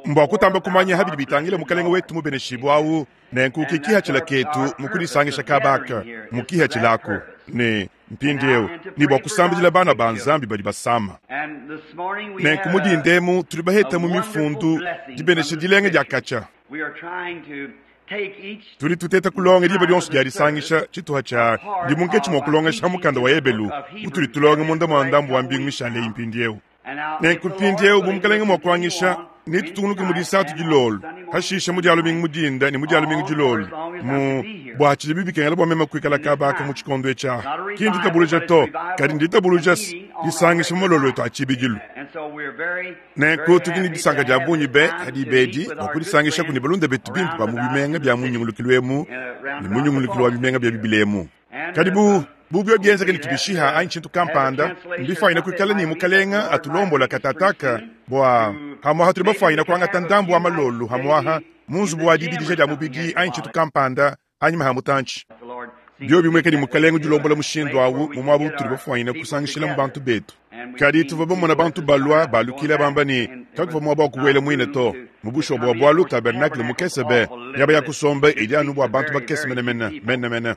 Mbua kutamba kumanya habidi bitangila Mukalenge wetu mubeneshibue awu, nenku ki kihatshila ketu mu kudisangisha kaba aka, mu kihatshila aku, ne mpindieu, ne bua kusambidila bana ba Nzambi badi basama. Nenku mu dinda emu tudi baheta mu Mifundu dibenesha dilenga dia katshia. Tudi tuteta kulonga diba dionso dia disangisha tshituha tshia ndi munketshi mua kulongesha mukanda wa Ebelu utudi tulonga munda mua ndambu wa mbingu mishale eyi mpindieu. Nenku mpindieu bu Mukalenge mua kuanyisha, netutungunuke mu Disatu dilolo, pashishe mu Dia lumingu mu dinda ne mu Dia lumingu dilolo mu bua tshidibi bikengela bua meme kuikala kaba aka mu tshikondo etshi aha. Ki nditabuluja to, kadi nditabuluja se disangisha mu malolo etu a tshibidilu. Nenku tudi ne disanka dia bungi be ha diba edi bua kudisangishaku ne balunda betu bimpe ba mu bimenga bia mu nyungulukilu emu ne mu nyungulukilu wa bimenga bia bibila emu. Kadi bu, bu biobi bienzeke ne tubishiha anyi tshintu kampanda, mbifuanyine kuikala ne Mukalenga atulombola katataka bua hamuaha tudi bafuanyine kuangata ndambu wa malolu hamuaha mu nzubu wa dibidija dia mubidi anyi tshintu kampanda hanyima ha mutantshi. Biobi bimueka ne Mukalenga udi ulombola mushindu awu mu muaba utudi bafuanyine kusangishilamu bantu betu. Kadi tuvua bamona bantu balua balukila bamba ne, kakuvua muaba wa kubuela muine to. Mu bushuwa bua bualu, tabernakle mukese be, miaba ya kusomba idi anu bua bantu bakese menemene menemene.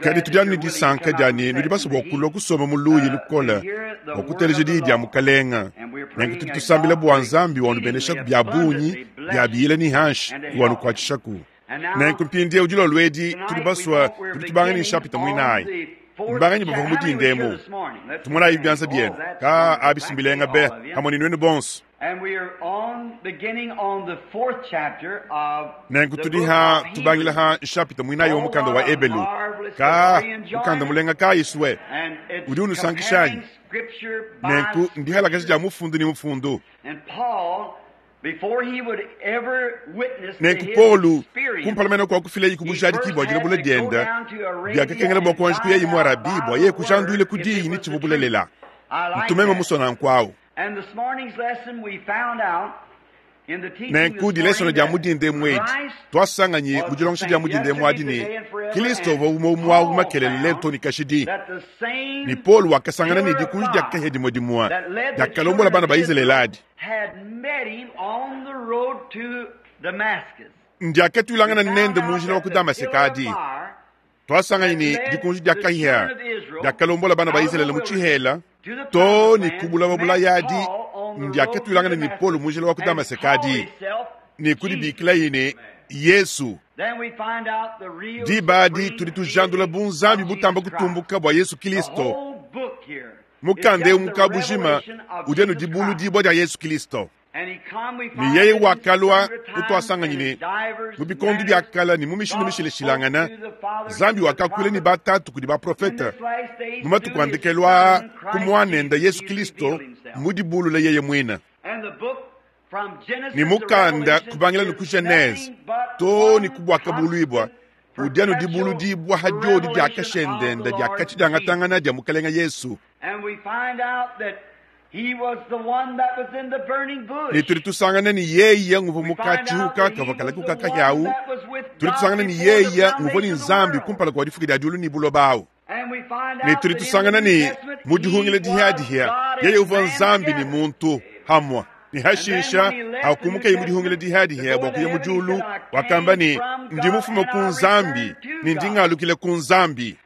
Kadi tudi anu ne disanka dia ne, nudi basue bua kulua kusomba mu luyi lukole bua kuteleja diyi dia Mukalenga. Nenku tudi tusambila bua Nzambi wanubeneshaku bia bungi bia biyila ne hanshi wanukuatshishaku. Nenku mpindieu dilolo edi tudi basue tudi tubanga ne nshapita muinayi. Mbanganyi bavua mu dinda emu? Tumonayi bianza bienu. Ka abi mbilenga be hamue ne nuenu bonso. Nenku tudi ha tubangila ha nshapita muinayi wa mukanda wa Ebelu. Ka mukanda mulenga kayi sue udi unusankisha anyi? Nenku ndihalakaja dia mufundu ne mufundu. Nenku Paulo, kumpala mene kua kufilaye ku bujadiki bua dilabula diende, biakakengela bua kuanji kuyaye mu Arabie bua yeye kujanduila ku diyi ne tshivua bulelela. Ntu meme musue nanku au. Nenku dilesona dia mu dinda emu edi, tuasanganyi mu dilongesha dia mu dinda emu adi ne, Kristo uvua umue umue au makelela lelu too ne kashidi. Ne Paulo wakasangana ne dikunji dia kahia dimue dimue diakalombola bana ba Izalele adi. Ndiakatuilangana nende mu njila wa ku Damaseke adi. Tuasanganyi ne dikunji dia kahia diakalombola bana ba Izalele mu tshihela too ne ku bulaba bulaya adi. Ndiakatuilangana ne Paulo mu njila wa ku Damaseke adi ne kudibikilaye ne Yesu. Diba adi tudi tujandula bunzambi butamba kutumbuka bua Yesu Kilisto. Mukanda eu mu kabujima udi anu dibuludibua dia Yesu Kilisto. Ne yeye wakalua kutuasanganyi ne mu bikondo bia kala ne mu mishindu mishilashilangana, Nzambi wakakuila ne batatu kudi baprofete mu matuku a ndekelu aa ku Muanende Yesu Kilisto mu dibulula yeye muine. Ne mukanda kubangila ne ku Genese too ne ku Buakabuluibua udi anu dibuludibua ha diodi dia kashendende dia katshi diangatangana dia Mukelenge Yesu. Ne tudi tusangana ne yeye nguvua mu katshihuka kavua kalakuka kahia au. Tudi tusangana ne yeye nguvua ne Nzambi kumpala kua difuka dia diulu ne buloba au. Ne tudi tusangana ne mu dihungila dihiadihia yeye uvua Nzambi ne muntu hamua. Ne hashisha hakumukeye mu dihungila dihiadihia bua kuya mu diulu, wakamba ne, Ndi mufume ku Nzambi ne ndi ngalukila ku Nzambi.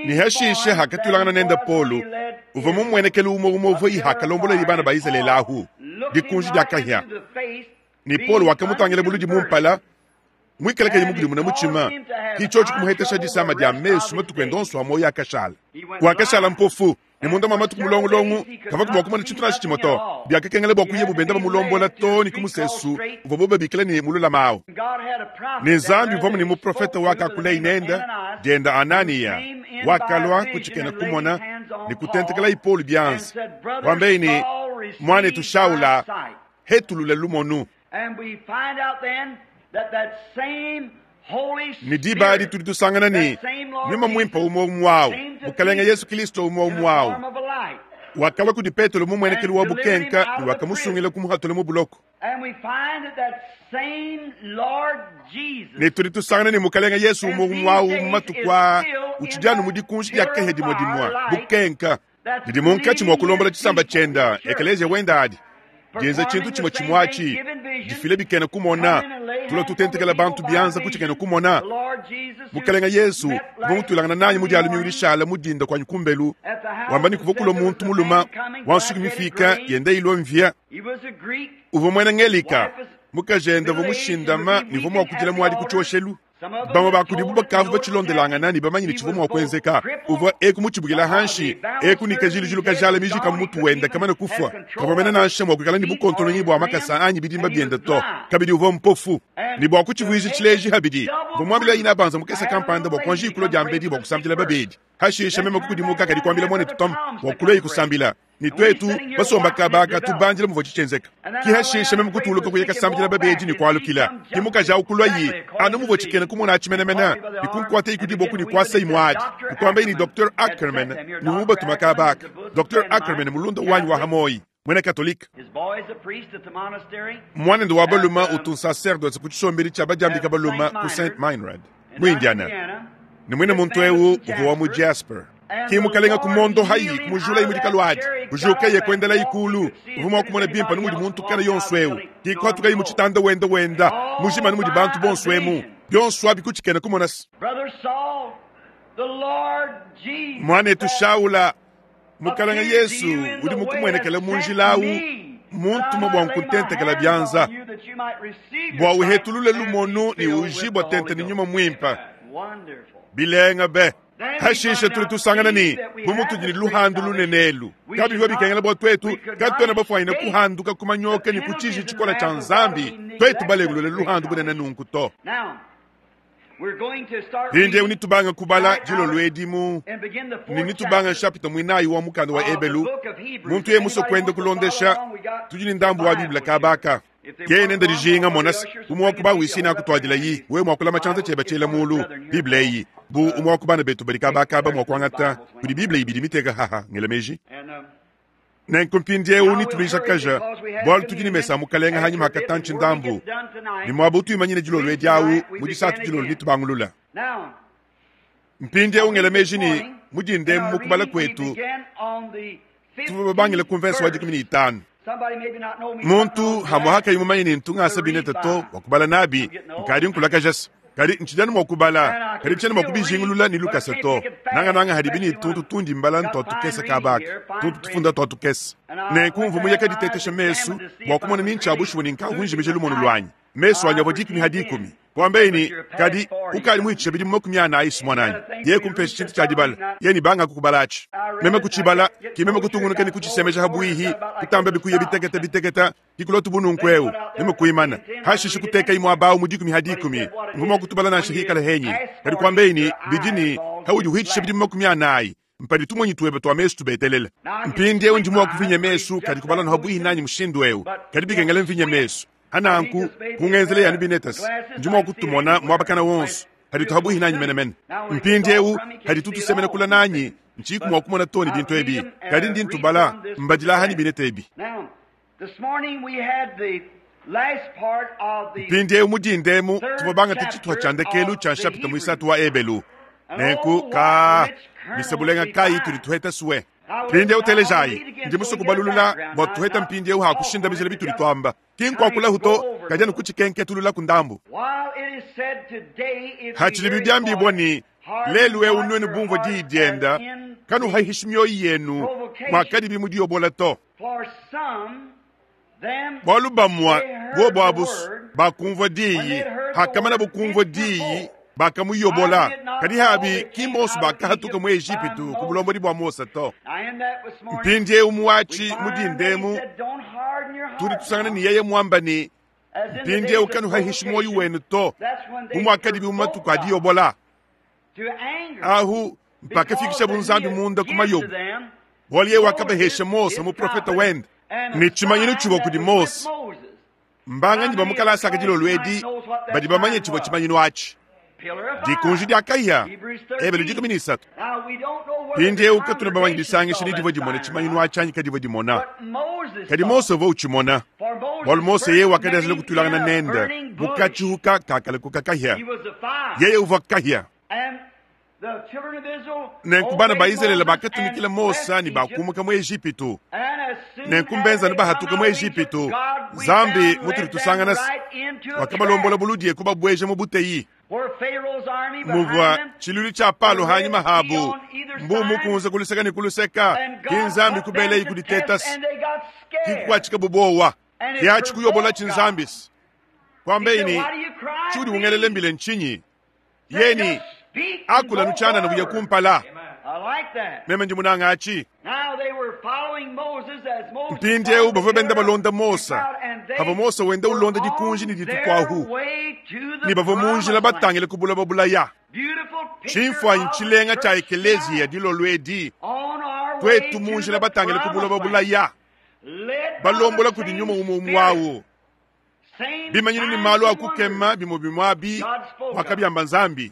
Ne hashishe hakatulangana nende Paulo, uvua mumuenekelu umue umue uvua hakalomboleye bana ba Izalele ahu dikunji dia kahia. Ne Paulo wakamutangila buludi mu mpala, muikale kayi mukudimune mutshima, ki tshiotshi kumuhetesha disama dia mesu matuku ende onso a muoyo akashala. Wakashala mpofu, ne munda mua matuku mulongulongu kavua mua kumona tshintu nansha tshimue to. Biakakengela bua kuyabu benda bamulombola too ne ku musesu uvuabu babikila ne mululama au. Ne Nzambi uvuamu ne muprofete wakakuleye nende, diende Ananiya, wakalua ku tshikena kumona ne kutentekelaye Paulo bianza, kuambaye ne, Muanetu Shaula, hetulula lumonu. Ne diba adi tudi tusangana ne, Nyuma Muimpe umue umue au, Mukalenge Yesu Kilisto umue umue au, wakalua kudi Petelo mu muenekelu wa bukenka ne wakamusungila kumuhatula mu buloko. Ne tudi tusangana ne Mukalenge Yesu umue umue au mu matuku aa utshidi anu mu dikunji dia kahia dimue dimue, bukenka. Didi munkatshi mua kulombola tshisamba tshienda, ekeleziya wenda adi dienza tshintu tshimue tshimue atshi, difila bikena kumona, tulua tutentekela bantu bianza ku tshikena kumona. Mukalenga Yesu uvua mutuilangana nanyi mu dia lumingu dishala mu dinda kuanyi kumbelu, wamba ne kuvua kulua muntu mulume wa nsuki mifika yenda ilua mvia. Uvua muena Ngelika, mukajende uvua mushindama ne uvua mua kudila muadi ku tshioshelu. Bamue ba kudibu bakavua batshilondelangana ne bamanye ne tshivua mua kuenzeka. Uvua eku mutshibukila hanshi, eku ne kajilujilu kajala mijika mu mutu wende kamane kufua. Kavua mene nansha mua kuikala ne bukontolonyi bua makasa anyi bidimba biende to. Kabidi uvua mpofu. Ne bua kutshivuija tshileji habidi, mvua muambila inabanza mukese kampanda bua kuanji kulua diambedi bua kusambila babedi. Hashishe meme kukudimuka kadi kuambila muanetu Tom bua kuluaye kusambila. Ne tuetu basomba kaba aka tubandila muvua tshienzeka. Ki hashishe meme kutuluka kuya kasambila babedi ne kualukila. Ki mukaji awu kuluaye anu muvua tshikena kumona atshi menemene, ne kunkuataye ku diboko ne kuasaye muadi. Ne kuambaye ne Docteur Ackerman ne mubatuma kaba aka. Docteur Ackerman mulunda wanyi wa hamoyi, muena Katolike. Muanende wa balume utu nsaserdose ku tshisombedi tshia badiambika balume ku Saint Meinrad, mu Indiana. Ne muine muntu eu uvua wa mu Jasper. Ki mukalenga ku mondo hayi kumujulayi mu dikalu adi, kujukaye kuendelayi kulu. Uvua mua kumona bimpe anu mudi muntu kana yonso eu. Ki kuhatukayi mu tshitanda wenda wenda mujima anu mudi bantu bonso emu. Bionso abi ku tshikena kumona se. Muanetu Shaula, Mukalenga Yesu udi mukumuenekele mu njila awu muntuma bua nkuntentekela bianza bua uhetulule lumonu ne ujibua tente ne nyuma muimpe. Bilenga be! Hashishe tudi tusangana ne, bu mutudi ne luhandu lunene elu, kabivua bikengela bua tuetu katuena bafuanyine kuhanduka ku manyoka ne ku tshiji tshikole tshia Nzambi, tuetu balengulule luhandu bunene nunku to. Mpindieu nitubanga kubala dilolo edi mu ne nitubanga nshapita muinayi wa mukanda wa Ebelu. Muntu yeye musue kuenda kulondesha, tudi ne ndambu wa Bible kaba aka. Yeye nende dijinga, mona se, umue wa ku bawisi nakutuadilayi, wewe mua kulama tshianza tshiebe tshiela mulu. Bible eyi, bu umue wa ku bana betu badi kaba akaba mua kuangata, kudi Bible ibidi miteka haha, ngela meji. Nenku mpindieu nituluijakaja, bualu tudi ne mesa a Mukalenge hanyima ha katantshi ndambu, ne muaba utuimanyine dilolo edi awu mu disatu dilolo nitubangulula. Mpindieu ngela meji ne mu dinda emu mu kubala kuetu tuvua babangile ku mvense wa 15. Muntu hamue hakayi mumanye ne ntu ngasa bineta to bua kubala nabi, nkadi nkulakaja se. Kadi ntshidi anu mua kubala, kadi tshiena mua kubijingulula ne lukasa to, nangananga hadibi ne tuntu tundi mbala ntua tukese kaba aka, tuntu tufunda tua tukese. Nenku mvua muye kaditetesha mesu bua kumona ni ntshia bushuwa ne nkavua njimija lumonu luanyi. Mesu anyi avua 10 ha 10. Kuambaye ne, Kadi ukadi muhitshishe bidimu 40 si muananyi. Yeye kumpesha tshintu tshia dibala, yeye ne banga kukubalatshi. Meme kutshibala, ki meme kutungunuka ne kutshisemeja ha buihi, kutamba bikuya bitekete bitekete, ki kulua tubu nunku eu, meme kuimana. Hashishe kutekayi muaba awu mu 10 ha 10. Mvua mua kutubala nansha hikala henyi. Kadi kuambaye ne, Bidi ne, haudi uhitshisha bidimu 40, mpadi tumonyi tuebe tua mesu tubetelele. Mpindieu ndi mua kuvinya mesu, kadi kubala anu habuihi nanyi mushindu eu, kadi bikengela mvinye mesu. Hananku, kungenzela yanu binetasi, ndi mua kutumona muaba kana wonso, hadi habuihi nanyi menemene. Mpindieu hadi tutusemena kula nanyi, ntshiku mua kumona to ne bintu ebi, kadi ndi ntubala mbadila hanyi bineta ebi. Mpindieu mu dinda emu tuvua bangate tshituha tshia ndekelu tshia nshapita muisatu wa Ebelu. Nenku ka misebulenga kayi tudi tuheta sue. Mpindieu telejayi, ndi musue kubalulula bua tuheta mpindieu ha kushindamijila bitudi tuamba. Ki nkuakulahu to, kadi anu kutshikenketulula ku ndambu. Hatshidibi biambibua ne, lelu eu nuenu bumvua diyi dienda, kanuhahishi mioyo yenu muakadibi mu diyobola to. Bualu bamue bobo abu bakumvua diyi, hakamanabo kumvua diyi, bakamuyobola. Kadi habi ki mbonso bakahatuka mu Ejipitu ku bulombodi bua Mose to. Mpindieu muatshi mu dinda emu tudi tusangana ne yeye muamba ne, mpindieu kanuhahishi muoyo wenu to, bu muakadibi mu matuku a diyobola. Ahu mpakafikishabu Nzambi munda ku mayobo, bualu yeye wakabahesha Mose muprofete wende ne tshimanyinu tshivua kudi Mose. Mbanganyi ba mu kalasa aka dilolo edi badi bamanye tshivua tshimanyinu atshi? Dikunji dia kahia, Ebelu 13. Mpindieu katuena bamanye disangisha ni divua dimona tshimanyinu atshi anyi kadivua dimona, kadi Mose uvua utshimona, bualu Mose yeye wakadianjila kutuilangana nende mu katshihuka kakale kuka kahia. Yeye uvua kahia. Nenku bana ba Izalele bakatumikila Mose ne bakumuka mu Ejipitu. Nenku mbenzanu bahatuka mu Ejipitu, Nzambi mutudi tusangana wakabalombola buludi kubabueja mu buteyi. Muvua tshiluilu tshia Palo hanyima habu, mbu mukunze kuluseka ne kuluseka, ki Nzambi kubeleyi kuditetasi, ki kukuatshika bubowa. Kiatshi kuyobola tshinzambisi. Kwambeyi ne, tshiudi ungelele mbile ntshinyi? Yeni akula nutshianana buya kumpala. Meme ndi munanga atshi. Mpindieu bavua benda balonda Mose, pavua Mose wenda ulonda dikunji ne ditukuahu, ne bavua mu njila batangile ku buloba bulaya. Tshimfuanyi tshilenga tshia ekeleziya dilolo edi, tuetu mu njila batangile ku buloba bulaya, balombola kudi nyuma umue umue awu. Bimanyinu ne malu a kukema bimue bimue abi wakabiamba Nzambi.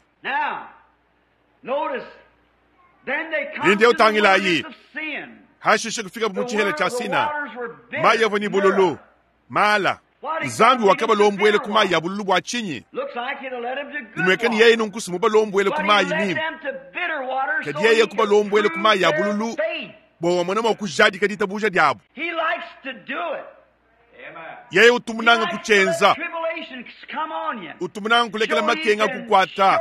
Mpindieu tangilayi, hashishe kufikabu mu tshihela tshia Sina, mayi avua ne bululu, mala. Nzambi wakabalombuela ku mayi a bululu bua tshinyi? Bimueka ne yeye nunku mubalombuele ku mayi mimpe, kadi yeye kubalombuela ku mayi a bululu bua wamona mua kujadika ditabuja diabu. Yeye utu munanga kutshienza, utu munanga kulekela makenga kukuata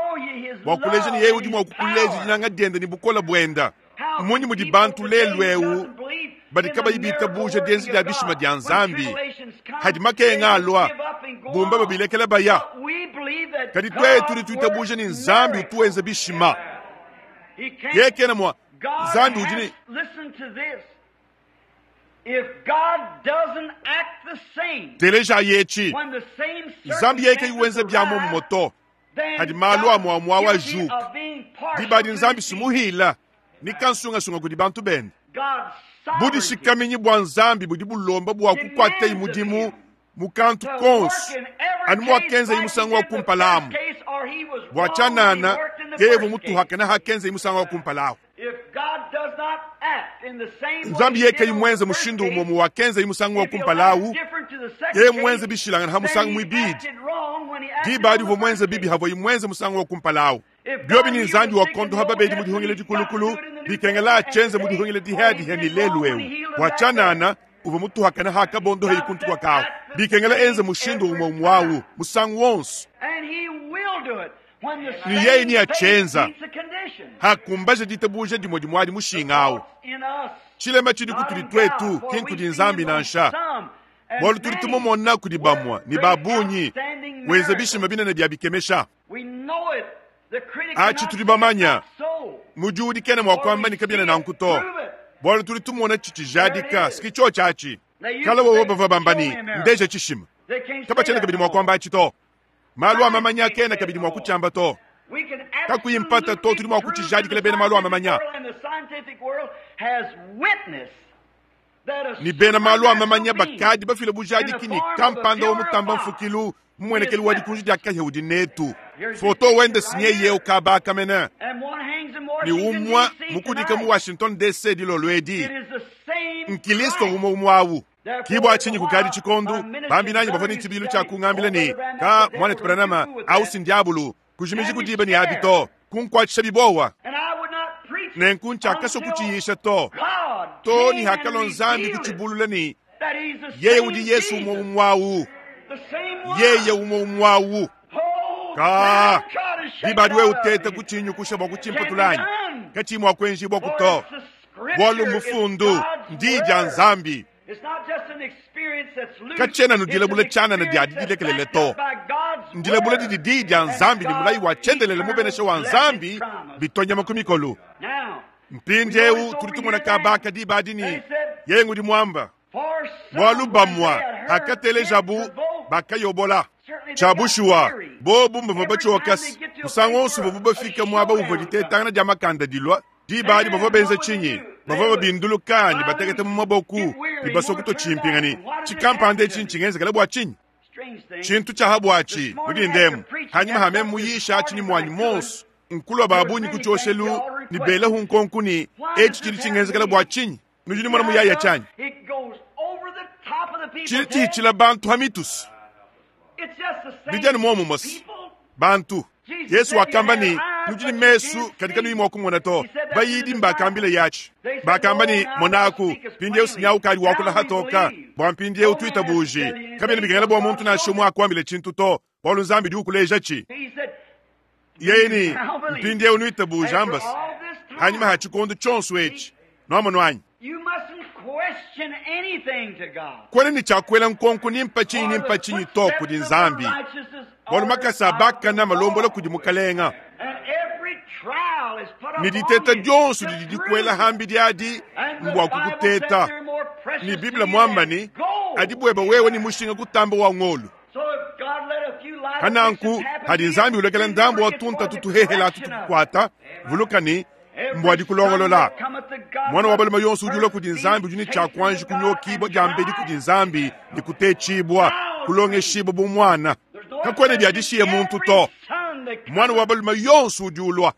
bua kuleja ne yeye udi mua kukuleja dinanga diende ne bukole buenda. Mmunyi mudi bantu lelu eu badi kabayi bitabuja dienza dia bishima dia Nzambi, hadi makenga alua bumba babilekela baya? Kadi tuetu tudi tuitabuja ne Nzambi utu wenza bishima. Yeye kena mua Nzambi udi ne telejayi etshi, Nzambi yeye kayi wenza bia muomumue to, hadi malu amue amue awu ajuka. Diba adi Nzambi sumuhila ni kansungasunga kudi bantu bende. Budishikaminyi bua Nzambi budi bulomba bua kukuatayi mudimu mu kantu konso, anu muakenzayi musangu wa kumpala amu. Bua tshianana, yeye uvua mutuhakane hakenzayi musangu wa kumpala awu. Nzambi yeye kayi muenze mushindu umue muwakenzayi musangu wa kumpala awu, yeye muenze bishilangane ha musangu muibidi. Diba adi uvua muenze bibi havuayi muenze musangu wa kumpala awu. Biobi ne Nzambi wakondoha babedi mu dihungila dikulukulu, bikengela atshienze mu dihungila dihadiha ne lelu eu. Bua tshianana, uvua mutuhakane hakabondoheyi kuntu kua kawu. Bikengela enze mushindu umue umue awu musangu wonso. Ne yeye neatshienza hakumbaja ditabuja dimue dimue adi mushinga awu. Tshilema tshidi kutudi tuetu, ki nkudi Nzambi nansha. Bualu tudi tumumona kudi bamue ne ba bungi wenza bishima binene bia bikemesha. Atshi tudi bamanya, mudiudi kena mua kuamba ne kabiena nanku to, bualu tudi tumona tshitshijadika siki tshiotshi atshi. Kala wowo bavua bamba ne, ndeja tshishima, kabatshiena kabidi mua kuamba atshi to. Malu a mamanya kena kabidi mua kutshiamba to. Kakuyi mpata to, tudi mua kutshijadikila bena malu a mamanya ne bena malu a mamanya bakadi bafile bujadiki ne kampanda wa mutamba mfukilu mumuenekelu wa dikunji dia kahia udi netu. Foto wende sinyeye ukabaka mene ne umua mukudika mu Washington DC dilolo edi. Nkilisto umue umue awu. Ki bua tshinyi kukadi tshikondu bambi nanyi bavua ne tshibidilu tshia kungambila ne, ka muanetu Branham au si ndiabulu, kujimiji ku diba ne abi to, kunkuatshisha bibowa. Nenku ntshiakasua kutshiyisha to, to ne hakalua Nzambi kutshibulula ne yeye udi Yesu umue umue awu, yeye umue umue awu. Ka diba adi wewe uteta kutshinyukusha bua kutshimpatula anyi? Katshiyi mua kuenjibua ku to, bualu mufundu ndi dia Nzambi. Katshiena nudilabula tshianana dia didilekelele to, ndilabula didi diyi dia Nzambi ne mulayi wa tshiendelele mubenesha wa Nzambi bitua nyama ku mikolo. Mpindieu tudi tumona kabaka diba adi ne yeye ngudi muamba, bualu bamua hakatelejabu bakayobola. Tshia bushuwa, bobu mbavua batshiokase musangu wonso bavua bafika muaba uvua ditetangana dia makanda dilua. Diba adi bavua benza tshinyi? Bavua babinduluka ne batekete mu maboku ne basua kutua tshimpinga ne tshikampanda etshi ntshingenzekela bua tshinyi? Tshintu tshia ha buatshi mu dindemu hanyima ha meme muyisha atshi ne muanyi monso nkulua ba bungi ku tshioshelu ne belahu nkonku ne etshi tshidi tshingenzekela bua tshinyi? Nudi numona muyaya tshianyi tshidi tshihitshila bantu ha mitusu bidi anu muomumue bantu. Yesu wakamba ne, Nudi ne mesu kadi kanuyi mua kumona to. Bayidi mbakambila yatshi. Bakamba ne, Monaku, mpindieu sinyawu ukadi wakula hatoka, bua mpindieu tuitabuji. Kabiena bikengela bua muntu nansha umue akuambile tshintu to, bualu Nzambi udi ukuleja tshi. Yeye ne, mpindieu nuitabuja ambasi. Hanyima ha tshikondo tshionso etshi, nuamonu anyi? Kwena ne tshiakuela nkonko ni mpatshinyi ni mpatshinyi to kudi Nzambi, bualu makasa a bakana malombola kudi Mukalenga, ne diteta dionso didi dikuela hambidi adi mbua kukuteta. Ne Biblia muamba ne, adi bueba wewe ne mushinga kutamba wa ngolu. Hananku hadi Nzambi ulekela ndambu wa tunta tutuhehela atu tukukuata, vuluka ne mbua dikulongolola. Mwana wa balume yonso udi ulua kudi Nzambi udi ne tshiakuanji kunyokibua diambedi kudi Nzambi ne kutetshibua, kulongeshibua bu mwana. Kakuena biadishiye muntu to. Mwana wa balume yonso udi ulua.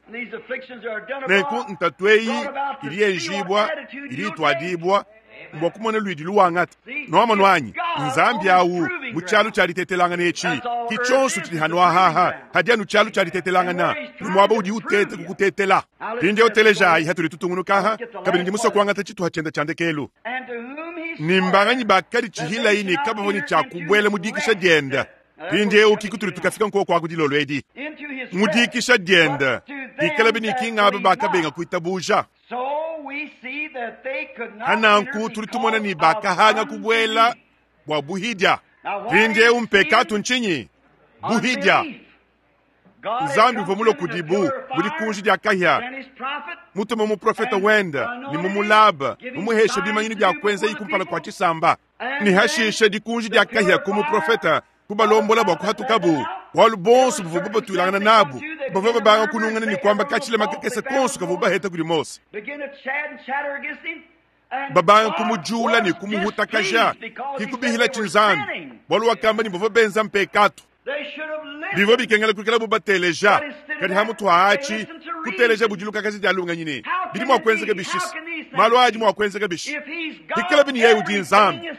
Nenku ntatu eyi idi yenjibua, idi ituadibua mbua kumona luidi luwangata. Nuamonu anyi? Nzambi awu mu tshialu tshia ditetelangana etshi ki tshionso tshidi hanuahaha hadi anu tshialu tshia ditetelangana ne muaba udi utete kukutetela. Mpindieu telejayi hatudi tutungunukaha kabidi ndi musue kuangata tshituha tshienda tshia ndekelu. Ne mbanganyi bakadi tshihilayi ne kabavua ne tshia kubuela mu dikisha dienda. Mpindieu ki kutudi tukafika nkoku aku dilolo edi mu dikisha dienda bikalabi ne ki ngaba bakabenga kuitabuja. Hananku tudi tumona ne bakahanga kubuela bua buhidia. Mpindieu mpekatu ntshinyi? Buhidia. Nzambi uvua mulue kudibu mu dikunji dia kahia, mutume muprofeta wenda ne mumulaba, mumuheshe bimanyinu bia kuenza kumpala kua tshisamba. Ne hashishe dikunji dia kahia ku muprofeta kubalombola bua kuhatukabu, bualu bonso buvua batuilangana nabu bavua babanga kunungana ne kuamba katshilema kakese konso kavua baheta kudi Mose, babanga kumujula ne kumuhutakaja kikubihila tshinzambi, bualu wakamba ne bavua benza mpekatu. Bivua bikengela kuikala bu bateleja, kadi hamutu haatshi kuteleja budilukakazi dia lungenyi ne bidi mua kuenzeka bishisa malu adi mua kuenzeka bishi bikala bini yeye udi Nzambi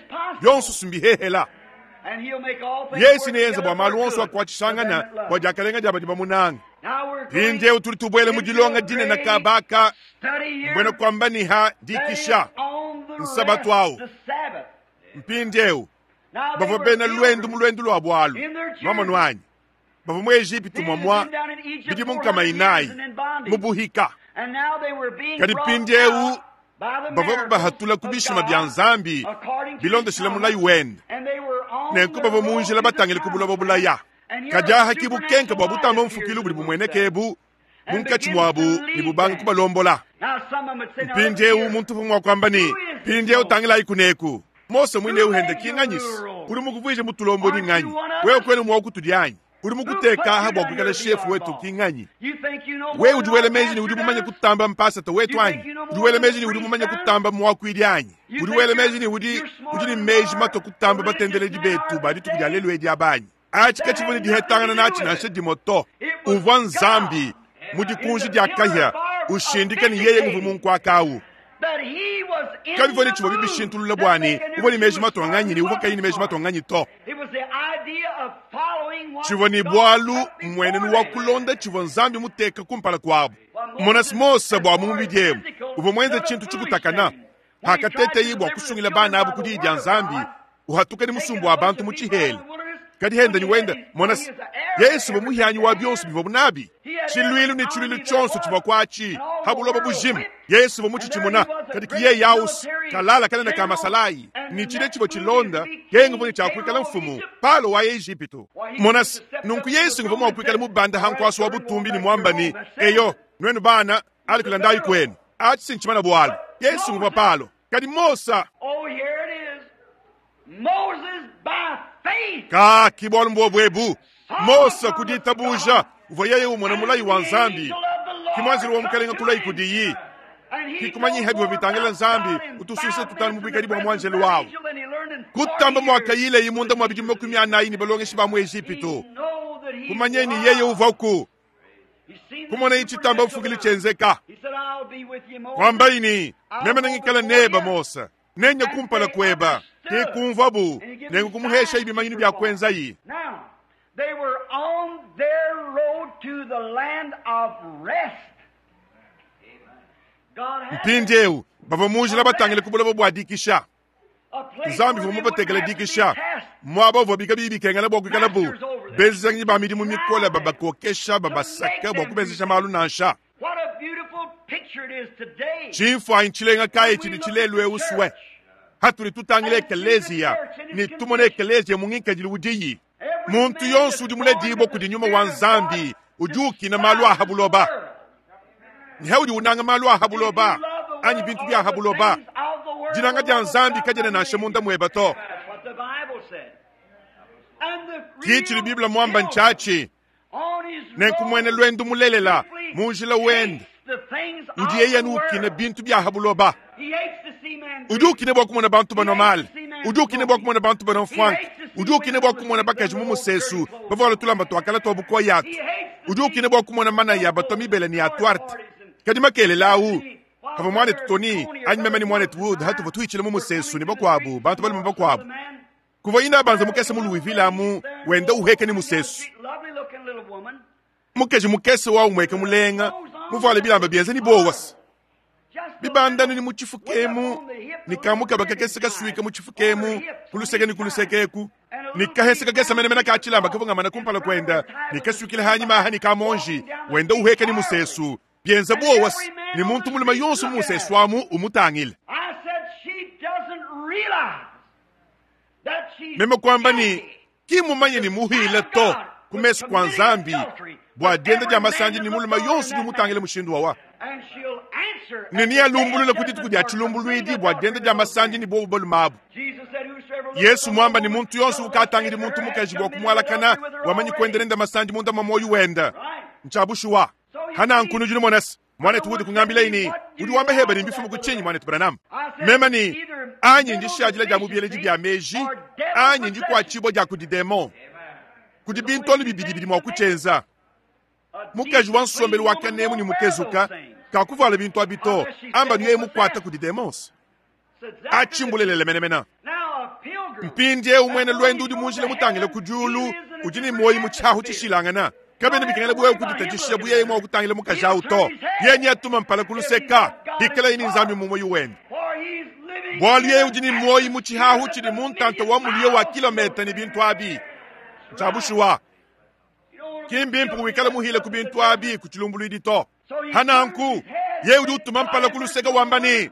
yonso sumbihehela. Yesu neyenze bua malu onso akuatshishangana bua diakalenga dia badi bamunanga. Mpindieu tudi tubuela mu dilonga dinene kabaka mbuena kuamba ni ha dikisha nsabatu awu. Mpindieu bavua bena lwendu mu lwendu lua bualu nuamonu anyi? Bavua mu Ejipitu mwamwa bidimu nkama inayi mu buhika. Kadi mpindieu bavua bahatula ku bishima bia Nzambi bilondeshile mulayi wende. Nenku bavua mu njila batangile ku buloba bulaya. Kadi aha ki bukenka bua butamba mfukilu budi bumueneka ebu munkatshi muabu ne bubanga kubalombola. Mpindieu muntu uvua mua kuamba ne, mpindieu tangilayi kuneku. Mose mwine uhende kinganyisi udi mukuvuije mutulombodi nganyi? Wewe kwenu mua kutudi anyi? Udi mukuteka aha bua kuikala shefu wetu kinganyi? Wewe udi wela meji ne udi mumanye kutamba mpasata wetu anyi? Udi wela meji ne udi mumanye kutamba muakuidi anyi? Udi wela meji ne udi udi ne meji mato kutamba batendeledi betu ba dituku dia lelu edi abanyi? Atshi katshivua ne dihetangana natshi nansha dimue to. Uvua Nzambi mu dikunji dia kahia ushindika ne yeye nguvua munkuakawu. Kabivua ne tshivua bibishintulula bua ne uvua ne meji matonganyi ne uvua kayi ne meji matonganyi to. Tshivua ne bualu mmuenenu wa kulonda tshivua Nzambi muteka kumpala kuabu. Mona Mose bua mu mubidi emu uvua muenze tshintu tshikutakana hakateteyi bua kusungila bana abu ku diyi dia Nzambi uhatuka ne musumbu wa bantu mu tshihela. Kadi henda ni wenda mona Yesu uvua muhianyi wa bionso bivua nabi. Tshiluilu ne tshiluilu tshionso tshivua kuatshi habuloba bujima. Yesu uvua mutshitshimuna kadi kiye yausi kalala kanene ka masalayi ni tshile tshivua tshilonda yenga uvua ne tshiakuikala mfumu Palo wa Ejipitu. Mona nunku Yesu uvua mua kuikala mubanda hankuasu wa butumbi ne muamba ne eyo nuenu bana alikula ndayi kwenu atshi sinchimana bualu. Yesu uvua Palo kadi Mosa ka ki bualu mbwobwebu Mosa kuditabuja uvua yeye umona mulayi wa Nzambi kimwanzili wa mukalenga kulayi kudiyi kikumanyiha bivua bitangila Nzambi utusuisa tutanu mu buikadi bua mwanjelo wawu kutamba mwakayile imunda mwa bidimu 40 ni balongeshi ba mu Ejipitu kumanyeni yeye uvaku kumona ichitamba mfukili chenzeka kwambaini meme nangikala neba Mosa nenya kumpala kweba ke kumvabu nengu kumuhesha ibimanyinu bya kwenzayi. They were on their road to the land of rest. God had Mpindieu bavua mu njila batangile ku buloba bua dikisha. a place Nzambi where uvua they mubatekele wouldn't have to be dikisha tasked. muaba uvua bikabi bikengela bua kuikalabu benzezanyi ba midimu mikole babakokesha babasaka bua kubenzesha malu nansha. What a beautiful picture it is today. Tshimfuanyi tshilenga kayi tshidi tshilelu eu sue hatudi tutangila ekeleziya ne tumona ekeleziya mu ngikadilu udiyi. Muntu yonso udi muledibue kudi nyuma wa Nzambi udi ukina malu a ha buloba. Ne udi unanga malu a ha buloba anyi bintu bia ha buloba. Dinanga dia Nzambi kadiena nansha munda muebe to. That's what the Bible said. And the Ki tshidi Biblia muamba ntshiatshi on his nenku muena road lwendu mulelela mu njila wende hates the things udi of yeye the ukina world. bintu bia ha buloba. He hates to see man Udi ukina bua kumona bantu banua male, udi ukina bua kumona bantu banua mfwanka, udi ukina bua kumona bakaji mu musesu bavuala tulamba tuakala tua bukoyatu, udi ukina bua kumona manaya batua mibele ne atuarte. Kadi makelela awu havua muanetu Tony anyi meme ne muanetu Wood hatuvua tuhitshila mu musesu ne bakuabu bantu balume bakuabu kuvua ina banza mukese mu Louisville amu wenda uheke ne musesu. Lovely looking little woman. Mukeji mukese wa umweke mulenga muvuale bilamba bienze ni bowasa Just bibandani ni mu tshifukemu ni kamukaba kakese kasuika mu tshifukemu kuluseke ni kulusekeku ni kahese kakese menemene ka tshilamba kavungamana kumpala kwenda ni kasukile hanyima aha ni kamonji wenda uheka ni musesu bienza bowasa ni muntu muluma yonso mu musesu amu umutangile. I said she doesn't realize that she's Meme kwamba ni guilty. kimumanye ni muhile to kumesu kwa Nzambi bua dienda dia masanji ni muluma yonso udi umutangile mushindu wawa. And she'll answer Ne at the ni day of alumbulula ku dituku judgment dia for tshilumbuluidi committing bua dienda adultery dia with masanji ni bobu balume abu. Jesus said, "Whosoever looketh Yesu on a mwamba ni woman muntu yonso shall ukatangidi lust muntu after her mukaji and bua commit kumwalakana adultery with her wamanyi already." kuendelenda masanji munda mwa moyo wenda. Right. Nchabushuwa. Hana nkunujuni mwanasi. Mwanetu wudi kungambila ini. Udi wamba heba ni mbifumu kuchinyi mwanetu Branham. Mema ni anyi ndishajila dia mubieleji bia meji anyi ndikuachibwa dia kudi demon. Kudi bintoni bibidi bidi mua kuchenza. Mukaji wa nsombelu wa kanemu ni mukezuka kakuvala bintu abito amba niye mukwata kudi demons. Achimbulelele menemena. Now a pilgrim Mpindie umwene lwendu udi munjila mutangile ku diulu udi ni moyi mu tshiahu tshishilangana kabene bikengela buye kuditatshisha buye mua kutangila mukaji awu to yenye atuma mpala kuluseka bikala yini Nzambi mu moyo wende for he's living bualu yeye in udi ni moyi mu tshihahu tshidi mu ntanta wa muliyo wa kilometa ni bintu abi ntshabushuwa kimbimpe wikala muhile ku bintu abi ku tshilumbuluidi to hananku ye udi utuma mpala kuluseka wamba ni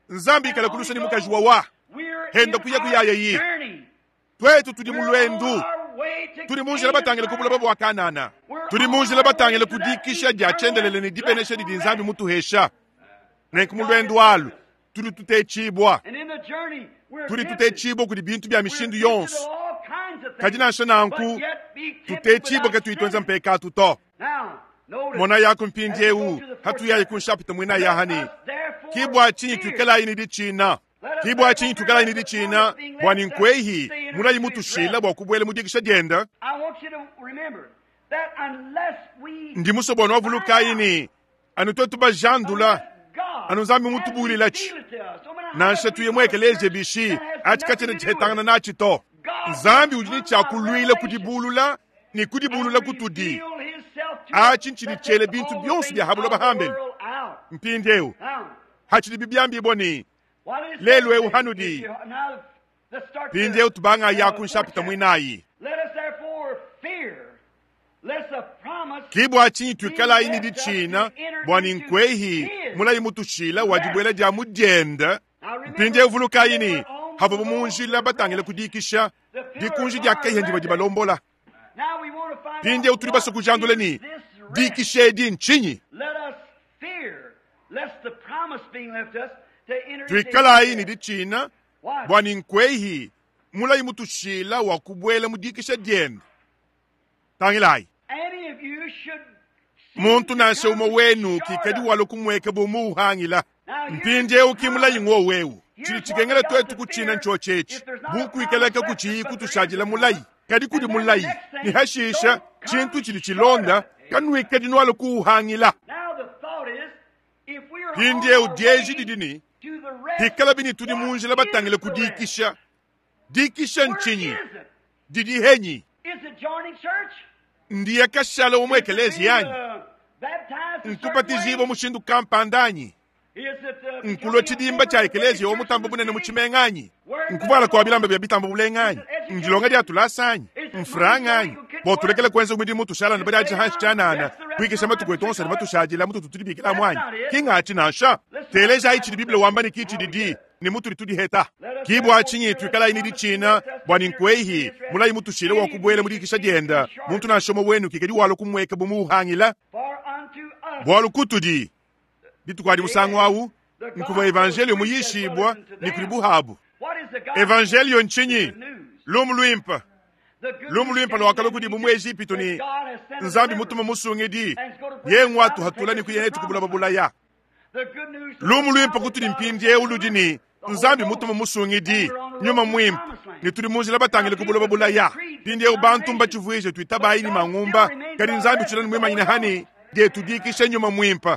Nzambi ikala kulusa ni mukaji wawa We're Henda in kuya our kuyaya yi. journey. Twetu tudi mu We're on lwendu our way to tuli mu njila batangile ku buloba bua Kanana tuli mu njila batangile ku dikisha dia tshiendelele ne dibenesha didi Nzambi mutuhesha nenku mu lwendu alu tudi tutetshibua And in the journey, we're tudi tempted. tutetshibua kudi bintu bia We're mishindu tempted to yonso all kinds of things, kadi nansha nanku but yet be tempted tutetshibua without katuyi tuenza sinning. mpekatu to. Now, notice, Mona yako mpindiewu as we go to the fourth hatuyayi ku nshapita mwina yahani Let us therefore kibwa chinyi fear. tuikalayi ni ditshina kibwa chinyi tuikalayi ni ditshina bua ni nkwehi mulayi mutushila bua kubuela mu dikisha dienda. I want you to remember that unless we Ndi muso bua nwavulukayi ni anu twetu bajandula unless God anu Nzambi has mutubulila tshi. revealed it to us, no matter how Nansha much we tuye go to muekeleje church, bishi that has achi nothing katshiena to do with tshihetangana it. natshi to. God Nzambi udi ni comes by tshiakuluila revelation kudibulula ni kudibulula and kutudi. reveal himself to us Achi ntshidi that tshiele takes bintu all the byonso things bia habuloba of the hambeni. world out. Mpindiewu Now, hatshidi bibyambibwa ni what is lelu eu it? hanudi. If you- now, let's start the, Mpindiewu tubanga yaku fourth nshapita chapter. mwinayi. Let us therefore fear lest the promise Kibwa chinyi being tuikalayi ni left us to ditshina enter bua ni into nkwehi his mulayi mutushila wa rest. dibuela dia mudienda. Now remember, Mpindiewu vulukayi they ni were on the havua mu road njila to batangile rest. kudikisha The pillar of dikunji dia fire kehe led ndiba them. dibalombola. Now we want to find out Mpindiewu tuli what basa kujandula is ni this rest. dikisha edi nchinyi. Let us fear lest the promise being left us to enter into his Tuikalayi ni rest. ditshina Watch. bua ni nkwehi mulayi mutushila wa kubuela mu dikisha dienda. Tangilayi. Any of you should seem Muntu to nansha come umwe wenu short kikadi of. walo kumweka bomuuhangila. Now here's Mpindiewu kimulayi ng'o wewu. here's Tshili what we tshikengela got twetu to kutshina fear. ntshotshetshi. If there's not a promise Bukuikalaka left us, kuchiyi but there is a kutushadila promise. mulayi. Kadi kudi And then the mulayi. next Ni thing, hashisha don't come tshintu tshili short tshilonda of it. kanuikadi nwalo kuuhangila. Now the thought is, if we are on Mpindiewu our dieji way didi ni to the rest, hikala bini tudi what mu njila batangile is the rest? kudikisha. Dikisha Where nchinyi is it? didi henyi. Ndiye kashala wa mu ekeleziya anyi? Nkubatijibua mushindu kampanda anyi? Nkulua tshidimba tshia ekeleziya wa mutamba bunene mu tshimenga anyi? Nkuvuala kua bilamba bia bitamba bulenga anyi? Ndilonga dia tulasa anyi? Mfranga anyi? Bua tulekele kuenza mudimu tushala ne badiadije hanshi tshianana, kuikisha matuku etu onso adi matushadile mututu tudibikilamu anyi? Ki ngatshi nansha. Telejayi tshidi Bible wamba ne ki tshididi ne mutudi tudiheta. Ki bua tshinyi tuikalayi ne ditshina bua ne nkuehi mulayi mutushile wa kubuela mu dikisha dienda, muntu nansha umue wenu kikadi walua kumueka bu muuhangila. Bualu kutudi, dituku adi musangu au, nkuvua evanjelio muyishibua ne kudi buhabu. Evanjelio ntshinyi? Lumu luimpe. Lumu luimpe luakalua kudibu mu Ejipitu ne Nzambi mutuma musungidi, yeye nguatuhatula ne kuya netu ku buloba bulaya. Lumu luimpe kutudi mpindieu ludi ne Nzambi mutuma musungidi, Nyuma Muimpe, ne tudi mu njila batangile ku buloba bulaya. Mpindieu bantu mbatshivuije tuitabayi ne mangumba, kadi Nzambi utshila ne muimanyine hani dietu dikisha Nyuma Muimpe.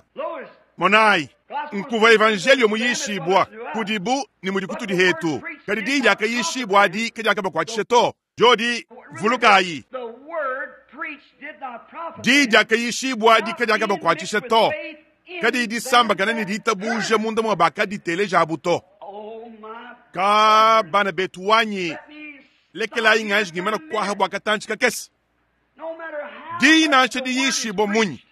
Monayi, nkuvua evanjelio muyishibua kudibu ne mudi kutudi hetu, kadi diyi diakayishibua adi kadiakabakuatshisha to. Diodi, vulukayi, diyi diakayishibua adi kadiakabakuatshisha to, kadiyi disambakana ne ditabuja munda mua bakaditelejabu to. Ka bana betu wanyi, lekelayi nganji ngimana kuaha bua katantshi kakese. Diyi nansha diyishibua munyi,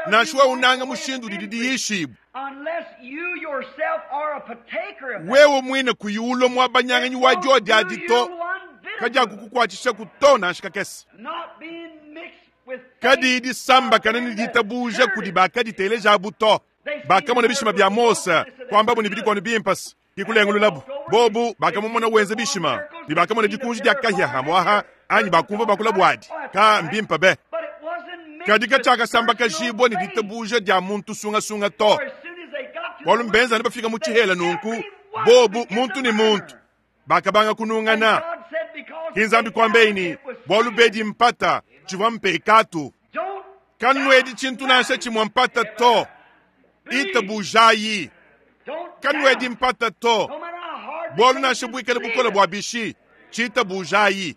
nansha wewe unanga mushindu udidi diyishibua, wewe muine kuyi ulua muabanyanganyi wa diodi adi to, kadiakukukuatshishaku to nansha kakese. Kadiyi disambakana ne ditabuja kudi bakaditelejabu to. Bakamona bishima bia Mose, kuambabu ne bidi bimpe ke kulengululabu. Bobu bakamumona wenza bishima ne bakamona dikunji dia kahia hamuaha anyi bakumvua bakula buadi. Ka mbimpe be! Kadi katshiakasambakajibua ne ditabuja dia muntu sungasunga to, bualu mbenza ne bafika mu tshihela nunku bobu muntu ne muntu bakabanga kunungana. Ke Nzambi kuambeyi ne, bualu bedi mpata tshivua mpekatu. Kanuedi tshintu nansha tshimue mpata to, itabujayi. Kanuedi mpata to, bualu nansha buikale bukole bua bishi, tshitabujayi.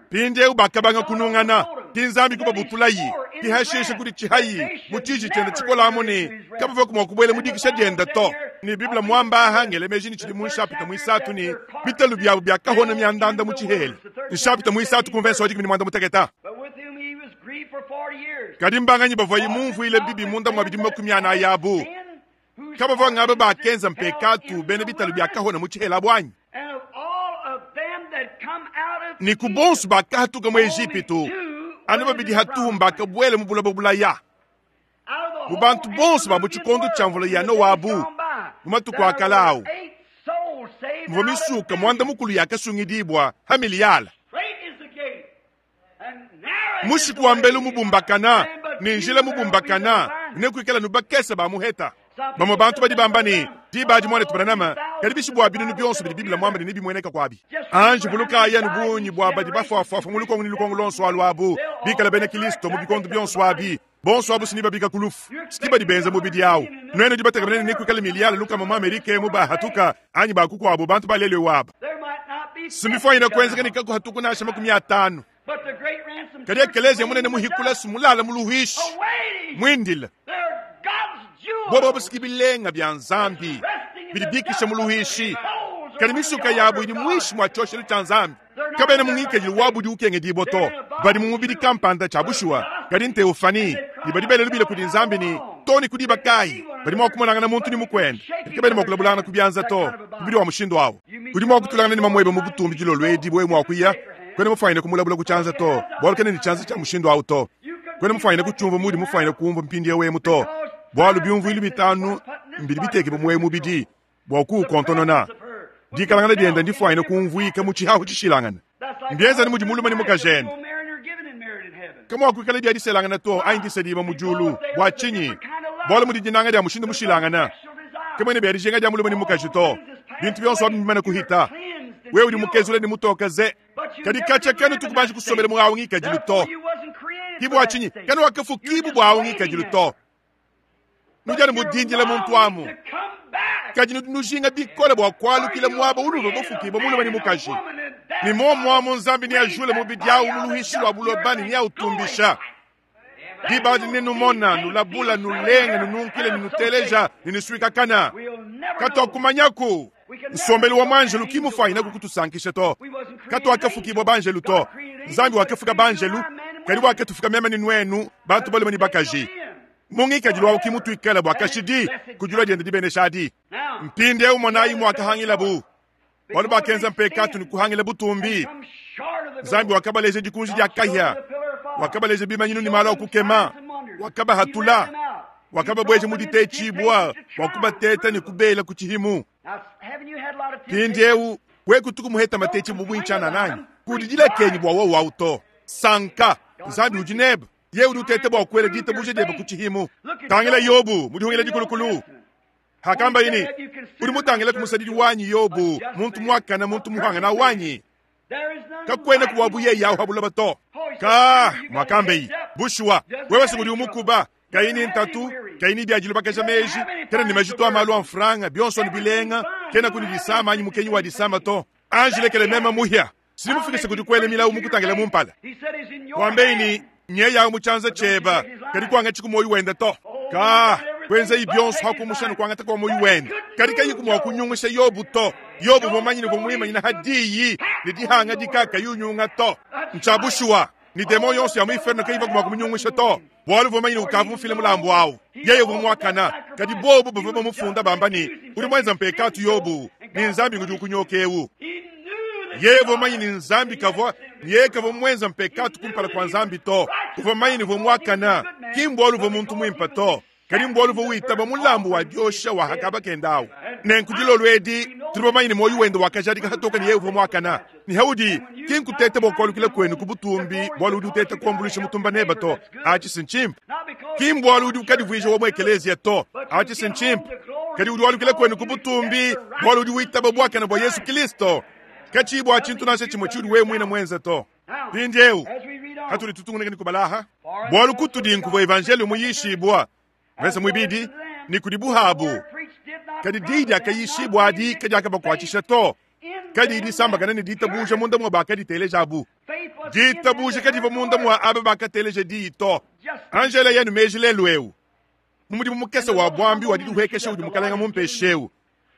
Mpindieu bakabanga kunungana, ki Nzambi kubabutulayi, ki hashishe kudi tshihayi mu tshiji tshiende tshikole amu ne kabavuaku mua kubuela mu dikisha diende to. Ne Bible muamba aha ngele meji ne tshidi mu nshapita muisatu ne bitalu biabu biakahona miandanda mu tshihela. Nshapita muisatu ku mvese wa 18. Kadi mbanganyi bavuaye mumvuile bibi munda mua bidimu 40 abu? Kabavua ngaba bakenza mpekatu bena bitalu biakahona mu tshihela abu anyi? Ne ku bonso bakahatuka mu Ejipitu, anu babidi hatuhu mbakabuela mu buloba bulaya. Mu bantu bonso ba mu tshikondo tshia mvula ya Noa abu, mu matuku a kale au, muvua misuka muanda mukulu yakasungidibua ha miliyala. Mushiku wa mbelu mubumbakana ne njila mubumbakana ne kuikala nu bakese ba muheta. Bamue bantu badi bamba ne, diba adi muanetu Branham, kadi bishi bua binunu bionso bidi Bible muambe ne nebimueneka kuabi. Anji vulukayi anu bungi bua badi bafuafuafua mu lukongo ne lukongo luonso alu abu, bikala bena Kilisto mu bikondo bionso abi, bonso abu si babika ku lufu, si badi benza mubidi awu. Nuenu dibatekemene ne kuikala miliyale lukama mu Amerika emu bahatuka anyi bakukuabu bantu ba lelu aba. Simbifuanyine kuenzeka ne kakuhatuku nansha 50. Kadi ekeleziya munene muhikula simulala mu luhuishi muindila. Bobo busiki bilenga bia Nzambi bidi bikisha mu luhuishi, kadi misuka yabu idi muinshi mua tshioshelu tshia Nzambi. Kabena mu ngikadilu wabu udi ukengedibua to, badi mu mubidi kampanda tshia bushuwa, kadi nteofani, ne badi bela lubila kudi Nzambi ne to ne ku diba kayi badi mua kumonangana muntu ne mukuende, kadi kabena mua kulabulangana ku bianza to. Mubidi wa mushindu awu udi mua kutulangana ne mamuebe mu butumbi dilolo edi wewe mua kuya kwena mufuanyine kumulabula ku tshianza to, bualu kena ne tshianza tshia mushindu awu to. Kwena mufuanyine kutshiumvua muudi mufuanyine kumvua mpindieu emu to, bualu biumvuilu bitanu mbidi bitekibue mu mubidi bua kuukontonona. Dikalangana diende ndifuanyine kumvuika mu tshihahu tshishilangane. Mbienza ne mudi mulume ne mukajende kamuakuikala bia diselangana to anyi disedibua mu diulu. Bua tshinyi? Bualu mudi dinanga dia mushindu mushilangane. Kamuena bia dijinga dia mulume ne mukaji to. Bintu bionso abi mbimane kuhita. Wewe udi mukezule ne mutoke ze, kadi katshia kanu tukubanji kusombela mu awu ngikadilu to. Ki bua tshinyi kanu wakafukibu bua awu ngikadilu to. Nudi anu mudindila muntu amu, kadi nudi nujinga bikole bua kualukila muaba unuvua bafukibue mulume ne mukaji. Ne muomuamu Nzambi neajule mubidi awu mu luhishi lua buloba ne neautumbisha. Diba adi nenumona, nulabula, nulenga, nununkila, ne nuteleja, ne nusuikakana. Katuakumanyaku nsombelu wa muanjelu ki mufuanyine kukutusankisha to. Katuakafukibua banjelu to. Nzambi wakafuka banjelu, kadi wakatufuka meme ne nuenu, bantu balume ne bakaji. Mu ngikadilu awu ki mutuikale bua kashidi ku dilua diende dibenesha adi. Mpindieu monayi muakahangilabu. Bualu bakenza mpekatu ne kuhangila butumbi. Nzambi wakabaleja dikunji dia kahia, wakabaleja bimanyinu ne malu a kukema, wakabahatula, wakababueja mu ditetshibua bua kubateta ne kubela ku tshihimu. Mpindieu we kutuku muheta matetshi bu buintshianana anyi? Kudidilekenyi bua wowu au to. Sanka, Nzambi udi nebe. Yeye udi uteta bua kuela ditabuja diebe ku tshihimu. Tangila Yobu mu dihungila dikulukulu. Hakambaye ne, Udi mutangile ku musadidi wanyi Yobu, muntu muakane, muntu muhangana wanyi, kakuena ku wabu yeye awu ha buloba to. Ka muakambeyi, bushuwa wewe se udi umukuba, kayi ne ntatu, kayi ne biadilubakaja meji, kena ne majitu a malu a mfranga, bionso ne bilenga, kena ku ne disama anyi mukenyi wa disama to. Anji lekele meme muhia, sidi mufikishe kudi kuela milawu mukutangila mu mpala. Wambeyi ne, Nyeyawu mu tshianza tshieba, kadi kuangatshi ku muoyo wende to. Ka kuenzayi bionso ha kumusha ne kuangata kua muoyo wende, kadi kayiku mua kunyungusha Yobu to. Yobu uvua mumanye ne uvua muimanyina ha diyi ne dihangadika kayi unyunga to. Ntshia bushuwa ne demon yonso ya mu inferno kayivaku mua kumunyungusha to, bualu uvua mumanye ne ukavua mufile mulambu awu. Yeye uvua muakana, kadi bobu bavua bamufunda bamba ne, udi muenza mpekatu Yobu, ne Nzambi ngudi ukunyoka eu. Yeye uvua mumanye ne Nzambi kavua ne yeye kavua muenza mpekatu kumpala kua Nzambi to. Uvua mumanye ne uvua muakana, ki mbualu uvua muntu muimpe to, kadi mbualu uvua witaba mulambu wa diosha wa hakaba kenda awu. Nenku dilolo edi tudi bamanye ne muoyo wende wakajadika hatoka ne yeye uvua muakana. Ne haudi ki nkuteta bua kualukila kuenu ku butumbi bualu udi uteta kuambuluisha mutumba neba to, atshi si ntshimpe. Ki mbualu udi ukadivuija wa mu ekeleziya to, atshi si ntshimpe. Kadi udi walukila kuenu ku butumbi bualu udi witaba buakane bua Yesu Kilisto, katshiyi bua tshintu nansha tshimue tshiudi wewe muine muenze to. Mpindieu hatudi tutungunuka ne kubalaha, bualu kutudi nkuvua evanjeliyo muyishibua, mvese muibidi, ne kudi buhabu, kadi diyi diakayishibua adi kadiakabakuatshisha to, kadiyi disambakana ne ditabuja munda mua bakaditelejabu. Ditabuja kadivua munda mua aba bakateleja diyi to. Angela yenu meji lelu eu mu mudimu mukese wa buambi wa didihuekesha udi Mukalenge mumpeshe eu,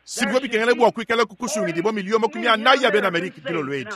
si bivua bikengela bua kuikalaku kusungidibua miliyo 40 ya bena Amerike dilolo edi.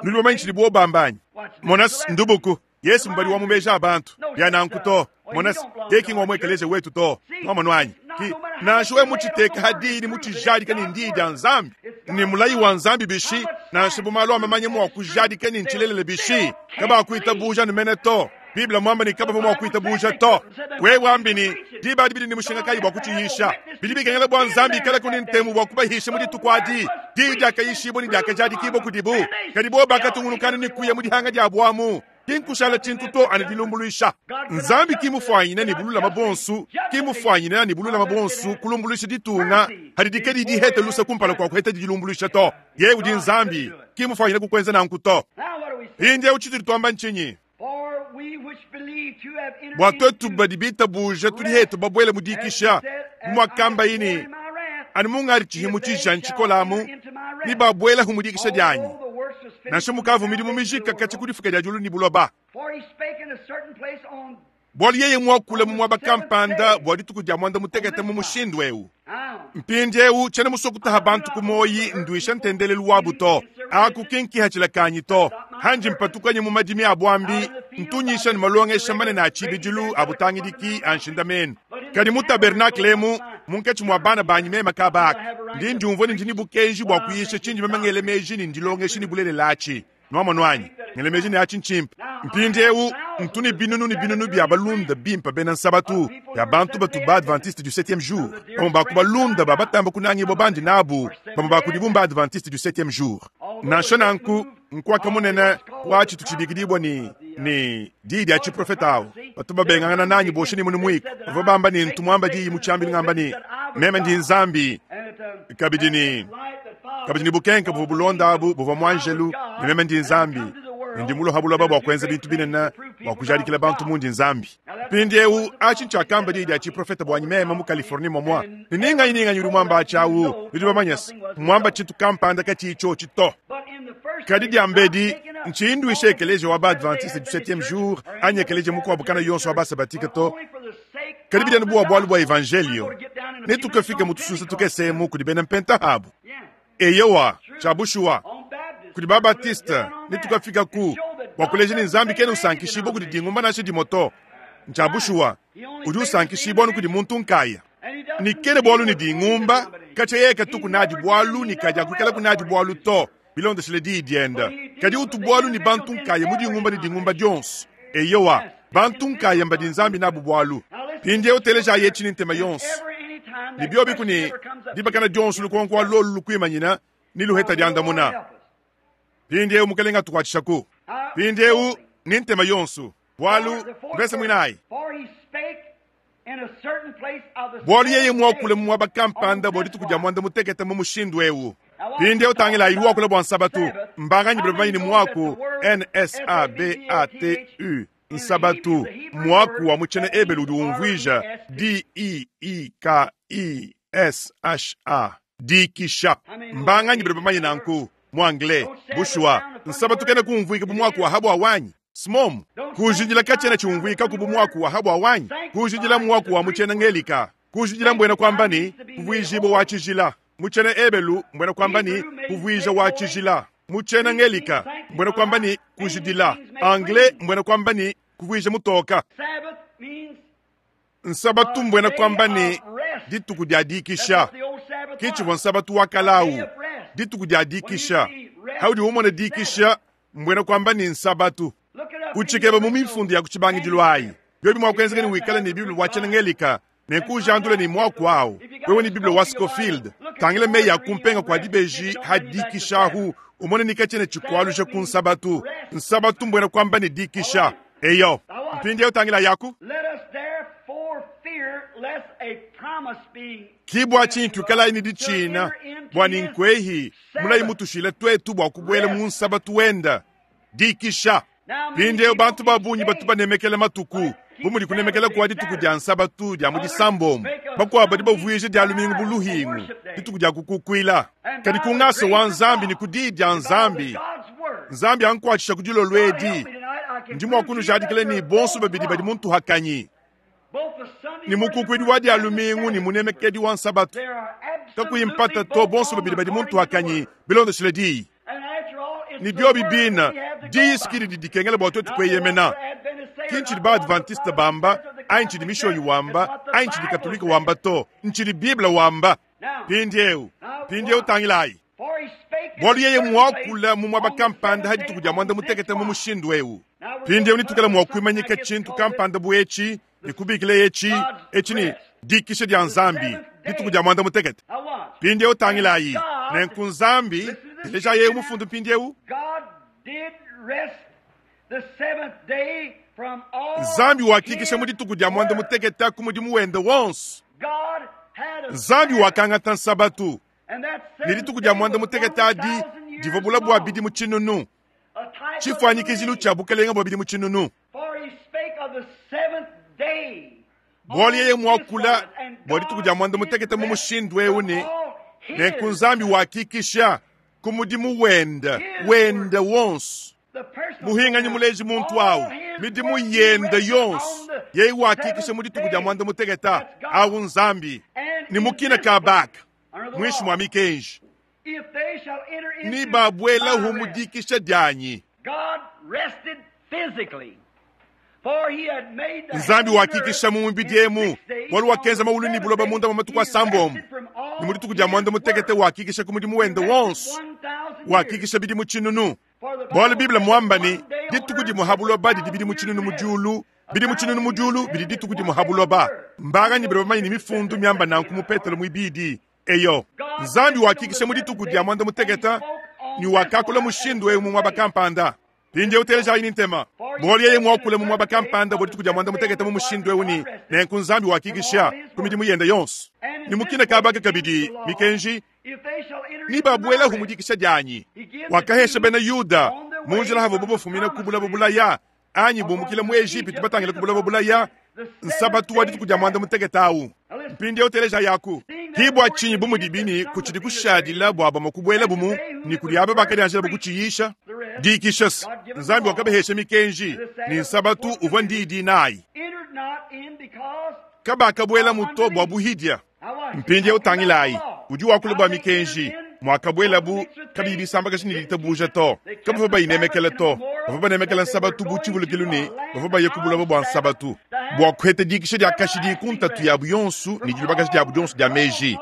Nudi bamanye tshidibo bamba anyi? Monas ndubuku, Yesu mubadi wa mu meji a bantu. Bia nanku to. Monas, yeye ki ngwa mu ekeleziya wetu to. Nwamonu anyi? Ki, nansha wewe mutshiteke ha diyi ne mutshijadike ne ndiyi dia Nzambi, ne mulayi wa Nzambi bishi, nansha bu malu a mamanya mua kujadika ne ntshilelela bishi, kabakuitabuja anu mene to. Bible muamba ne kabavua mua kuitabuja to. Wewe wambi ne, diba adi bidi ne mushinga kayi bua kutshiyisha? Bidi bikengela bua Nzambi ikalaku ne ntemu bua kubahisha mu dituku adi. Diyi diakayishibua ne diakajadikibua kudibu, kadi bobu bakatungunukanu ne kuya mu dihanga diabu amu. Ki nkushala tshintu to anu dilumbuluisha. Nzambi ki mufuanyine ne bululama buonso, ki mufuanyine ne bululama buonso kulumbuluisha ditunga hadidi kadi dihete luse kumpala kua kuhetadi dilumbuluisha to. Yeye udi Nzambi, ki mufuanyine kukuenza nanku to. Mpindieu tshitudi tuamba ntshinyi? Bua tuetu badi bitabuja tudi hetu babuele mu dikisha, bu muakambaye ne, Anu mungadi tshihimu tshijanyi tshikola amu, ne babuelahu mu dikisha dianyi, nansha mukavu midimu mijika katshia ku difuka dia diulu ne buloba. Bualu yeye muakule mu muaba kampanda bua dituku dia muanda mutekete mu mushindu eu. Mpindieu tshiena musue kutaha bantu ku muoyi nduisha ntendelelu wabu to. Aku ki nkihatshila kanyi to. Hanji mpatukanye mu madimi a buambi, ntunyisha ne malongesha manene a tshibidilu a butangidiki a nshindamenu. Kadi mu tabernakle emu, munkatshi mua bana banyi meme kaba aka, ndi ndiumvua ne ndi ne bukenji bua kuyisha tshindi meme ngele meji ne ndilongesha ne bulelela atshi. Nwamonu anyi? Ngele meji ne atshi ntshimpe. Mpindieu ntu ne binunu ne binunu bia balunda bimpe bena Nsabatu, bia bantu batu ba-Adventiste du Septieme Jour. Bamue ba ku balunda ba batamba kunangibua bandi nabu, bamue ba kudibu mba-Adventiste du Septieme Jour. Nansha nanku, nkuaka munene wa tshitu tshibikidibua ne, ne diyi dia tshiprofete awu, batu babengangana nanyi bosha ne munu muiku. Bavua bamba ne ntu muamba diyi mu tshiambilu ngamba ne, meme ndi Nzambi, kabidi ne kabidi ne bukenke buvua bulonda abu buvua muanjelu, ne meme ndi Nzambi, ne ndi mulua ha buloba bua kuenza bintu binene bua kujadikila bantu mundi Nzambi. Mpindieu atshi ntshiakamba diyi dia tshiprofete buanyi meme mu Californie momua. Ne ni nganyi ni nganyi udi muamba atshi awu, nudi bamanye se, mmuamba tshintu kampanda katshiyi tshiotshi to. Kadi diambedi, ntshiyi nduisha ekeleziya wa ba-Adventiste du Septieme Jour anyi ekeleziya mukuabu kana yonso wa ba-Sabatike to, kadi bidi anu bua bualu bua Evanjeliyo. Netukafike mu tusunsa tukese emu kudi bena Mpenta abu. Eyowa, tshia bushuwa, kudi ba-Batiste, netukafika ku bua kuleja ne Nzambi kena usankishibua kudi dingumba nansha dimue to. Ntshia bushuwa, udi usankishibua anu kudi muntu nkaya. Ne kena bualu ne dingumba, katshia yeye katuku nadi bualu ne kadiakuikalaku nadi bualu to, bilondeshile diyi diende. Kadi utu bualu ne bantu nkaya mu dingumba ne dingumba dionso. Eyowa, bantu nkaya mbadi Nzambi nabu bualu. Mpindieu telejayi etshi ne ntema yonso. Ne biobiku ne dibakana dionso lukonko wa lolu lukuimanyina ne luheta diandamuna. Mpindieu Mukelenge atukuatshishaku. Mpindieu ne ntema yonso, bualu mvese muinayi. Bualu yeye muakule mu muaba kampanda bua dituku dia muanda mutekete mu mushindu eu. Mpindieu tangilayi, udi wakula bua Nsabatu. Mbanganyi badi bamanye ne muaku N-S-A-B-A-T-U, Nsabatu, muaku wa mu tshiena Ebelu udi umvuija D-I-I-K-I-S-H-A, dikisha. Mbanganyi badi bamanye nanku mu Anglais? Bushuwa, Nsabatu kena kumvuika bu muaku wa habua wanyi. Smom, kujidila katshiena tshiumvuikaku bu muaku wa habua wanyi. Kujidila mmuaku wa mu tshiena Ngelika. Kujidila mbuena kuamba ne, kuvuijibua wa tshijila. Mu tshiena Ebelu mbuena kuamba ne, kuvuija wa tshijila. Mu tshiena Ngelika mbuena kuamba ne, kujidila. Anglais mbuena kuamba ne, kuvuija mutoka. Nsabatu mbuena kuamba ne, dituku dia dikisha. Ke tshivua Nsabatu wa kale au, dituku dia dikisha. Haudi umona dikisha, mbuena kuamba ne, Nsabatu. Utshikeba mu mifundu ya ku tshibangidilu ayi. Biobi mua kuenzeka ne wikale ne Bible wa tshiena-Ngelika, nenku ujandule ne muaku au. Wewe ne Bible wa Scofield, tangila meyi a kumpenga kua dibeji ha dikisha ahu, umone ne katshiena tshikualuja ku Nsabatu. Nsabatu mbuena kuamba ne dikisha. Eyo. Mpindieu tangila yaku. Ki bua tshinyi tuikalayi ne ditshina, bua ne nkuehi mulayi mutushile tuetu bua kubuela mu nsabatu wenda. Dikisha. Mpindieu bantu ba bungi batu banemekela matuku bu mudi kunemekela kua dituku dia nsabatu dia mu disambombo. Bakuabu badi bavuija dia lumingu bu luhingu, dituku dia kukukuila. Kadi ku ngasa wa Nzambi ne ku diyi dia Nzambi, Nzambi ankuatshisha ku dilolo edi, ndi mua kunujadikila ne bonso babidi badi mu ntuhakanyi, ne mukukuidi wa dia lumingu ne munemekedi wa nsabatu. Kakuyi mpata to, bonso babidi badi mu ntuhakanyi bilondeshile diyi. Ne biobi bina, diyi si didi dikengela bua tuetu kueyemena. Ki ntshidi ba-Adventiste bamba, anyi ntshidi Mishonyi wamba, anyi ntshidi Katolike wamba to, ntshidi Bible wamba. Mpindieu, mpindieu tangilayi. Bualu yeye muakula mu muaba kampanda ha dituku dia muanda mutekete mu mushindu eu. Mpindieu netuikale mua kuimanyika tshintu kampanda bu etshi ne kubikila etshi, etshi ne dikisha dia Nzambi, dituku dia muanda mutekete. Mpindieu tangilayi. Nenku Nzambi, telejayi eu mufundu mpindieu. Nzambi wakikisha mu dituku dia muanda mutekete ku mudimu wende wonso. Nzambi wakangata Nsabatu, ne dituku dia muanda mutekete adi divua bula bua bidimu tshinunu, tshifuanyikijilu tshia bukelenge bua bidimu tshinunu. Bualu yeye muakula bua dituku dia muanda mutekete mu mushindu eu ne, nenku Nzambi wakikisha ku mudimu wende wende wonso. Muhinganyi muleji muntu au midimu yende yonso, yeye wakikisha mu dituku dia muanda mutekete au Nzambi ne mukina ka baka muinshi mua mikenji ni babuelahu mu dikisha dianyi. Nzambi wakikisha mu mubidi emu, bualu wakenza mawulu ne buloba munda mua matuku asambombo, ne mu dituku dia muanda mutekete wakikisha ku mudimu wende wonso, wakikisha bidimu tshinunu. Bualu Bible muamba ne, dituku dimue ha buloba didi bidimu tshinunu mu diulu, bidimu tshinunu mu diulu bidi dituku dimue ha buloba. Mbanganyi badi bamanye ne mifundu miamba nanku mu Petelo muibidi? Eyo, Nzambi wakikisha mu dituku dia muanda mutekete ne wakakula mushindu eu mu muaba kampanda. Mpindieu telejayi ne ntema. Bualu yeye muakule mu muaba kampanda bua dituku dia muanda mutekete mu mushindu eu ne, nenku Nzambi wakikisha ku midimu yende yonso. Ne mukina kabaka kabidi mikenji ne babuelahu mu dikisha dianyi. Wakahesha bena Yuda mu njila havuabo bafumina ku bulaba bulaya anyi bumukila mu Ejipitu batangila ku bulaba bulaya. Nsabatu wa dituku dia muanda mutekete awu. Mpindieu telejayaku. Ki bua tshinyi bu mudibi ne kutshidi kushadila bua bamue kubuelabu mu ne kudi aba bakadianjilabu kutshiyisha? Dikisha se Nzambi wakabahesha mikenji, ne Nsabatu uvua ndiyi dinayi. Kabakabuelamu to bua buhidia. Mpindieu tangilayi, udi wakula bua mikenji, muakabuelabu kabiyi bisambakaja ne ditabuja to. Kabavua bayinemekela to. Bavua banemekela Nsabatu bu tshivulukilu ne bavua baya ku buloba bua Nsabatu bua kuheta dikisha dia kashidi ku ntatu yabu yonso ne dilubakaja diabu dionso dia meji.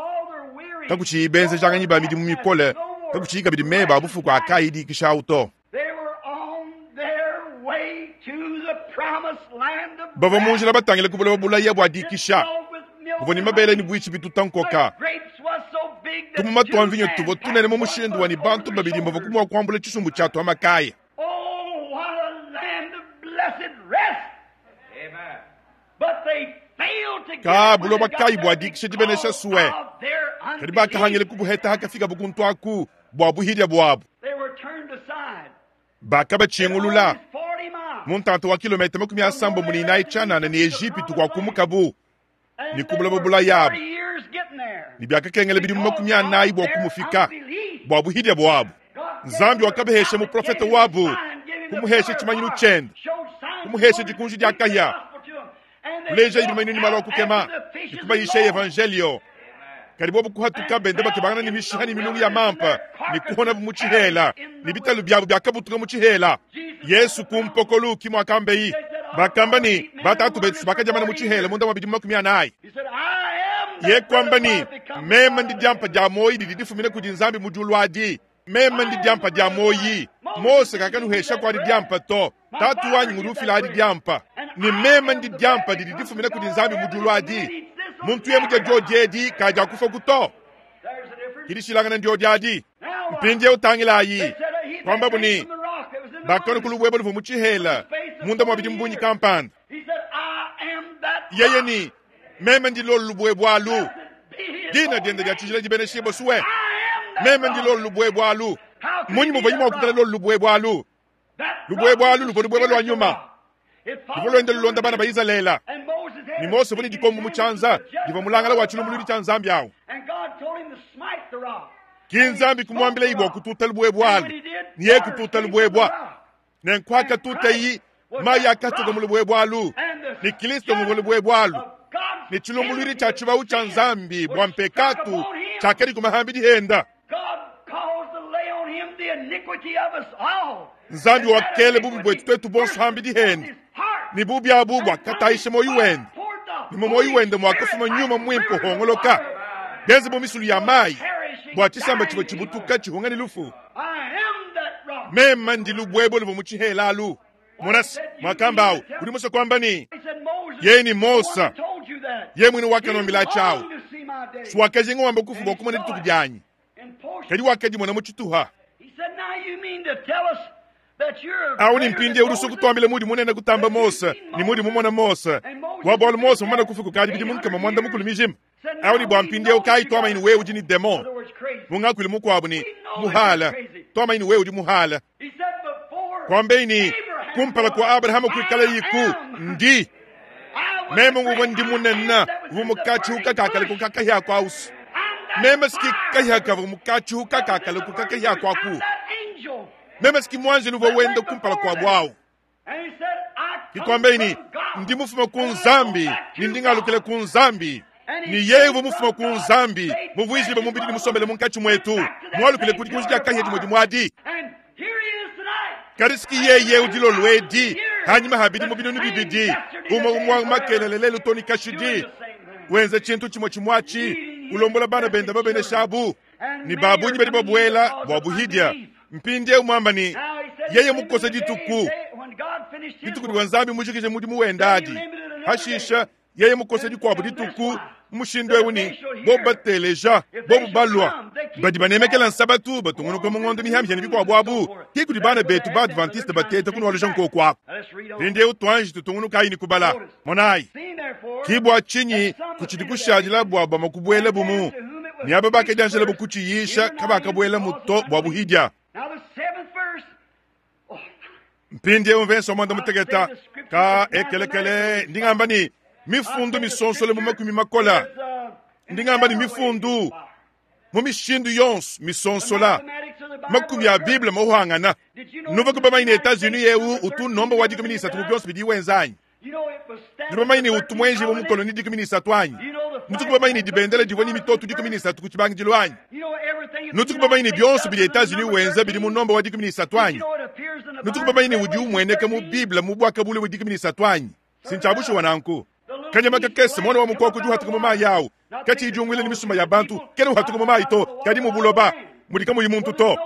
Kakutshiyi benzejanganyi ba midimu mikole, kakutshiyi kabidi meba a bufuku a kaayi dikisha au to. Bavua mu njila batangile ku buloba bulaya bua dikisha, buvua ne mabele ne buitshi bituta nkoka. Tumuma tua mvinyo tuvua tunene mu mushindu wa ne bantu babidi bavua mua kuambula tshisumbu tshia tua makaya. Ka buloba kayi bua dikisha dibenesha sue, kadi bakahangila kubuheta hakafikabo kuntu aku bua buhidia buabu. Bakabatshingulula mu ntanta wa kilometa 34 tshianana ne Ejipitu kuakumukabu ne ku buloba bulayabu, ne biakakengela bidimu 40 bua kumufika bua buhidia buabu. Nzambi wakabahesha muprofete wabu, kumuhesha tshimanyinu tshiende, kumuhesha dikunji dia kahia, kuleja bimanyinu ne malu a kukema, ne kubayisha evanjelio. Kadi bobu kuhatuka benda bakebangana ne mishiha ne milungu ya mampa ne kuhonabu mu tshihela, ne bitalu biabu biakabutuka mu tshihela. Yesu ku mpokolu ki muakambeyi. Bakamba ne, batatu betu bakadiamana mu tshihela munda mua bidimu 40. Ye kuamba ne, meme ndi diampa dia muoyi didi difumina kudi Nzambi mu diulu adi. Meme ndi diampa dia muoyi. Mose kakanuhesha kuadi diampa to. Tatu wanyi ngudi ufila adi diampa. Ne meme ndi diampa didi difumina kudi Nzambi mu diulu adi. Muntu yeye mudia diodi edi kadiakufa ku to. Kidishilangana ndiodi adi. Mpindieu tangilayi. Kuambabu ne, bakalua ku lubuebue luvua mu tshihela munda mua bidimu bungi kampanda. Yeye ne, meme ndi lolu lubuebue alu. Dina diende dia tshijila dibeneshibue suwe. Meme ndi lolu lubuebue alu. Mmunyi muvuaye mua kuikala lolu lubuebue alu? Lubuebue alu luvua lubuebue lua nyuma, luvua luenda lulonda bana ba Izalele. Ne Mose uvua ne dikombo mu tshianza divua mulangala wa tshilumbuluidi tshia Nzambi awu. Ki Nzambi kumuambilayi bua kututa lubuebue alu, ne yeye kututa lubuebue. Nenku hakatutayi, mayi akatuka mu lubuebue alu, ne Kristo nguvua lubuebue alu. Ne tshilumbuluidi tshia tshibawu tshia Nzambi bua mpekatu tshiakadi ku mahambidi enda. Nzambi wakela bubi buetu tuetu bonso hambidi hende, ne bubi abu buakatayisha muoyo wende, ne mu muoyo wende muakafuma nyuma muimpe uhongoloka, bienze bu misulu ya mayi, bua tshisamba tshivua tshibutuka tshihunga ne lufu. Meme ndi lubuebue luvua mu tshihela alu. Monasi mwakamba awu udi musue kuamba ne, yeye ni Mose, yeye muine wakanuambila tshiawu. Suwakajinga wamba kufu bua kumona dituku dianyi, kadi wakadimona mu tshituha. Awu ni mpindieu udi usua kutuambila mudi munene kutamba Mose ne mudi mumona Mose wa bualu Mose mumana kufa kukadi bidimu 80 mijima. Awu ni bua mpindieu kayi tuamanyi ne wewe udi ne demon, mu ngakuilu mukuabu ne muhala, tuamanyi ne wewe udi muhala. Kuambei ne, kumpala kua Abrahama kuikala yiku ndi meme nguvua ndi munene uvua mukatshihuka kakale kukakahia kwausu. Meme siki kahia kavua mukatshihuka kakale kukakahia kwaku. Meme siki muanjelu uvua wenda kumpala kua buawu. Kikuambei ne, ndi mufuma ku Nzambi ne ndi ngalukila ku Nzambi. Ne yeye uvua mufuma ku Nzambi, muvuijibue mubidi ne musombele munkatshi muetu, mualukile ku dikunji dia kahia dimue dimue adi. Kadi siki yeye udi lolu edi hanyima ha bidimu 2,000, umue umue makelele lelu to ne kashidi, wenza tshintu tshimue tshimue atshi, ulombola bana bende babeneshabu ne babunyi badi babuela bua buhidia. Mpindieu muamba ne, yeye mukosa dituku, dituku divua Nzambi mujikije mudimu wende adi. Hashisha yeye mukosa dikuabu dituku mushindu eu ne bobu bateleja, bobu balua, badi banemekela nsabatu, batungunuka mu ngondo mihamihia ne bikuabu abu, ki kudi bana betu ba Adventiste bateta kunualuja nkoku aku. Mpindieu tuanji tutungunukayi ne kubala. Monayi, ki bua tshinyi kutshidi kushadila bua bamue kubuela bumu, ne aba bakadianjila bukutshiyisha kabakabuelamu to bua buhidia. Mpindieu mvese wa 16 ka ekelekele ndi ngamba ne, Mifundu misonsola mu makumi makola. Ndi ngamba ne mifundu mu mishindu yonso misonsola. Makumi a Bible mahuangana. Nuvua bamanye ne Etats-Unis eu utu nomba wa 13 mu bionso bidi wenza anyi? Nudi bamanye ne utu mwenji mu mukoloni 13 anyi? Nutuku bamanye ne dibendela divua ne mitoto 13 ku tshibangidilu anyi? Nutuku bamanye ne bionso bidi Etats-Unis wenza bidi mu nomba wa 13 anyi? Nutuku bamanye ne udi umueneka mu Bible mu bwakabule wa 13 anyi? Sintshabushuwa nanku. Kanyama kakese mwana wa mukoko udi uhatuka mu mayi awu. Katshiyi ni misumba ya bantu, kena uhatuka mu mayi to, kadi mu buloba mudi kamuyi muntu to.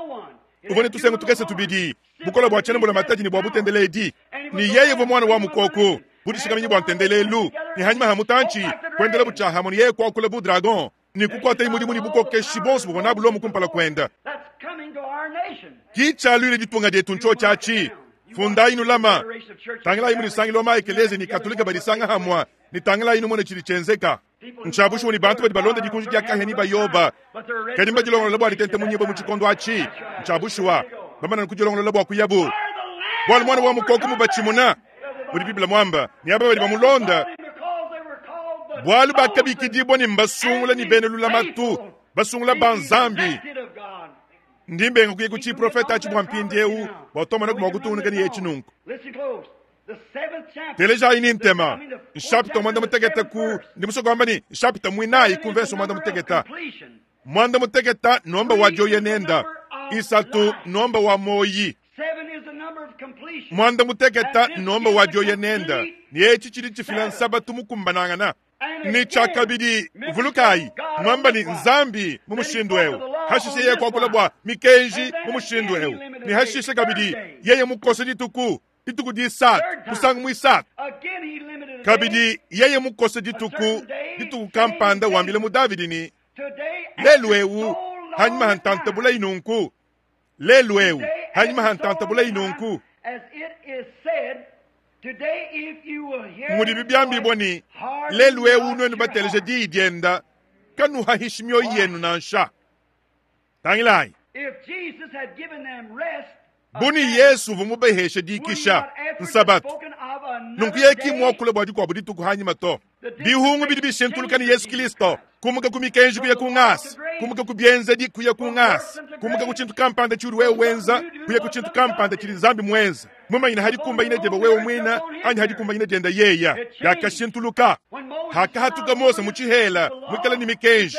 Uvua ne tusengu tukese tubidi, bukola bua tshiena mbulamatadi ne bua butendeledi. Ne yeye uvua mwana wa mukoko, budishikaminyi bua ntendelelu, ne hanyima ha mutantshi, kuendela butshiaha mu ne yeye kuakula bu dragon, ne kukuata mudimu ne bukokeshi bonso buvua nabu Lomo kumpala kuenda. Ki tshialuile ditunga dietu ntsho tshiatshi. Fundayi nulama. Tangilayi mu disangilo ma ekelezia ni katolika badisanga hamwa, ni tangilayi numone tshidi tshienzeka. Ntshiabushuwa ni bantu badi balonda dikunji dia kahia ni bayoba. Kadi mbadilongolola bua ditente munyibo mu tshikondo atshi. Ntshiabushuwa. Bamana kudilongolola bua kuyabu. Bualu mwana wa mukoko mubatshimuna. Mudi Biblia mwamba, ni aba badi bamulonda. Bualu bakabikidibwa ni mbasungula ni bene lulamatu, basungula banzambi. Ndimbenga kuye kuchi profeta achi bwa mpindi eu, bwa tomana kuma kutungunuka ni yechi nunku. Teleja ini ntema. Nshapita mwanda muteketa ku, ndi musoko wamba ni, nshapita mwinayi ku verso mwanda muteketa. Mwanda muteketa nomba wa joye nenda. Isatu nomba wa moyi. Mwanda muteketa nomba wa joye nenda. Ni echi chili chifila nsabatu mukumbanangana. Ni chakabidi vulukai mwamba ni nzambi mu mushindu eu. Hashishe yeye kwakula bwa mikenji mu mushindu eu. Ni hashishe kabidi yeye mukosa dituku. Dituku disatu, musangu mwisatu. Kabidi yeye mukosa dituku, dituku kampanda wambile mu Davidi ni lelu eu hanyuma hantantabula inunku. Lelu eu hanyuma hantantabula inunku. Mudi bibyambibwa ni lelu eu nwenu bateleje diyi dienda kanuhahishi mioyo yenu nansha. Tangilayi. Buni Yesu uvua mubaheshe dikisha nsabatu. Nunku yeye mwakula bua dikuabu dituku hanyima to. Bihungu bidi bishintuluka ni Yesu Kristo. Kumuka ku mikenji kuya ku ngasi, kumuka ku bienzedi kuya ku ngasi, kumuka ku tshintu kampanda tshidi wewe wenza kuya ku tshintu kampanda tshidi Nzambi mwenza. Mumanyina hadi kumba ine deba wewe mwina anyi hadi kumba ine denda yeya. Yakashintuluka. Hakahatuka Mose mu tshihela mwikala ni mikenji.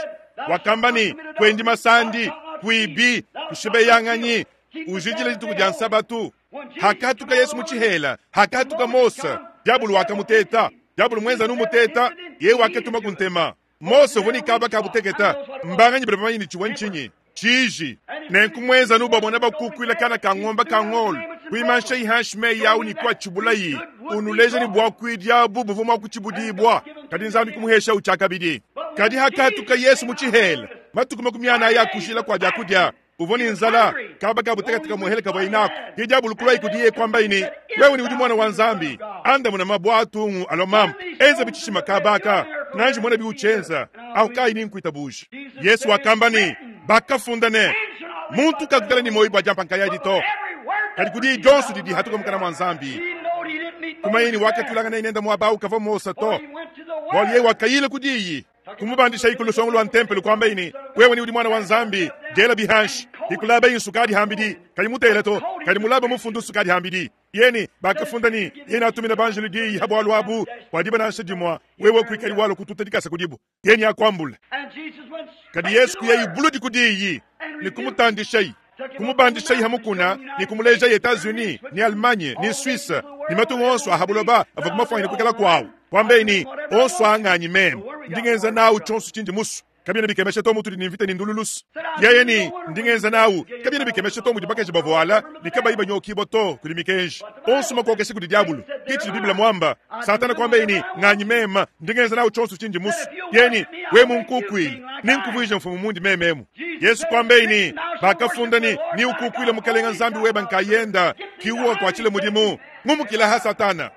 Wakamba ni kwendi masandi, kuibi, kushibeyanganyi, ujijile dituku dia nsabatu. Hakahatuka Yesu mu tshihela, hakahatuka Mose, diabulu wakamuteta. Diabulu mwenza numuteta, yeye wakatuma kuntema. Mose uvuni kaba kabuteketa. Mbanganyi bali bamanyi ni chiwa nchinyi. Chiji. Nenku mwenza nubabona bakukwila kana ka ng'ombe ka ng'olo. Kuimansha ihanshi yawu ni kwa chibulayi. Unuleja ni bwa kuidya bubu mwa kuchibudibwa. Kadi nzambi kumuhesha uchakabidi. Kadi hakahatuka Yesu mu tshihela. Matuku 40 ya kushila kwa byakudia. Uvoni nzala kaba kabuteketa muhele kaba inako. Diabulu kulwa ikudiye kwamba ini wewe ni udi mwana wa nzambi. Anda muna mabwatu alomam. Enza bichishima kabaka. Nanji mwana biuchenza. Au kai ni nkuitabuji. Yesu wakamba ni bakafunda ne muntu kakutala ni moyi bwa jampa nkaya dito. Kadi kudi Johnson didi hatuka mukana mwa nzambi. Kumayini wakatulanga na inenda mwabau kava Mosa to. Bwali yeye wakayile kudiyi. Kumubandisha ikulu songo lwa ntempelo kwamba ini wewe ni udi mwana wa nzambi jela bihanshi ikulaba insukadi hambidi kali mutele to kali mulaba mufundu sukadi hambidi yeni bakafunda ni yeni atumina banjelu diyi habwalu abu wadiba nansha dimwa wewe kuikali walo kututa dikasa kudibu yeni akwambula. Kadi Yesu kuya ibuludi kudiyi ni kumutandisha kumubandisha hamukuna ni kumuleja Etats-Unis ni Allemagne ni Suisse ni matungo onso ahabuloba ava kumafanya kukala kwawo kwambeni onso anganyi meme ndingenza nawu chonso chindi musu kabina bikemesha to mutu ni mvita ni ndululusu yeye ni ndingenza nawu kabina bikemesha to mutu bakaje bavoala likabayi banyokibo to kuli mikenji onso makokesha kuli diabulu kichi Biblia mwamba Satana kwambeni nganyi mema ndingenza nawu chonso chindi musu yeni we munkukwili ninkuvuije mfumu mundi mememu. Yesu kwambeni bakafunda ni ni ukukwile mukalenga nzambi weba nkayenda kiuwa kwa chile mudimu ngumukila ha Satana.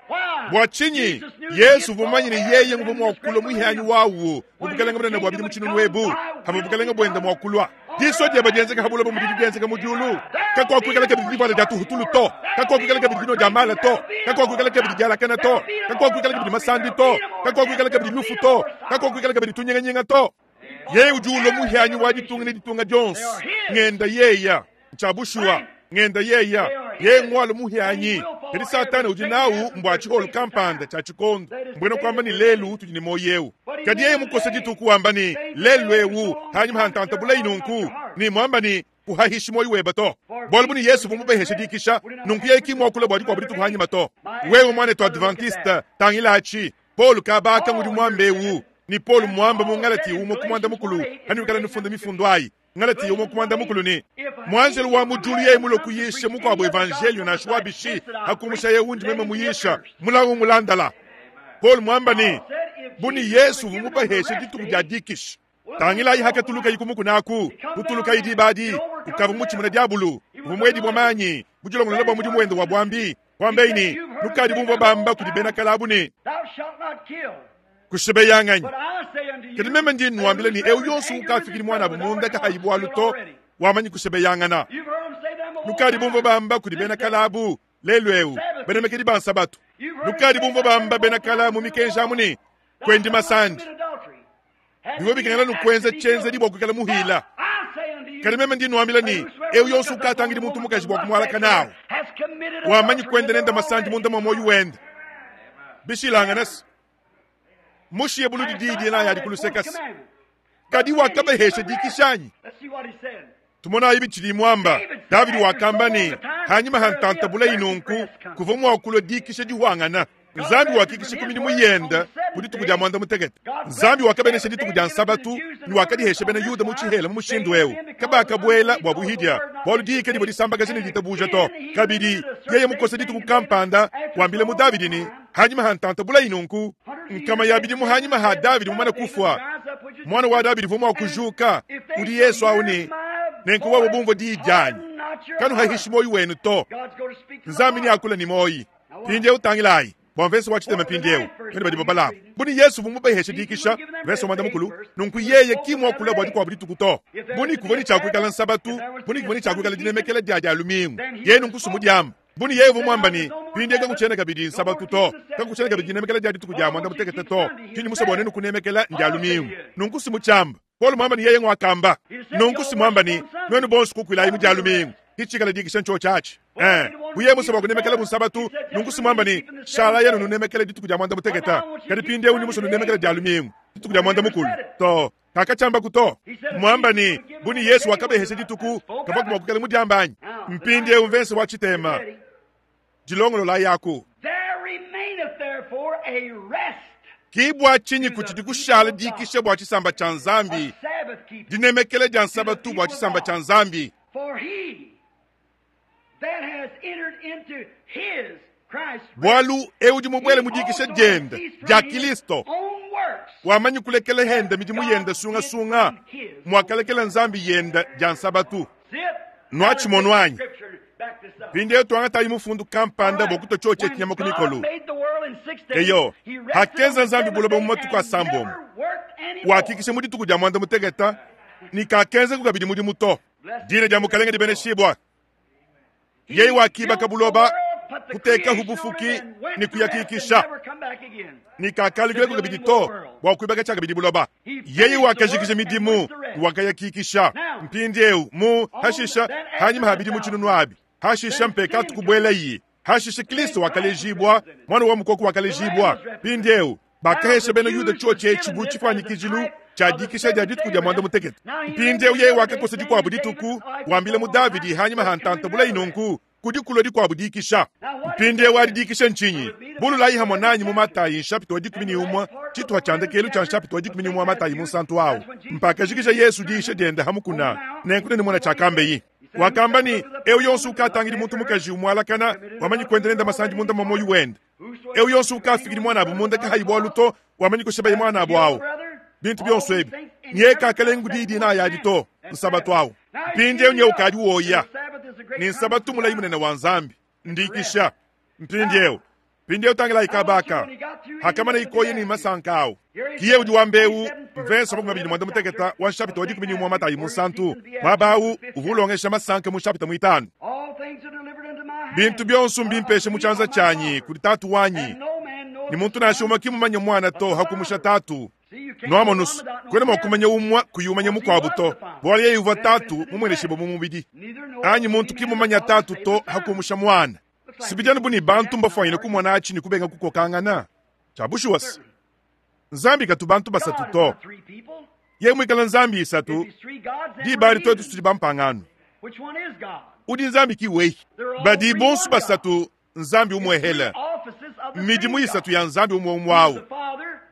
Bwa chinyi Yesu vumanyi ni yeye nguvu mwakula mwihanyi wawu mubukalenga bwenda bwa bidi muchinu webu hama bukalenga bwenda mwakulwa diso dia bajenzeka habula bumudidi dienzeka mudiulu. Kakuakuikala kabidi divuala dia tuhutulu to, kakuakuikala kabidi dinua dia mala to, kakuakuikala kabidi dialakana to, kakuakuikala kabidi masandi to, kakuakuikala kabidi lufu to, kakuakuikala kabidi tunyinganyinga to. Yeye udi ulua muhianyi wa ditunga ne ditunga dionso, ngenda yeya. Ntshia bushuwa, ngenda yeya. Yeye ngualu muhianyi. Kadi Satana udi nawu mbua tshiholu kampanda tshia tshikondo, mbuena kuamba ne lelu utudi ne muoyo eu. Kadi yeye mukose dituku wamba ne lelu eu, hanyima ha ntanta bulayi nunku, ne muamba ne kuhahishi muoyo webe to. Bualu bu ne Yesu uvua mubaheshe dikisha, nunku yeye ki muakula bua dikuabu dituku hanyima to. Wewe muanetu Adventiste, tangila atshi. Paulo kabaka ngudi muambe eu, ne Paulo muamba mu Ngalati umue ku muanda mukulu, hanuikala nufunda mifundu ayi. Ngalati umue ku muanda mukulu ne, Muanjelu wa mu diulu yeye mulue kuyisha mukuabu evanjelio nansha wa bishi, hakumusha yeye undi meme muyisha, mulawu mulandala. Paulo muamba ne, bu ne Yesu uvua mubaheshe dituku dia dikisha. Tangilayi hakatulukayi ku mukuna aku, kutulukayi diba adi, ukavua mutshimuna diabulu, uvua muedibua manyi, mudilongolola bua mudimu wende wa buambi. Kuambayi ne, nukadi bumvua bamba kudi bena kale abu ne, Kushibeyanganyi. Kadi meme ndi nnuambila ne, eu yonso ukafikidi muanabu munda kahayi bualu to, wamanyi kushebeyangana. Nukadi bumvua bamba kudi bena kale abu, lelu eu, banemekedi ba nsabatu. Nukadi bumvua bamba bena kale mu mikenji amu ne, Kuendi masandi. Bivua bikengela nukuenza tshienzedi bua kuikala muhila. Kadi meme ndi nuambila ne, eu yonso ukatangidi muntu mukaji bua kumualaka nawu, wamanyi kuenda nende masandi munda mua muoyo wende. Bishilangane se, mushiye buludi diyi dinayi adi ku luseke se, kadi wakabahesha dikisha anyi? Tumonayi bitshidi muamba. Davidi wakamba ne, hanyima ha ntanta bulayi nunku, kuvua mua kulua dikisha dihuangana. Nzambi wakikisha ku midimu yende ku dituku dia muanda mutekete. Nzambi wakabenesha dituku dia Nsabatu ne wakadihesha bena Yuda mu tshihela mu mushindu eu. Kabakabuela bua buhidia, bualu diyi kadivua disambakaja ne ditabuja to. Kabidi, yeye mukose dituku kampanda, wambila mu Davidi ne, hanyima ha ntanta bulayi nunku, nkama ya bidimu hanyima ha Davidi mumane kufua, muana wa Davidi uvua mua kujuka, udi Yesu au ne, nenku wewe bumvua diyi dianyi, kanuhahishi muoyo wenu to. Nzambi neakule ne muoyi. Mpindieu tangilayi bua mvese wa tshitema mpindieu, bena badi babalamu bu ne Yesu uvua mubaheshe dikisha, mvese wa muanda mukulu, nunku yeye ki muakula bua dikuabu dituku to. Bu ne kuvua ne tshia kuikala nsabatu, bu ne kuvua ne tshia kuikala dinemekela dia dia lumingu, yeye nunku sumudiamba. Bu ne yeye uvua muamba ne, mpindieu kakutshiena kabidi nsabatu to, kakutshiena kabidi dinemekela dia dituku dia muanda mutekete to, tshindi musue bua nenu kunemekela ndia lumingu, nunku simutshiamba. Paulo muamba ne yeye nguakamba. Nunku simuamba ne, nuenu bonso kukuilayi mu dia lumingu, kitshikala dikisha ntshiotshi atshi. Eh, buye musue bua kunemekela bunsabatu, nunku simuamba ne, shala yenu nunemekela dituku dia muanda mutekete, kadi mpindieu ndi musue nunemekela dia lumingu, dituku dia muanda mukulu. To, kakatshiambaku to. Muamba ne, bu ne Yesu wakabehesha dituku, kavuaku mua kuikala mudiamba anyi? Mpindieu mvese wa tshitema, dilongololayi aku. There remaineth therefore a rest, Ki bua tshinyi kutshidi kushala dikisha bua tshisamba tshia a Nzambi, Sabbath keeping. dinemekela dia nsabatu bua tshisamba tshia Nzambi. For he that has entered into his Christ's rest, Bualu eu udi mubuele he mu dikisha also has diende ceased from dia his Kristo, own works. wamanyi kulekela henda midimu yende sungasunga, mwakalekela Nzambi yenda dia nsabatu. See it? Nuatshimono anyi? Scripture back this up. Mpindieu tuangatayi mufundu kampanda bua kutua tshiotshi tshinyama ku mikolo. Eyo, hakenza Nzambi buloba mu matuku asambombo, wakikisha mu dituku dia muanda mutekete, ne kakenzaku kabidi mudimu to. Dina dia Mukalenge dibeneshibua. Yeye wakibaka buloba, kutekahu bufuki ne kuyakikisha, ne kakalukilaku kabidi to bua kuibaka tshiakabidi buloba. Yeye wakajikija midimu, wakayakikisha. Mpindieu mu hashisha hanyima ha bidimu tshinunu abi, hashisha mpekatu kubuelayi, hashisha Kristo wakalejibua, mwana wa mukoko wakalejibua. Mpindieu bakahesha bena Yuda tshiotshi etshi bu tshifuanyikijilu tshia dikisha dia dituku dia muanda mutekete. Mpindieu yeye wakakosa dikuabu dituku, wambila mu Davidi hanyima ha ntanta bulayi nunku, kudi kulua dikuabu dikisha. Mpindieu adi dikisha ntshinyi? Bululayi hamwe nanyi mu Matayi nshapita wa 11, tshituha tshia ndekelu tshia nshapita wa 11 wa Matayi munsantu awu. Mpakajikija Yesu diisha diende hamukuna, nenku nenumona tshiakambeyi. Wakamba ne, eu yonso ukatangidi muntu mukaji umualakana, wamanyi kuenda nende masandi munda mwa muoyo wende. Eu yonso ukafikidi muanabu munda kahayi bualu to, wamanyi kushebaye muanabu awu. Bintu bionso ebi, nye kakalengu diyi dinayi adi to, nsabatu awu. Mpindieu nye ukadi woya, ne nsabatu mulayi munene wa Nzambi, ndikisha. Mpindieu, Mpindieu tangilayi kaba aka, hakamana ikoyi ne masanka awu. Kiye udi wamba eu, mvese wa 25 wa nshapita wa 11 wa Matayi Munsantu, muaba awu uvua ulongesha masanka mu nshapita muitanu. Bintu bionso mbimpesha mu tshianza tshianyi kudi Tatu wanyi, ne muntu nansha umue ki mmumanye Muana to hakumusha Tatu. Nuamonus, kuena mua kumanya umue kuyi umanya mukuabu to, bualu yeye uvua Tatu mumueneshibue mu mubidi. Anyi muntu ki mmumanya Tatu to hakumusha Muana. Si bidi anu bu ne bantu mbafuanyine kumona atshi ne kubenga kukokangana. Tshia bushuwa se, Nzambi katu bantu basatu to. Yeye muikale Nzambi isatu, diba adi tuetu tudi bampangano. Udi Nzambi ki weyi. Badi bonso basatu Nzambi umuehele. Midimu isatu ya Nzambi umue umue au.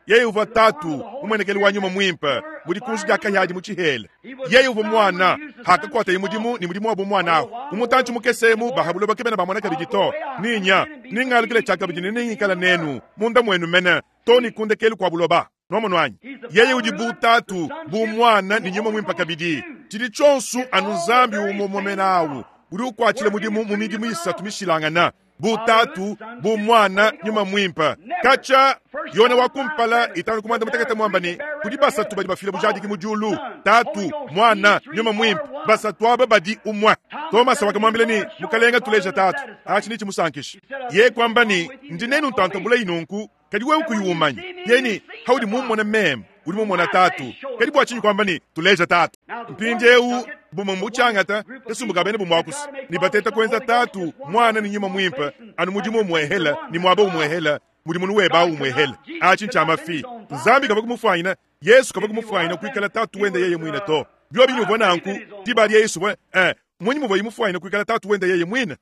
Yeye uvua Tatu, mumuenekeli wa Nyuma Muimpe, mu dikunji dia kahia adi mu tshihela. Yeye uvua Muana, hakakuataye mudimu ne mudimu wa bumuana ahu. Mu mutantshi mukese emu ba ha buloba kebena bamona kabidi to. Ninya, ningalukile tshiakabidi ne nengikala nenu, munda muenu mene, to ne ku ndekelu kua buloba. Nuamonu anyi? Yeye udi bu Tatu, bu Muana ne Nyuma Muimpe kabidi. Tshidi tshionso anu Nzambi umue umue mene awu udi ukuatshila mudimu mu midimu isatu mishilangana, bu Tatu, bu Muana, Nyuma Muimpe. Katshia Yone wa kumpala itanu ku muanda mutekete muamba ne, kudi basatu badi bafila bujadiki mu diulu, Tatu, Muana, Nyuma Muimpe, basatu aba badi umue. Tomase wakamuambila ne, Mukalenge, tuleja Tatu, atshi netshimusankishe. Yeye kuamba ne, Ndi nenu ntanta bulayi nunku, kadi wewe kuyi umanya. Yeye ne, Haudi mummone meme, udi mumona Tatu. Kadi bua tshinyi kuamba ne, Tuleja Tatu? Mpindieu bumue mbutshiangata kasumbu ka bena bumuakusu ne bateta kuenza Tatu, Muana ne Nyuma Muimpe anu mudimu umuehela ne muaba umuehela mudi munu webe au umuehela. Atshi ntshia mafi. Nzambi kavua kumufuanyina, Yesu kavua kumufuanyina kuikala Tatu wende yeye muine to. Biobi ni uvua nanku, diba adi Yesu uvua eh, Mmunyi muvuaye mufuanyine kuikala Tatu wende yeye muine?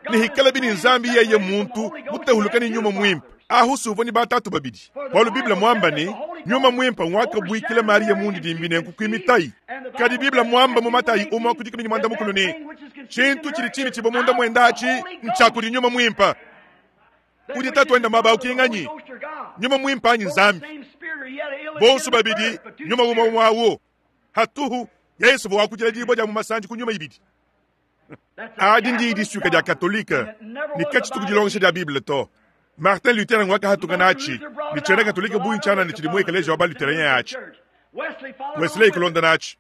Ne hikalabi ne Nzambi yeye muntu mutahuluke ne Nyuma Muimpe, ahu si uvua ne batatu babidi. Bualu Bible muamba ne, Nyuma Muimpe nguakabuikila Mariya mundidimbi nenku kuimitayi. Kadi Bible muamba mu Matayi umue ku dikumi ne muanda mukulu ne, tshintu tshidi tshimitshibua munda muende atshi ntshia kudi Nyuma Muimpe. Udi Tatu wende muaba au ki nganyi? Nyuma Muimpe anyi Nzambi? Bonso babidi Nyuma umue umue au. Hatuhu, Yesu uvua wakudila dibua dia mu masanji ku nyuma ibidi. Adi ndiyi disuika dia Katolike ne katshitu ku dilongesha dia Bible to. Martin Luther ngwakahatuka natshi ne tshiena Katolike bungi tshianana tshidi mu ekeleziya wa ba-Lutherien atshi. Wesley kulonda natshi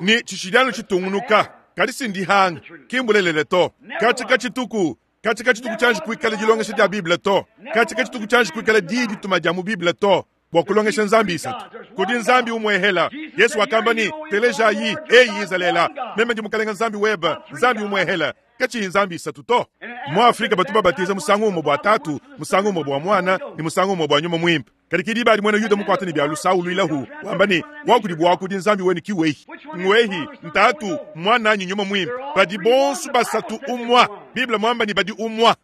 ne tshitshidi anu tshitungunuka, kadi si ndihanga, ki mbulelela to. Katshi katshituku katshi katshituku tshianji kuikala dilongesha dia Bible to. Katshi katshituku tshianji kuikala diyi dituma dia mu Bible to. Bua kulongesha nzambi isatu. Kudi Nzambi umuehela. Yesu wakamba ne, Telejayi, eyi Izalele, meme ndi Mukalenge Nzambi webe, Nzambi umuehela, katshiyi nzambi isatu to. Mu Afrika batu babatiza musangu umue bua Tatu, musangu umue bua Muana, ne musangu umue bua Nyuma Muimpe. Kadi ki diba adi muena Yuda mukuate ne bia lusa uluilahu, wamba ne, Wakudi buakudi Nzambi wenu ki wehi. Ngwehi, Ntatu, Muana anyi Nyuma Muimpe. Badi bonso basatu umua. Bible muamba ne badi umua.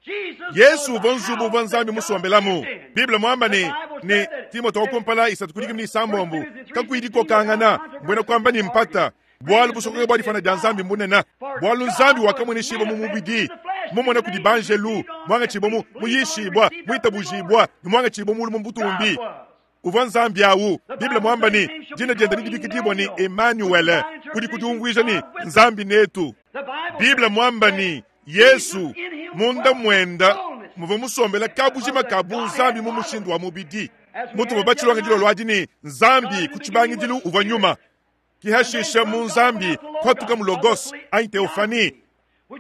Yesu uvua nzubu uvua Nzambi musombelamu. Bible muamba ne, ne Timote wa kumpala isatu ku dikumi ne isambombo, kakuyi dikokangana, mbuena kuamba ne mpata, bualu busokoka bua difana dia Nzambi mbunene, bualu Nzambi wakamueneshibua mu mubidi, mumona kudi banjelu, muangatshibua mu muyishibua, muitabujibua, ne muangatshibua mulu mu butumbi. Uvua Nzambi au. Bible muamba ne, dina diende didibikidibua ne Emanuele, kudi kudiumvuija ne, Nzambi netu. Bible muamba ne, Yesu, munda muenda muvua musombela kabujima ka bunzambi mu mushindu wa mubidi. Mutuvua batshilonge dilolo adi ne, Nzambi ku tshibangidilu uvua nyuma. Ki hashisha mu Nzambi kuhatuka mu Logos anyi Theophanie,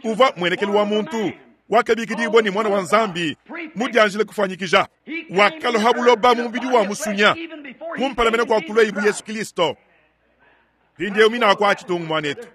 uvua muenekelu wa muntu, wakabikidibua ne Muana wa Nzambi, mudianjile kufuanyikija. Wakalua ha buloba mu mubidi wa musunya, kumpala mene kua kuluaye bu Yesu Kilisto. Mpindieu mina akua tshitungu muanetu.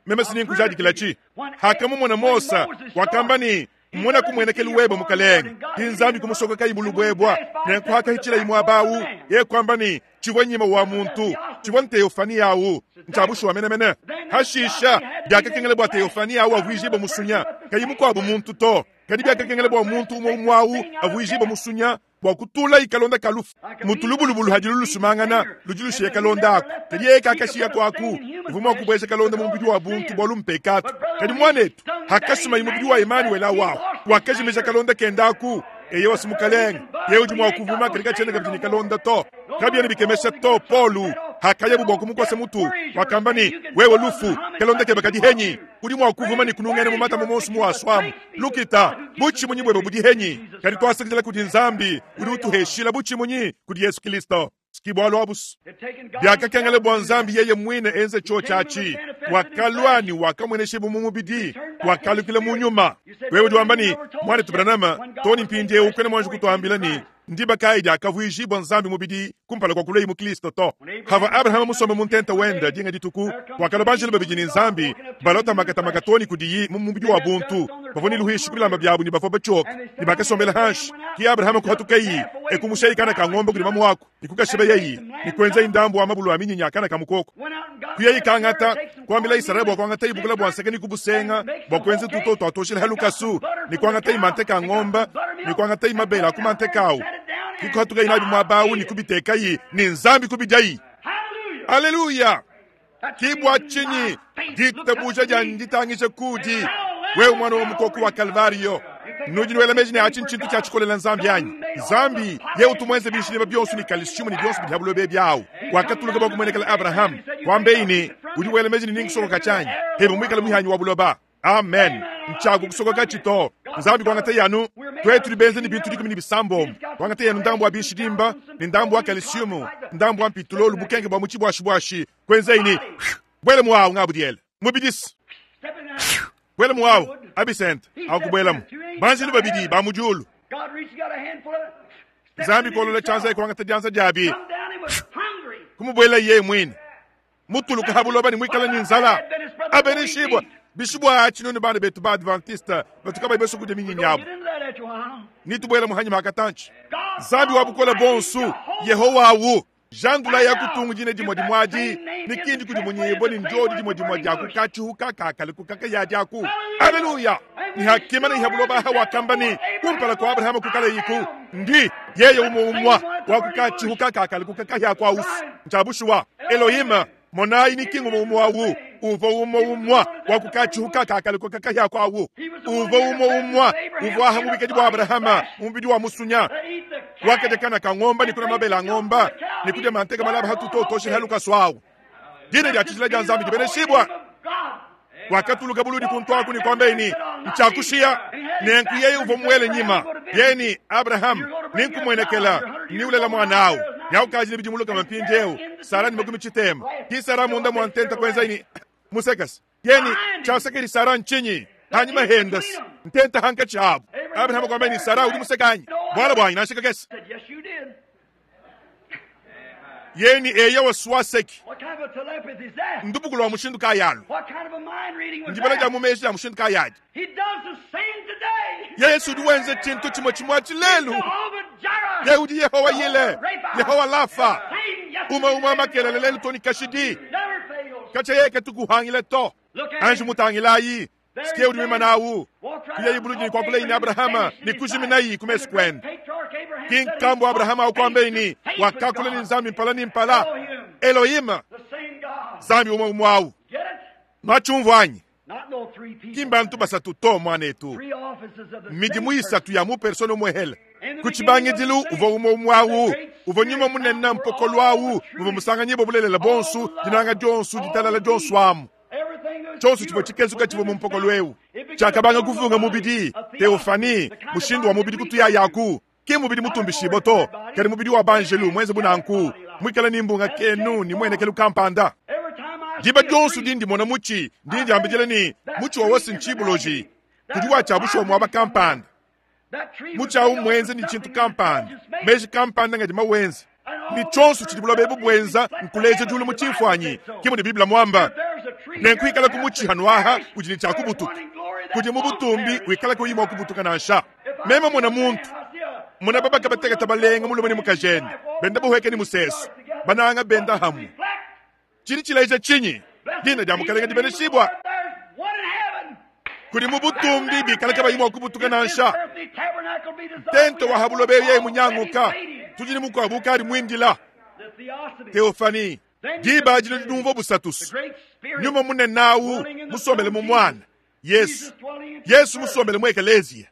Meme si ninkujadikilatshi. Hakamumona Mose, wakamba ne, Mona kumuenekelu webe, Mukalenge. Ki Nzambi kumusokokayi mu lubuebua, nenku hakahitshilayi muaba au, yeye kuamba ne, Tshivua nyima wa muntu, tshivua nteofani au, ntshia bushuwa menemene. Hashisha, biakakengela bua teofani au avuijibue musunya, kayi mukuabu muntu to, kadi biakakengela bua muntu umue umue au avuijibue musunya bua kutulayi kalonda ka lufu. Mutu lubulubulu hadilu lusumangana, ludi lushiya kalonda aku, kadi yeye kakashiya kuaku. Uvua mua kubueja kalonda mu mubidi wa buntu bualu mpekatu. Kadi muanetu, hakasumayi mubidi wa Emanuele au ahu, wakajimija kalonda kende aku. Eyowa, si Mukalenge, yeye udi mua kuvuma, kadi katshiena kabidi ne kalonda to. Kabiena bikemesha to, Polu hakayabu bua kumukosa mutu, wakamba ne, Wewe lufu, kalonda kebe kadi henyi? Udi mua kuvuma ne kunungena mu matama monso muwasuamu. Lukita, butshimunyi buebe budi henyi? Kadi tuasakidila kudi Nzambi udi utuheshila butshimunyi kudi Yesu Kilisto. Ki bualu abu's. Biakakengela bua Nzambi yeye muine enze tshiotshi atshi. Wakalua ne wakamueneshibua mu mubidi, wakalukila mu nyuma. Wewe udi wamba ne, Muanetu Branham, too ne mpindieu kuena muanji kutuambila ne, ndiba kayi diakavuijibua Nzambi mubidi kumpala kua kuluaye mu Kristo to. Pavua Abrahama musombe mu ntenta wende dinga dituku, kuakalua banjelu babidi ne Nzambi, balua makatamaka too ne kudiyi mu mubidi wa buntu. Bavua ne luhuishi ku bilamba biabu ne bavua batshioke, ne bakasombela hanshi. Ke Abrahama kuhatukayi, e kumushayi kana ka ngombe kudi mamuaku, ne kukashibeyayi, ne kuenzayi ndambu wa mabulu a minyinyi a kana ka mukoko. Kuyayi kangata, kuambilayi Sara bua kuangatayi bukula bua nseke ne kubusenga bua kuenza tutoto tua tuoshela ha lukasu, ne kuangatayi manteka a ngombe, ne kuangatayi mabele a ku manteka au, ne kuhatukayi nabi muaba au ne kubitekayi, ne Nzambi kubidiayi. Aleluya! Ki bua tshinyi ditabuja dianyi nditangija kudi wewe, muana wa mukoko wa Kalvario. Nudi nuela meji ne atshi ntshintu tshia tshikolela Nzambi anyi? Nzambi yeye utu muenze bishileba bionso ne kalsiumu ne bionso bidi ha buloba ebi awu, wakatuluka bua kumuenekela Abrahama, kuambeyi ne, Udi wela meji ne ninkusokoka tshianyi hebe muikale muhianyi wa buloba. Amen. Ntshiaku kusokokatshi to. Nzambi kuangataye anu tuetu tudi benze ne bintu dikumi ne bisambombo, kuangataye anu ndambu wa bishidimba ne ndambu wa kalsiumu, ndambu wa mpitulolu, bukenke bua mu tshibuashibuashi, kuenzayi ne buele muawu ngabudiele mubidisi buele muawu abisente akubuelamu banjelu babidi ba mu diulu. Nzambi kolola tshianza kuangata dianza diabi kumubuela yeye muine mutuluka ha buloba ne muikale ne nzala. Abeneshibua bishibua atshi nunu bana betu ba Adventiste batu kabayi basue kudia minyinyi yabo. Nitubuela mu hanyima hakatantshi. Nzambi wa bukole bonso Yehowa awu jandula ya kutungu dina dimue dimue adi ne kindi kudi munyibue ne ndiodi dimue dimue dia kukatshihuka kakale kukaka ya diaku. Aleluya! Ne hakimana iha buloba aha wakamba ne kumpala kua Abrahama kukalayiku ndi yeye umue umua wa kukatshihuka kakale kukakahia kua usu ntshia bushuwa. Elohima, monayi ni ki ngumue umue awu uvua umue umua wa kukatshihuka kakale kukakahia kua awu uvua umue umua uvua aha mubikadi bua Abrahama mu mubidi wa musunya wakadia kana ka ngomba ne kuna mabele a ngomba ne kudia manteka malaba hatutotoshi halukasu awu. Dina dia tshijila dia Nzambi dibeneshibua. Wakatuluka buludi kuntu aku ne kuambaye ne, Ntshiakushiya. Nenku yeye uvua muele nyima. Yeye ne, Abraham, nenkumuenekela, ne ulela muana awu. Ne aukaji ne bidimu lukama mpindieu, Sara ne makumi tshitema. Ki Sara munda mua ntenta kuenzaye ne, Musekase. Yeye ne, Tshiasekedi Sara ntshinyi? Hanyima hendas ntenta hankatshi habu. Abraham kuambaye ne, Sara udi museka anyi? Bualu buanyi nansha kakese. Yeni eya wa swaseki. Ndubuku lua mushindu kayi alu? Ndibala dia mu meji dia mushindu kayi adi? Yesu udi wenza tshintu tshimue tshimue atshi lelu. Ye udi Yehowa Yile, Yehowa Lafa, umue umue makelele lelu to ne kashidi. Katshia yeye katukuhangile to. Anji mutangilayi. Sikie udi wimana awu, kuyayi buludi ne kuakulayi ne Abrahama ne kujiminayi ku mesu kuende. Ki nkambu Abrahama awu kuambaye ne, wakakula ne Nzambi mpala ne mpala, Elohim, Nzambi umue umue awu. Nuatshiumvua anyi? Ki mbantu basatu to, muanetu. Midimu isatu ya mu persona umuehele. Ku tshibangidilu uvua umue umue awu, uvua nyuma munene mpokolo awu, muvua musanganyibua bulelela buonso, dinanga dionso, ditalala dionso amu. Tshionso tshivua tshikezuka tshivua mu mpokolo eu tshiakabanga kuvunga mubidi, teofani, mushindu wa mubidi kutuyayaku. Ki mubidi mutumbishibue to, kadi mubidi wa banjelu muenze bu nanku, muikale ne mbunga kenu ne muenekelu kampanda. Diba dionso dindi mona mutshi, ndi ndiambidila ne, mutshi wa wasi ntshibuloji, kudi wa tshia bushuwa muaba kampanda. Mutshi au mmuenze ne tshintu kampanda, meji kampanda ngadi mawenze. Ne tshionso tshidi buloba ebu buenza nkuleja diulu mu tshimfuanyi, ke mudi Bible muamba. Nenku ikala ku mutshi hanuaha udi ne tshia kubutuka, kudi mu butumbi wikala kuyi mua kubutuka nansha. Meme mona muntu, mona babaka batekete balenga mulume ne mukajende, benda buhueke ne musesu, bananga benda hamue. Tshidi tshileja tshinyi? Dina dia Mukalenge dibeneshibua. Kudi mu butumbi bikala kabayi mua kubutuka nansha. Ntenta wa ha buloba yeye munyanguka, tudi ne mukuabu ukadi muindila. Theophanie, diba adi nudi numvua busatusu. Nyuma munene awu musombele mu Muana, Yesu. Yesu musombele mu Ekeleziya.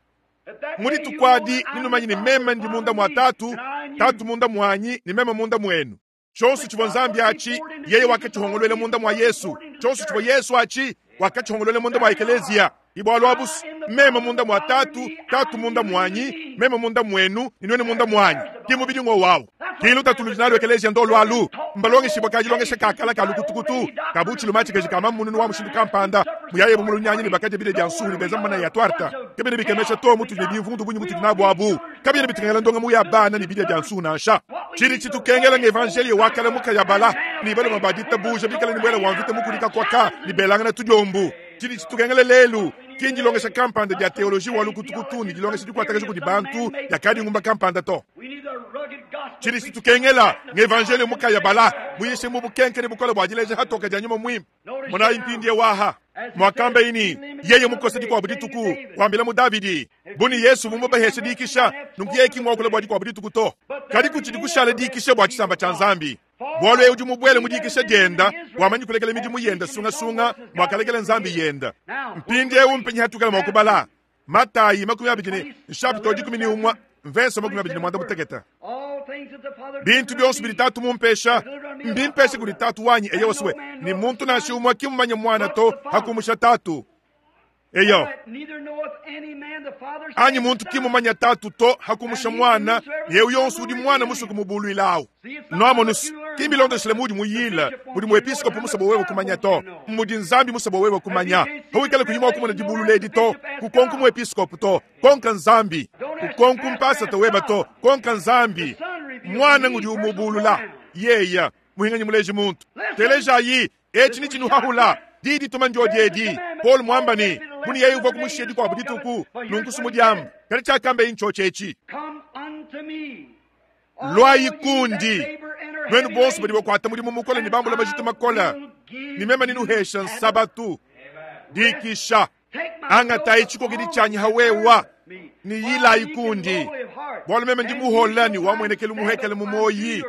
Mu dituku adi nenumanye ne meme ndi munda mua Tatu, Tatu munda muanyi, ne meme munda muenu. Tshionso tshivua Nzambi atshi, yeye wakatshihongoluela munda mua Yesu. Tshionso tshivua Yesu atshi, Wakatshihongoluela munda mua ekeleziya. Ibwalu abusu, meme munda mua Tatu, Tatu munda muanyi, meme munda muenu, ne nuenu munda muanyi. Ki mubidi ngo wawu. Ki lutatu ludi nalu ekeleziya ndolu alu. Mbalongeshibua ka dilongesha ka kala ka lukutukutu, ka bu tshiluma tshikaji ka mamununu wa mushindu kampanda, muyaye bu mulunyanyi ne bakadia bidia bia nsuhu ne benza manaya ya tuarta. Kabiena bikemesha to mutudi ne bimvundu bungi mutudi nabu abu. Kabiena bitukengela ndongamu ya bana ne bidia bia nsuhu nansha. Tshidi tshitukengela ng'evanjeliyo wa kale mukayabala ne baluma ba ditabuja bikale ne muele wa mvita mukudika kuaka ne belangana tudiombu. Tshidi tshitukengela lelu ki ndilongesha kampanda dia teoloji wa lukutukutu ne dilongesha dikuatakaja kudi bantu dia kadingumba kampanda to. Tshidi tshitukengela ng'evanjeliyo mukayabala muyishe mu bukenke ne bukole bua dileja hatoka dia nyuma muimpe. Monayi mpindieu aha muakamba ini yeye mukose dikuabu dituku wambila mu Davidi bu ne Yesu mumubaheshe dikisha, nunku yeye ki muakula bua dikuabu dituku to, kadi kutshidi kushala dikisha bua tshisamba tshia Nzambi. Bualu ewu udi mubuele mu dikisha dienda wamanyi kulekela midimu yenda sungasunga muakalekela Nzambi yenda. Mpindieu mpenyi hatukala mua kubala Matayi 20 ne nshapita wa 11 mvese 25. Bintu bionso bidi Tatu mumpesha mbimpesha kudi Tatu wanyi eyo swe, ne muntu nansha umue ki mmumanye Muana to hakumusha Tatu. Eyo anyi muntu ki mmumanye Tatu to hakumusha Muana, ne eu yonso udi Muana musue kumubuluilawu. Nuamonu, ki mbilondeshile muudi muyile, mudi muepiskopo musue bua wewe kumanya to, mmudi Nzambi musue bua wewe kumanya. Pawikala kuyi mua kumona dibulula edi to, kukonku muepiskopo to, konka Nzambi. Kukonku mpasata weba to, konka Nzambi. Muana ngudi umubulula yeya muhinganyi muleji muntu. Telejayi, etshi ni tshinuhahula di dituma ndiodi edi. Paul muamba ne, muni yeye uvua kumushiya dikuabu dituku, nunku sumudiamba. Kadi tshiakamba ntshiotshi etshi. Luayi kundi, nuenu bonso badi bakuata mudimu mukole ne bambula majitu makole, ne meme nenuhesha nsabatu. Dikisha. Angatayi tshikokedi tshianyi hawewa ne yilayi kundi, bualu meme ndi muhola ne wamuenekelu muhekele mu moyi,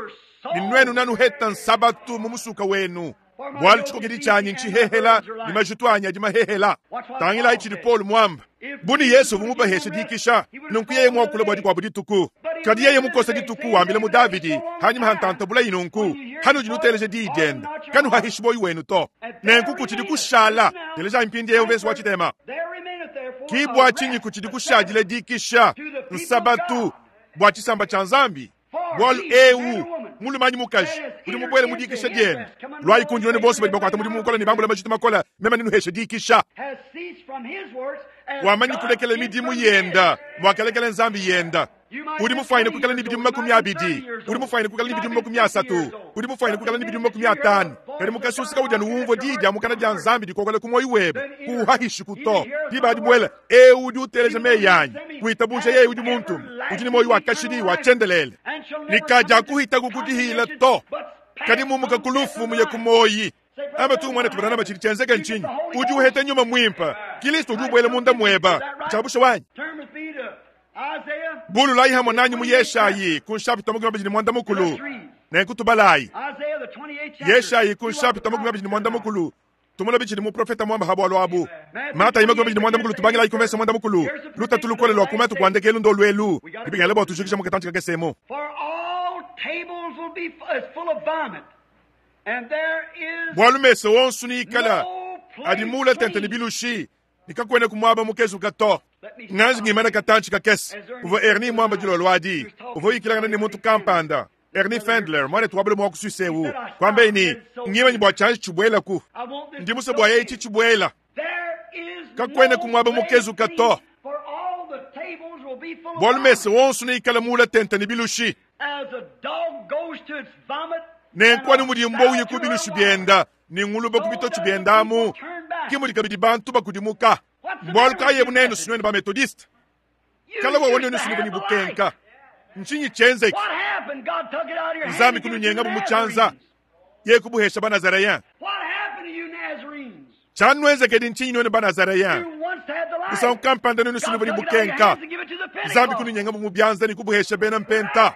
ne nuenu nanuheta nsabatu mu musuka wenu. Bualu tshikokedi tshianyi ntshihehela ne majitu anyi adi mahehela. Tangilayi tshidi Paul muamba. Bu ne Yesu uvua mubaheshe dikisha, nunku yeye muakula bua dikuabu dituku. Kadi yeye mukosa dituku wambila mu Davidi hanyima ha ntanta bulayi nunku, hanudi nuteleja diyi diende, kanuhahishi boyi wenu to. Nenku kutshidi kushala, telejayi mpindieu mvese wa tshitema. Ki bua tshinyi kutshidi kushadila dikisha, nsabatu, bua tshisamba tshia Nzambi? Bualu eu mulume anyi mukaji udi mubuele mu dikisha diende, luayi kundi nuenu bonso badi bakuata mudimu mukole ne bambula majitu makole, meme nenuheshe dikisha. Wamanyi kulekela midimu yenda muakalekela Nzambi yenda. Udi mufuanyine kuikala ne bidimu 20, udi mufuanyine kuikala ne bidimu 30, udi mufuanyine kuikala ne bidimu 50, kadi mukasusu kaudi anu umvua diyi dia mukana dia Nzambi dikokola ku muoyo webe, kuuhahishi to. Diba adi buela eu udi uteleja meyi anyi, kuitabuja yeye udi muntume, udi ne muoyo wa kashidi wa tshiendelele, ne kadiakuhitaku kudihila to, kadi mumuka ku lufu muye ku muoyi. Amba tu mwana tubanana tshidi tshienzeka ntshinyi? Udi uheta nyuma muimpe, Kristo udi ubuela munda mueba. Tshiabusha wanyi. Bululayi hamwe nanyi mu Yeshayi ku nshapita 29. Nenku tubalayi Yeshayi ku nshapita 29. Tumona bitshidi muprofeta muamba ha bualu abu. Matayi 29 tubangilayi ku mvese 10. Lutatu lukole lua ku matuku a ndekelu ndo luelu. Dibingela bua tujikija mu katantshi kakesemu. For all tables will be is full of vomit, and there is Bualu mesa wonso niikala no adi place mula tente ne clean. bilushi, nikakwena kumuaba mukezuka to. Nganji ngimana katantshi kakese uvua Ernie mwamba dilolo adi, uvua uyikilangana ne muntu kampanda. Ernie Fendler mwanetu wa bule mua kusuisewu kwambe ni ngimanyi bua tshianji tshibuelaku. I want this Ndi musue bua yeye tshitshibuela. There is Kakwena no kumuaba place mukezuka clean, to. for all the tables will be full of Bualu vomit. mesa wonso niikala mula tente ne bilushi. As a dog goes to its vomit, Nenku and anu a mudi sow mbowu to ku her bilushi water. bienda ne nguluba ku bitotshi biendamu, ki mudi kabidi bantu bakudimuka. Mbualu kayi ebu nenu sinuenu ba Methodiste? You Kala wa used wone to nusu have ni the bukenka. light. Ntshinyi tshienzeke? What happened? God took it out of your hand Nzambi and gave it to kununyenga the bu mu tshianza. Nazarenes. Ye kubuhesha ba Nazareyen. What happened to you Nazarenes? Tshianuenzekedi ntshinyi nuenu ba Nazareyen? You once had the light. Musangu kampanda nuenu God sinu took it out of your bukenka. hands and gave it to the Nzambi Pentecost. kununyenga bu mu bianza ne kubuhesha bena mpenta.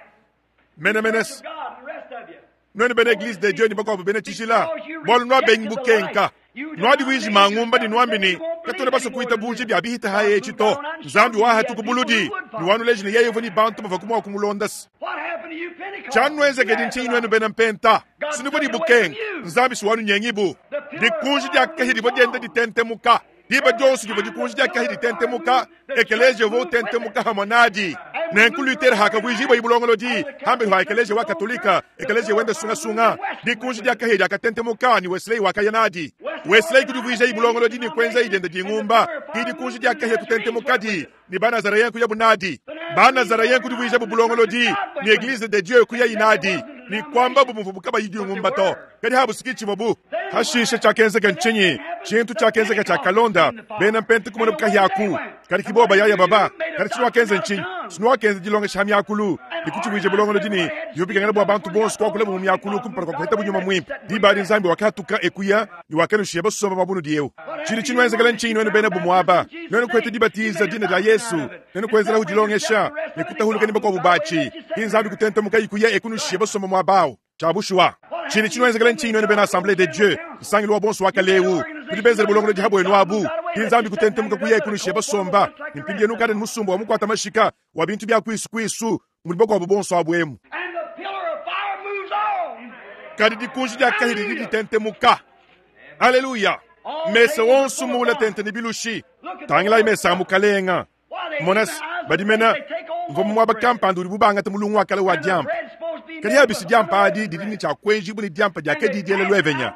Mene Church menes. of God, the rest of you. Nuenu bena Eglise de Dieu ni bakuabu bena tshijila. Bualu nuabengi bukenka. Nuadi wiji mangumba ni nuambi ni katona baso kuita buji bya bihita haye echito. Nzambi wahatu kubuludi. Nuwanuleji ne yeye uvua ni bantu bava kumwa kumulondasi. What happened to you Pentecost? Tshianuenzekedi ntshinyi nuenu bena mpenta? Sinuvua ni bukenka. Nzambi si wanunyengibu. The Dikunji dia kahia divua dienda ditentemuka. Diba dionso divua dikunji dia kahia ditentemuka, ekeleziya uvua utentemuka hamue nadi. Nenku Luther hakavuijibua bulongolodi hambelu ha ekeleziya wa Katolika, ekeleziya wenda sungasunga. Dikunji dia kahia diakatentemuka ne Wesley wakaya nadi. Wesley kudivuijayi bulongolodi ne kuenzayi dienda dingumba. Ke dikunji dia kahia kutentemukadi ne Banazareyen kuyabu nadi. Banazareyen kudivuijabu bulongolodi ne Eglise de Dieu kuyayi nadi ne kuambabu muvubu kabayi dingumba to. Kadi habu si tshivuabu. Hashishe tshiakenzeka ntshinyi? Tshintu tshiakenzeka tshiakalonda bena Mpente kumonabu kahia aku. Kadi ki bobo bayaya baba. Kadi tshinuakenza ntshinyi? Tshinuakenza dilongesha ha miakulu ne kutshivuija bulongolodi ne bivua bikengela bua bantu bonso kuakulabu mu miakulu kumpala kua kupetabu nyuma muimpe. Diba adi Nzambi wakahatuka e kuya ne wakanushiya basomba muaba unudi eu. Tshidi tshinuenzekela ntshinyi nuenu bena bumue aba? Nuenu kuheta dibatiza dina dia Yesu, nuenu kuenzelahu dilongesha ne kutahuluka ne bakuabu batshi. Ki Nzambi kutentemukayi kuya e kunushiya basomba muaba au. Tshia bushuwa, tshidi tshinuenzekela ntshinyi nuenu bena Assemblee de Dieu, nsangilu wa bonso wa kale eu? Nudi benzele bulongolodi ha buenu abu. Ki Nzambi kutentemuka kuya e kunushiya basomba, ne mpindieu nukadi ne musumba wa mukuata mashika wa bintu bia kuisu kuisu mudi bakuabu bonso abu emu. And the pillar of fire moves on. Kadi dikunji dia kahia didi ditentemuka. Aleluya! Mesa wonso muula tente ne bilushi. Tangilayi mesa a Mukalenga. Mona se, badi mena mvua mu muaba kampanda udibu bangata mulungu wa kale wa diampa. Kadi abisi diampa adi didi ne tshia kuenjibua ne diampa dia kadi diela luevenya.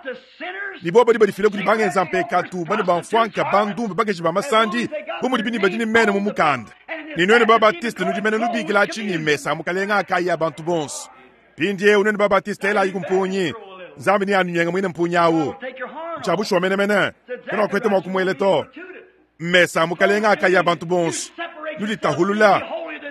Ne bobo badi badifila kudi bangenza mpekatu, banu ba mfuanka, bandumba, bakaji ba masandi, bu mudibi ne badi ne mena mu mukanda. Ne nuenu ba Baptiste nudi mene nubikila atshi ne mesa a Mukalenga akayi a bantu bonso. Mpindieu nuenu ba Baptiste elayi ku mpunyi. Nzambi neanunyenga muine mpunyi awu. Ntshia bushuwa menemene. Kanuakuheta mua kumuela to. Mesa a Mukalenga akaya bantu bonso. Nuditahulula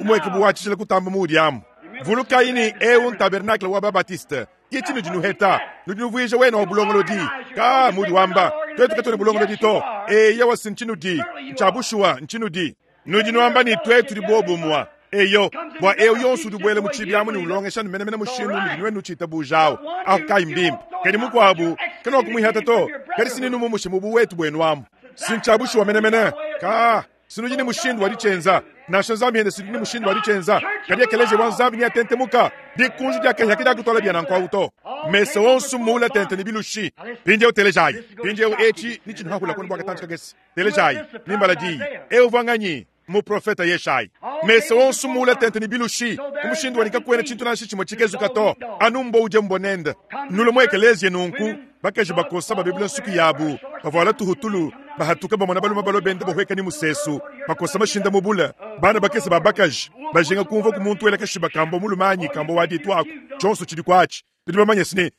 umueke bu wa tshijila kutamba muudi amu. Vulukayi ne eu ntabernakle wa ba-Baptiste. Ke tshinudi nuheta. Nudi nuvuija wena wa bulongolodi. Ka mudi wamba, tuetu katuena bulongolodi to. Eyowa, si ntshinudi. Ntshia bushuwa, ntshinudi. Nudi nuamba ne tuetu tudi bobumua. Eyo, bua eu yonso udi ubuela mu tshibi amu ne ulongesha ne menemene mushindu unudi nuenu nutshiitabuja au, ahu kayi mbimpe. Kadi mukuabu, kanuakumuihata to, kadi si nenumumushe mu buwetu buenu amu. Si ntshia bushuwa menemene. Ka, si nudi ne mushindu wa ditshienza. Nansha Nzambi yende si udi ne mushindu wa ditshienza. Kadi ekeleziya wa Nzambi neatentemuka. Dikunji dia kahia kadiakutuala bia nanku au to. Mesa onso mmuula tente ne bilushi. Mpindieu telejayi. Mpindieu etshi netshinuhahula kuenu bua katantshi kakese. Telejayi, nimbala diyi. Eu uvua nganyi? Muprofete Yeshayi. Mesa onso muula tente ne bilushi, mu mushindu wa ne kakuena tshintu nansha tshimue tshikezuka to, anu mbua udie mbua nende. Nulue mu ekeleziya nunku, bakaji bakosa babebula nsuki yabu, bavuala tuhutulu, bahatuka bamona balume balua benda bahueka ne musesu, bakosa mashinda mu bule, bana bakese ba bakaji bajinga kumvua ku muntu wela kashiba ka mbua mulume anyi ka mbua wa ditu aku, tshionso tshidi kuatshi. Nudi bamanye se ne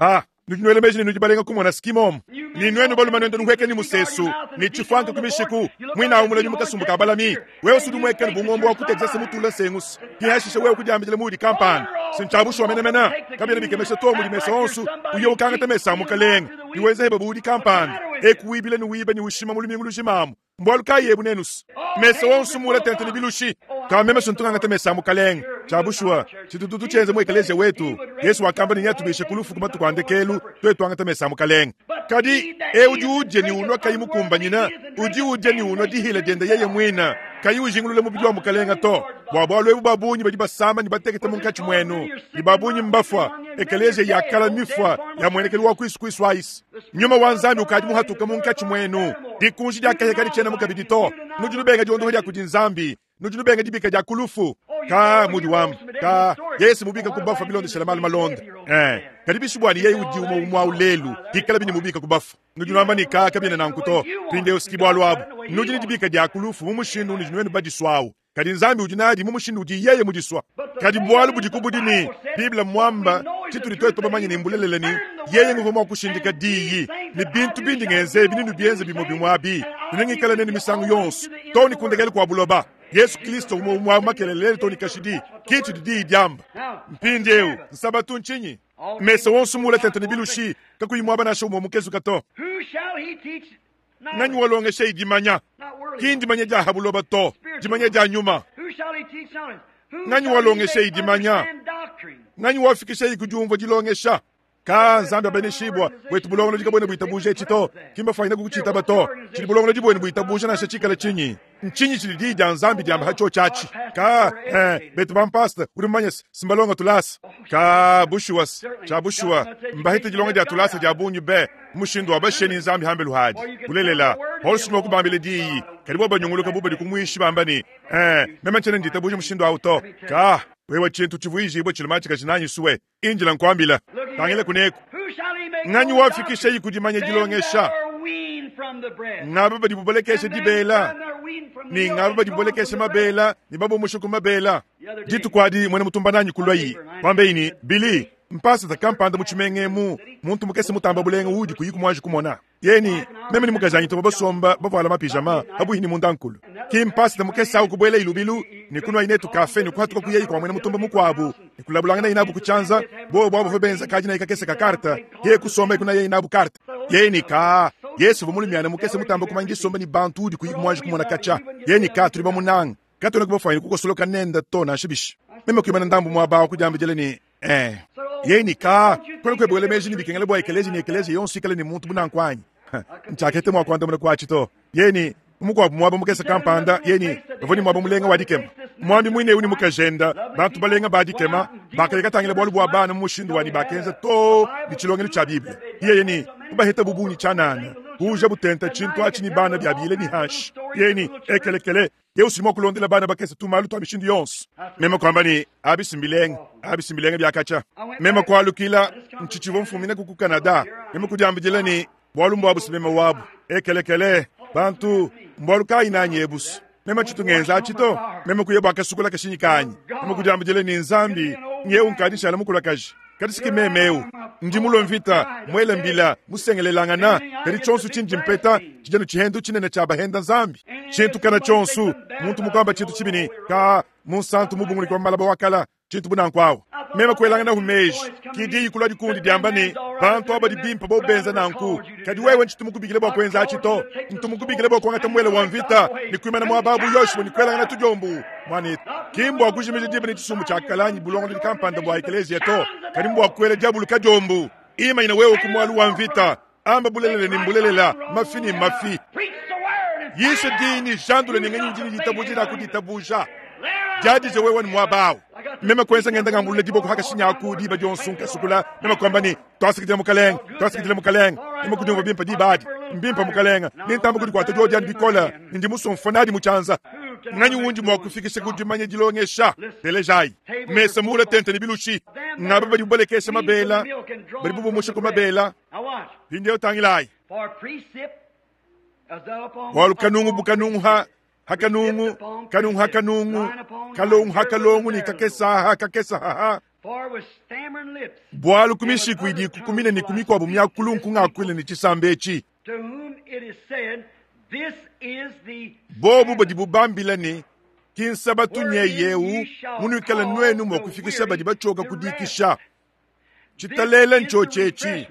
ah, nudi nuela meji ne nudi balenga kumona skimomu ne nuenu balume nuenda nuhueka ne musesu ne tshifuanka ku mishiku muinawu mulami mu kasumbu ka balami. Wewe sudi muekele bu ngombe wa ku Texas mutula nsengusu ke hashishe wewe kudiambidila muudi kampanda. Si ntshia bushuwa menemene. Kabiena bikemesha to mudi mesa onso uye ukangata mesa a mukalenge ne wenza heba bu udi kampanda eku wibila ne wiba ne ushima mu lumingu lujima amu. Mbualu kayi ebu nenusa mesa onso muula tente ne bilushi? Ka meme sontu ngangata mesa a mukalenge. Tshia bushuwa, tshitutu tshienza mu ekeleziya wetu. Yesu wakamba ne neatubishe ku lufu ku matuku a ndekelu, tuetu tuangata mesa a mukalenge. Kadi eu udi udia ne unua kayi mukumbanyine, udi udia ne unua dihila diende yeye muine, kayi ujingulula mubidi wa mukalenge to. Bua bualu ebu ba bungi badi basama ne batekete munkatshi muenu, ne ba bungi mbafua. Ekeleziya ya kala mifua ya muenekelu wa kuisu kuisu ayisi. Nyuma wa Nzambi ukadi muhatuke munkatshi muenu. Dikunji dia kahia kaditshienemu kabidi to. Nudi nubenga diondoha dia kudi Nzambi, nudi nubenga dibika dia ku lufu. Ka mudi wamba ka Yesu mubika ku bafua bilondeshela malu malonda. Eh, kadi bishi buani yeye udi umue umue au lelu, hikala bini mubika ku bafua. Nudi nuamba ne ka kabiena nanku to. Mpindieu siki bualu abu. Nudi ne dibika dia ku lufu mu mushindu unudi nuenu badisuawu. Kadi Nzambi udi nadi mu mushindu udi yeye mudisua. Kadi bualu budiku budi ne, Bible mmuamba tshitudi tuetu bamanye ne mbulelela ne, yeye nguvua mua kushindika diyi ne bintu bindi ngenza ebi nenubienze bimue bimue abi, ne nengikale nenu misangu yonso too ne ku ndekelu kua buloba. Yesu Kristo umue umue au makelela lelu too ne kashidi. Ke tshidi diyi diamba. Mpindieu, Nsabatu ntshinyi? Mesa wonso muule tente ne bilushi, kakuyi muaba nansha umue mukezuka to. Who shall he teach Nganyi walongesheye dimanya? Ki ndimanya dia ha buloba to, dimanya dia nyuma. Nganyi walongesheye dimanya? Nganyi wafikisheye ku diumvua dilongesha? Ka Nzambi abeneshibua, buetu bulongolodi kabuena buitabuja etshi to, ki mbafuanyine kukutshitaba to. Tshidi bulongolodi buenu buitabuja nansha tshikale tshinyi? Ntshinyi tshidi Diyi dia Nzambi diamba ha tshiotshi atshi? Ka, eh, betu bampasta, udi mumanye se, simbalonga tulasa. Ka, bushuwa, tshia bushuwa, mbahete dilonga dia tulasa dia bungi be. Mushindu wa bashiye ne Nzambi hambelu hadi. Bulelela, Paulo si mua kubambila diyi, kadi bo banyunguluka bu badi ku muishi bamba ne, Eh, meme ntshiena nditabuja mushindu awu to. Ka, wewe tshintu tshivuijibue tshiluma tshikaji nanyi sue, indila nkuambila. Tangila kuneku. Nganyi wafikishayi ku dimanya dilongesha? Ngaba badibu balekesha dibela, ne ngaba badibu balekesha mabela ne babumusha ku mabela. Dituku adi muena mutumba nanyi kuluayi, kuambeyi ne, Billy, mpasata kampanda mu tshimenga emu, muntu mukese mutamba bulenga uudi kuyiku muanji kumona. Yeye ne, meme ne mukajanyi tuvua basomba bavuala mapijama pabuihi ne mundankulu. Ki mpasata mukese au kubuelayi lubilu ne kunuayi netu kafe ne kuhatuka kuyayi kua muena mutumba mukuabu ne kulabulanganayi nabu ku tshianza. Bobu abu bavua benza kadinayi kakese ka karte, yeye kusomba kunayayi nabu karte. Yeye ne, Kaa, Yesu uvua mulumiana mukese mutamba kumanya disomba ne bantu uudi kuyiku muanji kumona katshia. Yeye ne, Kaa, tudi bamunange. Katuena kubafuanyine kukosoloka nende to nansha bishi. Meme kuimana ndambu muaba awu kudiambidila ne, Ee, yeye ne, Kaa, kuena kuebe wela meji ne bikengela bua ekeleziya ne ekeleziya yonso ikale ne muntu bu nanku anyi? Ntshiakete mua kuandamuna ku atshi to. Yeye ne, Mu mukuabu muaba mukese kampanda, yeye ne, bavua ne muaba mulenga wa dikema. Muambi muine eu ne mukajende, bantu balenga ba dikema, bakaya katangila bualu bua bana mu mushindu wa ne bakenza too ne tshilongelu tshia Bible. Yeye ne, kubaheta bu bungi tshianana, kuuja butenta tshintu atshi ne bana biabile ne hanshi. Yeye ne, Ekelekele, Yehu si mua kulondela bana bakese tumalu tua mishindu yonso. Meme kuamba ne, Abi si mbilenga, abi si mbilenga bia katshia. Meme kualukila, ntshitshivua mfumina ku Canada. Meme kudiambidila ne, bualu mbuabu si meme wabu. Ekelekele, bantu, mbualu kayi nanyi ebusu? Meme tshitu ngenza atshi to. Meme kuya bua kasukula kashinyi kanyi. Meme kudiambidila ne, Nzambi, nyewu nkadi nshala mukulakaje. Kadi si ke meme eu. Ndi mulue mvita, muele mbila, musengelelangana, kadi tshionso tshindi mpeta tshidi anu tshihendu tshinene tshia bahenda Nzambi. Tshintu kana tshionso, muntu mukuamba tshintu tshibi ne, Ka, munsantu mubunguliki wa malaba wa kala, tshintu bu nanku awu. Meme kuelanganahu meji, ki diyi kulua dikundi diamba ne, Bantu aba badi bimpe bobu benza nanku, kadi wewe ntshitu mukubikile bua kuenza atshi to. Ntu mukubikile bua kuangata muele wa mvita ne kuimana muaba bu Yoshua ne kuelangana tudiombu. Muanetu, ki mbua kujimija diba ne tshisumbu tshia kale anyi bulongolodi kampanda bua ekeleziya to, kadi mbua kuela diabulu kadiombu. Imanyina wewe ku mualu wa mvita, amba bulelela ne mbulelela, mafi ne mafi. Yisha diyi ne jandula ne nganyi udi ne ditabuja dia kuditabuja. Diadija wewe ne muaba awu. Meme kuenza ngenda ngambulula diboko hakashinyaku diba dionso nkasukula, meme kuamba ne, Tuasakidila Mukalenge, tuasakidila Mukalenge. Meme kudiumvua bimpe diba adi. Mbimpe Mukalenge, nentamba kudikuata diodi adi bikole, ne ndi musue mfua nadi mu tshianza. Nganyi undi mua kufikisha ku dimanya dilongesha? Telejayi, mesa muule tente ne bilushi. Ngaba badibu balekesha mabela, badibu bumusha ku mabela. Mpindieu tangilayi. Bualu kanungu bu kanungu ha ha kanungu, kanungu ha kanungu, kalongu ha kalongu ne kakesa ha kakesa ha ha. Bualu ku mishiku idi ikukumina ne ku mikuabu miakulu nkungakuila ne tshisamba etshi. Bobu badibu bambila ne, Ki nsabatu nyeye eu munuikala nuenu mua kufikisha badi batshioka ku dikisha. Tshitalela ntshiotshi etshi,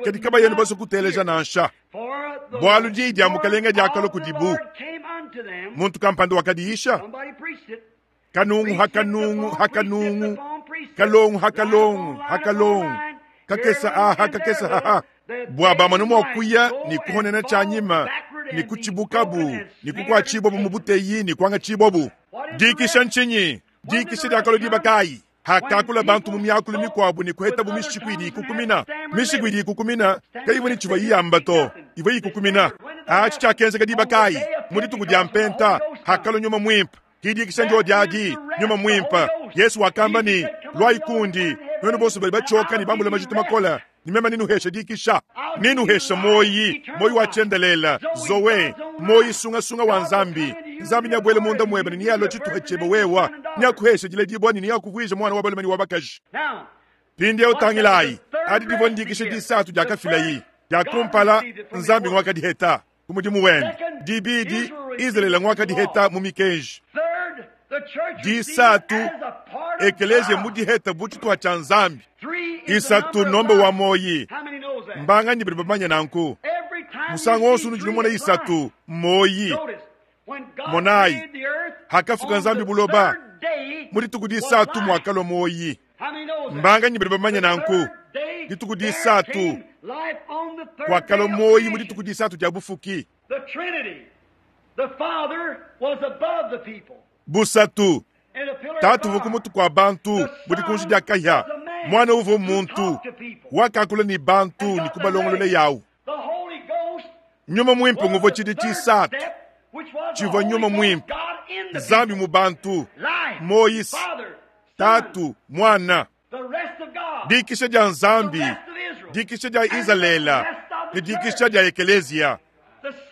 kadi kabayena basue kuteleja nansha, bualu diyi dia Mukalenge diakalua kudibu. Muntu kampanda wakadiyisha kanungu ha kanungu ha kanungu, kalongu ha kalongu ha kalongu, kakesa aha kakesa haha, bua bamone mua kuya ne kuhonena tshianyima ne kutshibukabu ne kukuatshibuabu mu buteyi ne kuangatshibuabu. Dikisha ntshinyi? Dikisha diakalua diba kayi? Hakakula bantu mu miakulu mikuabu ne kuhetabu mishiku idi ikukumina. Mishiku idi ikukumina kayivua ne tshivua iyamba to, ivua ikukumina. Atshi tshiakenzeka diba kayi? Mu dituku dia Mpenta, hakalua Nyuma Muimpe. Ki dikisha ndio adi, Nyuma Muimpe. Yesu wakamba ne, Luayi kundi, nuenu bonso badi batshioka ne bambula majitu makole, ne meme nenuheshe dikisha. Nenuheshe muoyi, muoyi wa tshiendelele, Zoe, muoyi sungasunga wa Nzambi. Nzambi neabuele munda muebe ne nealue tshituha tshiebe wewe, neakuheshe diledibua ne neakuvuije muana wa balume ne wa bakaji. Mpindieu tangilayi, adi divua ndikisha disatu diakafilayi. Dia kumpala, Nzambi nguakadiheta ku mudimu wende. Dibidi, Izalele nguakadiheta mu mikenji. Disatu, ekeleziya mudiheta bu tshituha tshia Nzambi. Isatu, nomba wa muoyi. Mbanganyi badi bamanye nanku? Musangu wonso unudi numona isatu, mmuoyi. Monayi, hakafuka Nzambi buloba, mu dituku disatu muakalua muoyi. Mbanganyi badi bamanye nanku? Dituku disatu kuakalua muoyi mu dituku disatu dia bufuki. Busatu, Tatu uvua ku mutu kua bantu bu dikunji dia kahia. Muana uvua muntu, wakakula ne bantu ne kubalongolola yawu. Nyuma Muimpe nguvua tshidi tshisatu tshivua Nyuma Muimpe, Nzambi mu bantu, Moyise, Tatu, Muana. Dikisha dia Nzambi, dikisha dia Izalele ne dikisha dia Ekeleziya,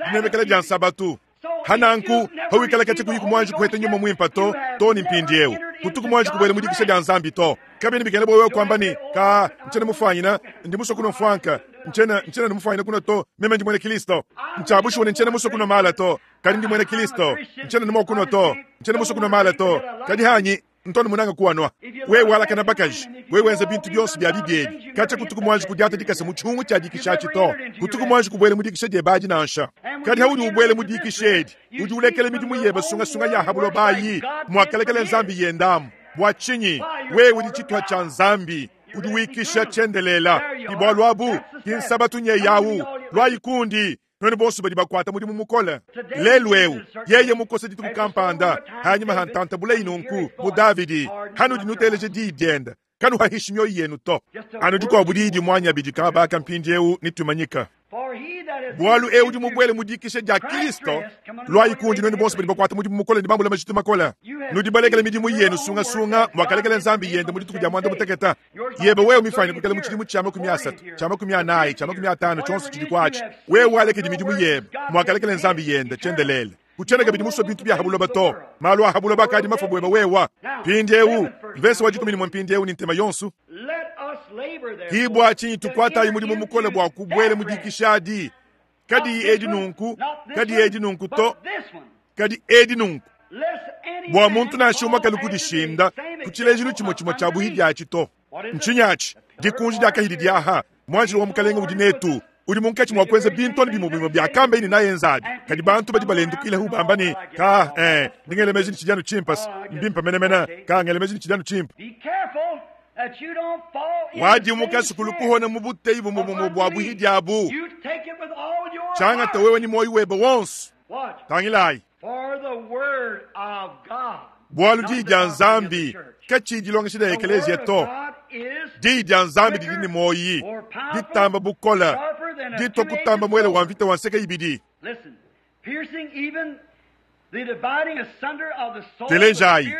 dinemekela dia Nsabatu. Hananku, hawikala katshia kuyi kumuanji kuheta Nyuma Muimpe to, to ne mpindieu kutu kumuanji kubuela mu dikisha dia Nzambi to. Kabiena bikengela bua wewe kuamba ne, Ka, ntshiena mufuanyina, ndi musue kunua mfuanka, ntshiena, ntshiena ne mufuanyina kunua to, meme ndi muena Kilisto. Ntshia bushuwa ne ntshiena musue kunua mala to, kadi ndi muena Kilisto. Ntshiena ne mua kunua to, ntshiena musue kunua mala to, kadi hanyi ntu munanga kuanua. Wewe walakana bakaji, wewe wenza bintu bionso bia bibi ebi, katshia kutuku muanji kudiata dikasa mu tshiungu tshia dikisha atshi to, kutuku muanji kubuela mu dikisha diebe adi nansha. Kadi haudi ubuela mu dikisha edi, udi ulekela midimu yebe sungasunga ya ha buloba ayi, muakalekela Nzambi yendamu. Bua tshinyi? Wewe udi tshituha tshia Nzambi, udi wikisha tshiendelela. Ki bualu abu, ki nsabatu nyeyawu. Luayi kundi, nuenu bonso badi bakuata mudimu mukole. Lelu eu yeye mukose dituku kampanda hanyima ha ntanta buleyi nunku mu Davidi, hanudi nuteleja diyi diende, kanuhahishi mioyo yenu to. Anu dikuabu diyi dimuanya bidi kabaka mpindieu nitumanyika. Bualu eu udi mubuele mu dikisha dia Kristo. Luayi kundi nuenu bonso badi bakuata mudimu mukole ne bambula majitu makole. Nudi balekele midimu yenu sungasunga, muakalekela Nzambi yende mu dituku dia muanda mutekete. Yebe wewe mifanye kuikala mu tshidimu tshia 30, tshia 40, tshia 50, tshionso tshidi kuatshi. Wewe walekedi midimu yebe, muakalekela Nzambi yende tshiendelele. Kutshiena kabidi musue bintu bia ha buloba to. Malu a ha buloba akadi mafue buebe wewa. Mpindieu, mvese wa 11 mpindieu ne ntema yonso. Ki bua tshinyi tukuatayi mudimu mukole bua kubuela mu dikisha adi, kadiyi edi nunku, kadiyi edi nunku to, kadi edi nunku, bua muntu nansha umue kalu kudishinda ku tshilejilu tshimue tshimue tshia buhidi atshi to. Ntshinyi atshi? Dikunji dia kahidi diaha, muanjelo wa Mukalenge udi netu, udi munkatshi mua kuenza bintu anu bimue bimue biakamba ne nayenzabi. Kadi bantu badi balendukila bamba ne, Ka, ndi ngela meji ne tshidi anu tshimpe, mbimpe menemene, ka, ngela meji ne tshidi anu tshimpe. Wadimuka sukulu kuhona mu buteyi bumue bumue bua buhidi abu. Tshiangata wewe ne muoyo webe wonso. Tangilayi. Bualu diyi dia Nzambi katshiyi dilongesha dia ekeleziya to. Diyi dia Nzambi didi ne muoyi, ditamba bukole, ditua kutamba muele wa mvita wa nseke ibidi. Telejayi,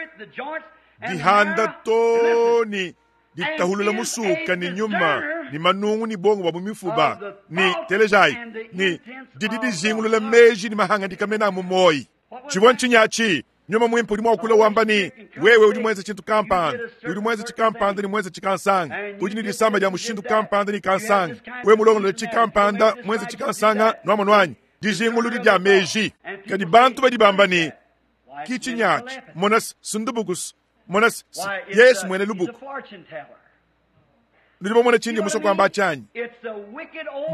dihanda to ne ditahulula musuka ne nyuma ne manungu ne bongo bua mu mifuba ne telejayi ne didi dijingulula meji ne mahangadika mena mu muoyi. Tshivua ntshinyi atshi? Nyuma Muimpe udi mua kula wamba ne, wewe udi muenze tshintu kampanda, udi muenze tshikampanda ne muenze tshikansanga, udi ne disama dia mushindu kampanda ne kansanga, wewe mulongolole tshikampanda, muenze tshikansanga, nuamonu anyi? Dijinguludi dia meji. Kadi bantu badi bamba ne, ki tshinyi atshi? Mona sundubukus, mona Yesu muena lubuku. Nudi bamona tshindi musue kuamba atshi anyi?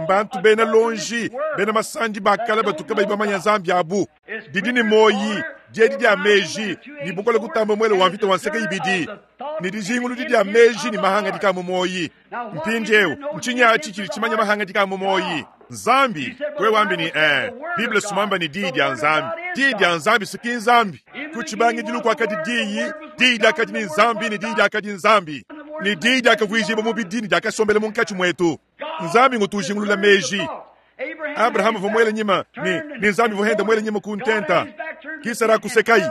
Mbantu bena lonji, bena masandi ba kale batu kabayi bamanya Nzambi abu. Didi ne muoyi, diedi dia meji, ne bukole kutamba muele wa mvita wa nseke ibidi, ne dijinguludi dia meji ne mahangadika a mu muoyi. Mpindieu, ntshinyi atshi tshidi tshimanya mahangadika a mu muoyi? Nzambi. Wewe wambi ne, Bible sumamba ne diyi dia Nzambi. Diyi dia Nzambi si ki Nzambi. Ku tshibangidilu kuakadi Diyi, Diyi diakadi ne Nzambi, ne Diyi diakadi Nzambi. Ne Diyi diakavuijibua mubidi ne diakasombela munkatshi muetu. Nzambi ngutu ujingulula meji. Abrahama uvua muele nyima ne, ne Nzambi uvua henda muele nyima ku ntenta. Ki Sara kusekayi.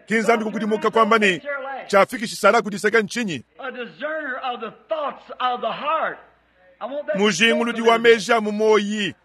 Ki Nzambi kukudimuka kuamba ne, tshiafikishi Sara kudiseka ntshinyi? Mujinguludi wa meji a mu muoyi,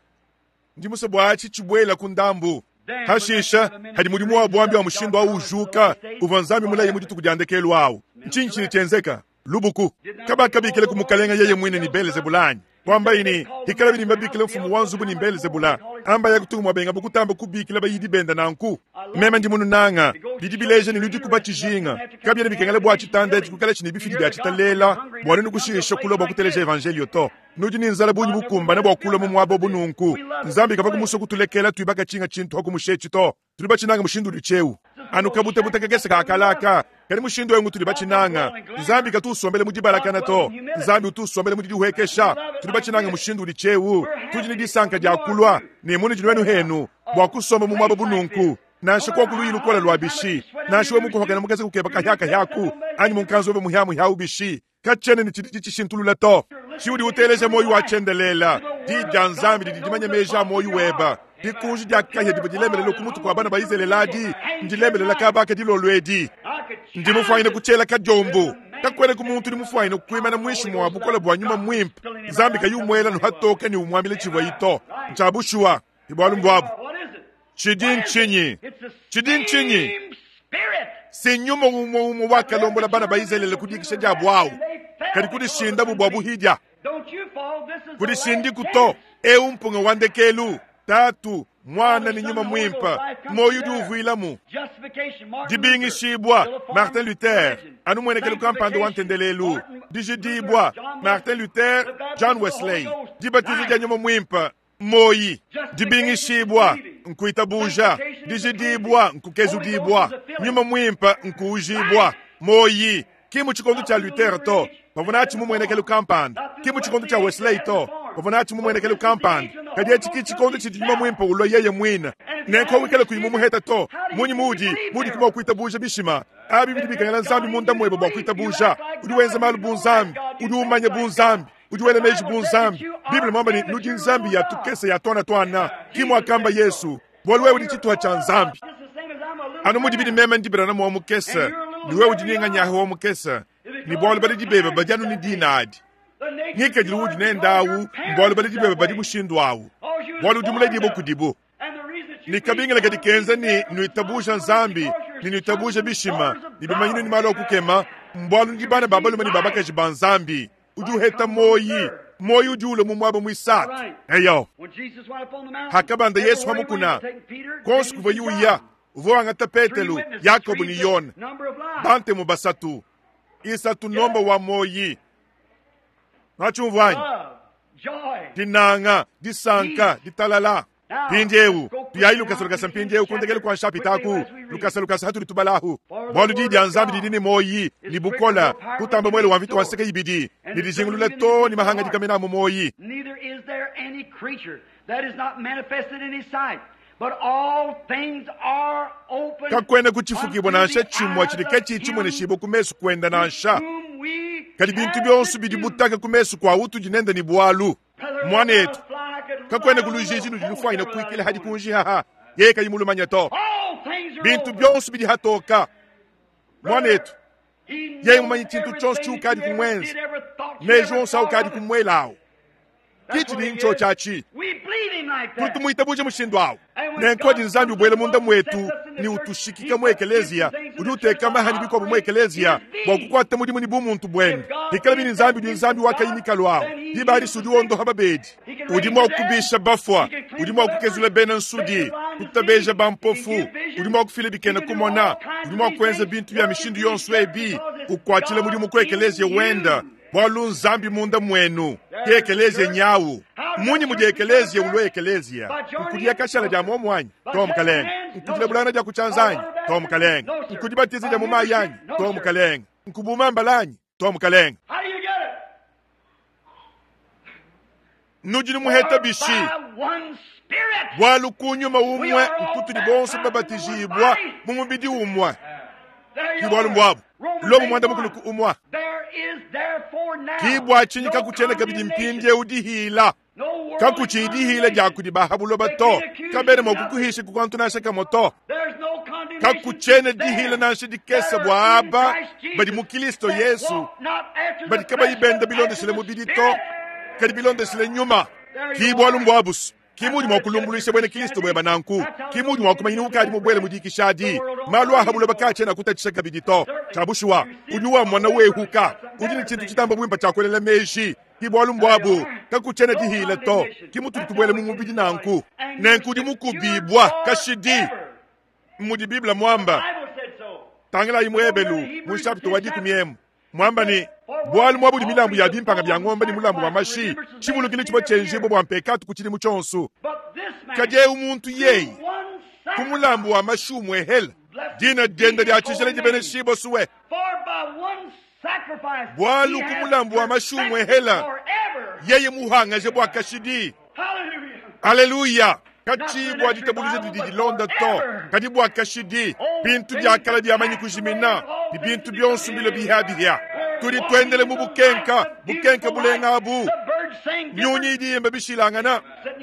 ndi musue bua atshi tshibuela ku ndambu. Hashisha, hadi mudimu wa buambi wa mushindu au ujuka, uvua Nzambi mulaye mu dituku dia ndekelu au, ntshinyi tshidi tshienzeka? Lubuku. Kabakabikila ku mukalenga yeye muine ne Belezebula anyi? Kuambayi ne, hikala bidi mbabikila mfumu wa nzubu ne Belezebula, amba ya kutunga muabenga bukutamba kubikila bayidi benda nanku. Meme ndi mununanga, bidi bileja ne nudi kuba tshijinga. Kabiena bikengela bua tshitanda etshi kuikala tshi ne bifidi bia tshitalela bua nuenu kushisha kulua bua kuteleja evanjelio to. Nudi ne nzala bungi bukumbane bua kulua mu muaba bu nunku. Nzambi kavua kumusua kutulekela tuibaka tshinga tshintu hakumusha etshi to. Tudi batshinanga mushindu udi tshieu. Anu kabutabuta kakese ka kalaka, kadi mushindu eu ngutudi batshinanga. Nzambi katu usombela mu dibalakana to. Nzambi utu usombela mu didihuekesha. Tudi batshinanga mushindu udi tshieu. Tudi ne disanka dia kulua ne munudi nuenu henu bua kusomba mu muaba bu nunku. Nansha koku luyi lukole lua bishi, nansha we mukuhokela mukese kukeba kahia kahiaku, anyi munkanzu webe muhia-muhia ubishi. Katshiena ne tshidi tshitshishintulula to. Tshiudi uteleja muoyo wa tshiendelela, Diyi dia Nzambi didi dimanya meji a muoyo weba. Dikunji dia kahia divua dilembelela ku mutu kua bana ba Izalele adi ndilembelela kaba aka dilolo edi. Ndi mufuanyine kutshiela kadiombo. Kakuenaku muntu udi mufuanyine kuimana muinshi mua bukole bua Nyuma Muimpe, Nzambi kayi umuela anu hatoke ne umuambila tshivuayi to. Ntshia bushuwa. Ke bualu mbuabu. Tshidi ntshinyi? Tshidi ntshinyi? Si nyuma umue umue wakalombola bana ba Izalele ku dikisha diabu awu, kadi kudishindabu bua buhidia. Kudishindiku to. Eu mpunga wa ndekelu. Tatu, Muana ne Nyuma Muimpe, muoyo udi uvuilamu. Dibingishibua, Martin Luther, anu muenekelu kampanda wa ntendelelu. Dijidibua, Martin Luther, John Wesley. Dibatiza dia Nyuma Muimpe, Muoyi, dibingishibua nkuitabuja, dijidibua nkukezudibua, Nyuma Muimpe nkuujibua. Muoyi, ki mu tshikondo tshia Luther to, bavua natshi mu muenekelu kampanda, ki mu tshikondo tshia Wesley to, bavua natshi mu muenekelu kampanda, kadi etshi ki tshikondo tshidi Nyuma Muimpe ulua yeye muine. Nenku wikale kuyi mumuheta to, munyi muudi muudi mua kuitabuja bishima abi? Bidi bikengela Nzambi munda muebe bua kuitabuja. Udi wenza malu bu Nzambi, udi umanya bu Nzambi. Udi wela meji bu Nzambi. Bible muamba ne, nudi nzambi ya tukese ya tuana tuana, ki muakamba Yesu, bualu wewe udi tshituha tshia Nzambi. Anu mudibi ne meme ndi Branham wa mukese, ne wewe udi Ninganyahe wa mukese, ne bualu baledi bebe badi anu ne dina adi. Ngikadilu udi nende awu mbualu baledi bebe badi mushindu awu, bualu udi muledibue kudibu. Ne kabingila kadi kenza ne nuitabuja Nzambi ne nuitabuja bishima ne bimanyinu ne malu a kukema, mbualu nudi bana ba balume ne ba bakaji ba Nzambi. Udi uheta muoyi, muoyi udi ulua mu muaba muisatu. Eyo, hakabanda Yesu pa mukuna, kuonso kuvuaye uya, uvua wangata Petelo, Yakobo ne Yone, bantemu basatu. Isatu nomba wa muoyi. Nuatshiumvua anyi? Dinanga, disanka, ditalala. Mpindieu tuyayi lukasa lukasa mpindieu ku ndekelu kua nshapita aku, lukasa lukasa hatudi tubalahu, bualu diyi dia Nzambi didi ne muoyi ne bukole kutamba muele wa mvita wa nseke ibidi, ne dijingulula too ne mahangadika mena a mu muoyi. Neither is there any creature that is not manifested in his sight, but all things are open Kakuena ku tshifukibua unto nansha the tshimue eyes tshidi of katshiyi him tshimueneshibue ku mesu kuende with nansha, whom we kadi bintu have bionso to bidi do. butaka ku mesu kua utudi nende ne bualu. Muanetu, kakuena ku lujiji ludi lufuanyine kuikila hadi kunjihaha, yeye kayi mulumanye to. Bintu bionso bidi hatoka. Muanetu, yeye mumanye tshintu tshionso tshiukadi kumuenza, meji onso aukadi kumuelawu. Ki tshidi ntshiotshi atshi. Tudi tumuitabuja mushindu awu. Nenku adi Nzambi ubuela munda muetu ne utushikika mu ekeleziya, udi uteka mahanyi bikuabu mu ekeleziya bua kukuata mudimu ne bumuntu buende. Pikalabi ne Nzambi udi Nzambi wa kayi mikalu awu, diba adi si udi wondoha babedi, udi mua kubisha bafua, udi mua kukezula bena nsudi, kutabeja bampofu, udi mua kufila bikena kumona, udi mua kuenza bintu bia mishindu yonso ebi, ukuatshila mudimu ku ekeleziya wenda. Bualu Nzambi munda muenu ke ekeleziya nyawu. Mmunyi mudi ekeleziya ulua ekeleziya? Nkudia kashala dia muomu anyi? To, mukalenge. Nkudila bulangana dia ku tshianza anyi? To, mukalenge. Nkudibatiza dia mu mayi anyi? To, mukalenge. Nkubuma mbala anyi? To, mukalenge. How do you get it? Nudi numuheta bishi? By one Spirit. Bualu ku nyuma umue nkutudi bonso babatijibua mu mubidi umue. There Ki you bualu are. mbuabu. Romans Lomo muanda mukulu 8:1. ku umue. There is therefore now Ki bua tshinyi no kakutshiena kabidi condemnation, mpindieu dihila? no worldly Kakutshiyi dihila dia condemnation. kudi ba ha buloba They to, can't accuse kabena you mua nothing. kukuhisha ku kantu nansha kamue to. There's no condemnation Kakutshiena to dihila them nansha dikese that bua are in aba Christ Jesus, badi mu Kristo that Yesu, walk not after the badi kabayi flesh, benda but after bilondeshile the mubidi to, Spirit. kadi bilondeshile nyuma. There Ki you bualu are. mbuabusu. Ki mudi mua kulumbuluisha buena Kristo bueba nanku. Ki mudi mua kumanyina ukadi mubuele mu dikisha adi. Malu a ha buloba kaatshiena kutatshisha kabidi to. Tshia bushuwa, udi wamona wehuka, udi ne tshintu tshitamba buimpe tshia kuelela meji. Ki bualu mbuabu, kakutshiena dihila to. Ki mutudi tubuele mu mubidi nanku. And you're Nenku udi secured mukubibua kashidi, forever. mudi Bible muamba. Bible said so. Tangilayi mu Ebelu mu nshapita wa dikumi emu, muamba ne, bualu muabudi milambu ya bimpanga bia ngombe ne mulambu wa mashi, tshivulukilu tshivua tshienjibua bua mpekatu ku tshidimu tshionso. But this man, Kadi eu muntu yeye, through one ku mulambu wa mashi umuehela, sacrifice, dina blessed be diende dia his tshijila holy name. dibeneshibua suwe. For by one sacrifice Bualu he ku has mulambu wa mashi perfected umuehela, forever. yeye muhangaje bua kashidi. Hallelujah. Aleluya! Not for Katshiyi the bua next ditabuluja revival, didi but dilonda to, forever. kadi bua kashidi. All Bintu things biakala have biamanyi passed away, kujimina, all ne things bintu have bionso become bilo new. bihabihia. Tudi tuendela mu bukenka, bukenka bulenga abu. Nyunyi idi yimba bishilangana.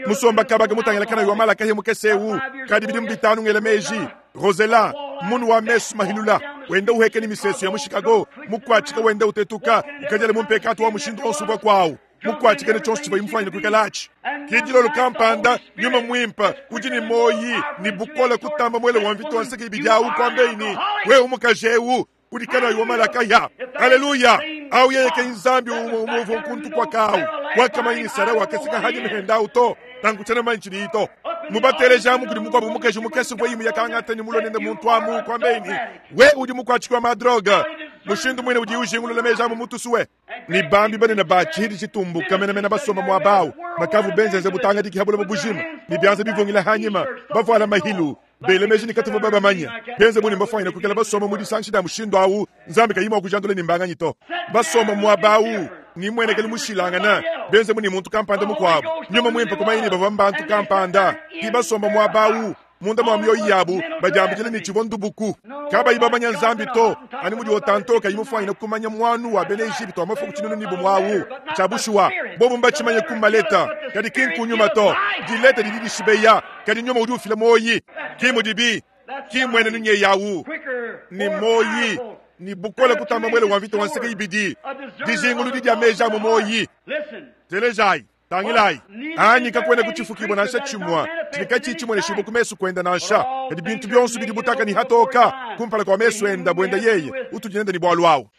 Musomba kabaka mutangila kana wa malakahi mukese eu, kadi bidimu bitanu ngela meji. Rosella, munu wa mesu mahilula, wenda uheka ni misesu ya mu Chicago, mukwatshika wenda utetuka, ukajala mu mpekatu wa mushindu onso uvua kwawu. Mukwatshika ne tshionso tshivua imufanyine kuikala-atshi. Ke dilolo kampanda, nyuma muimpe udi ne moyi ne bukole kutamba muele wa mvita wa nseke ibidi awu, kuambeyi ne, wewe mukaji eu udi kanayi wa malakaya. Aleluya! Awu yeye ke Nzambi umue umue uvua nkuntu kua kawu wakamanya ne Sara wakaseka hanyima henda awu to nanku tshiena manyi tshidiyi to. Mubateleja amu kudi mukuabu mukaji mukese uvua imu yakangata ne mulue nende muntu amu, kuambeyi ne, wewe udi mukuatshiki wa madroga. Mushindu muine udi ujingulula meji amu mutusue. Ne bambi banene ba tshihidi tshitumbuka menamena basomba muaba awu, bakavu benzenze butangadiki ha buloba bujima, ne bianza bivungila hanyima, bavuala mahilu, bela meji ne katuvua babamanya, benze bu ne mbafuanyine kuikala basomba mu disangisha dia mushindu awu, Nzambi kayi mua kujandula ne mbanganyi to. Basomba muaba awu, ne mmuenekelu mushilangana, benze bu ne muntu kampanda mukuabu, Nyuma Muimpe kumanya ne bavua mbantu kampanda, ki basomba muaba awu, munda mua mioyo yabu badiambidila ne tshivua ndubuku, kabayi bamanya Nzambi to, anu mudi Otanto kayi mufuanyine kumanya muanu wa bena Ejipitu wa mafuku tshinunu ne bumue awu. Tshia bushuwa, bobu mbatshimanye ku maleta, kadi ki nku nyuma to. Dileta didi dishibeya, kadi nyuma udi ufila muoyi. Ki mudibi, ki mmuenenu nyeyi awu, ne muoyi ne bukole kutamba muele wa mvita wa nseke ibidi, dijinguludi dia meji a mu muoyi. Telejayi. Tangilayi, anyi kakuena kutshifukibua nansha tshimue tshidi katshiyi tshimueneshibua ku mesu kuende nansha, kadi bintu bionso bidi butaka ne hatoka kumpala kua mesu ende, buenda yeye utudi nende ne bualu awu.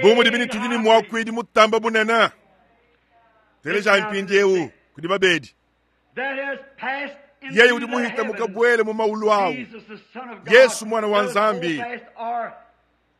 Bu mudibi ne tudi ne muakuidi mutamba bunene, telejayi mpindieu kudi babedi, yeye udi muhita mukabuele mu maulu awu, Yesu Muana wa Nzambi.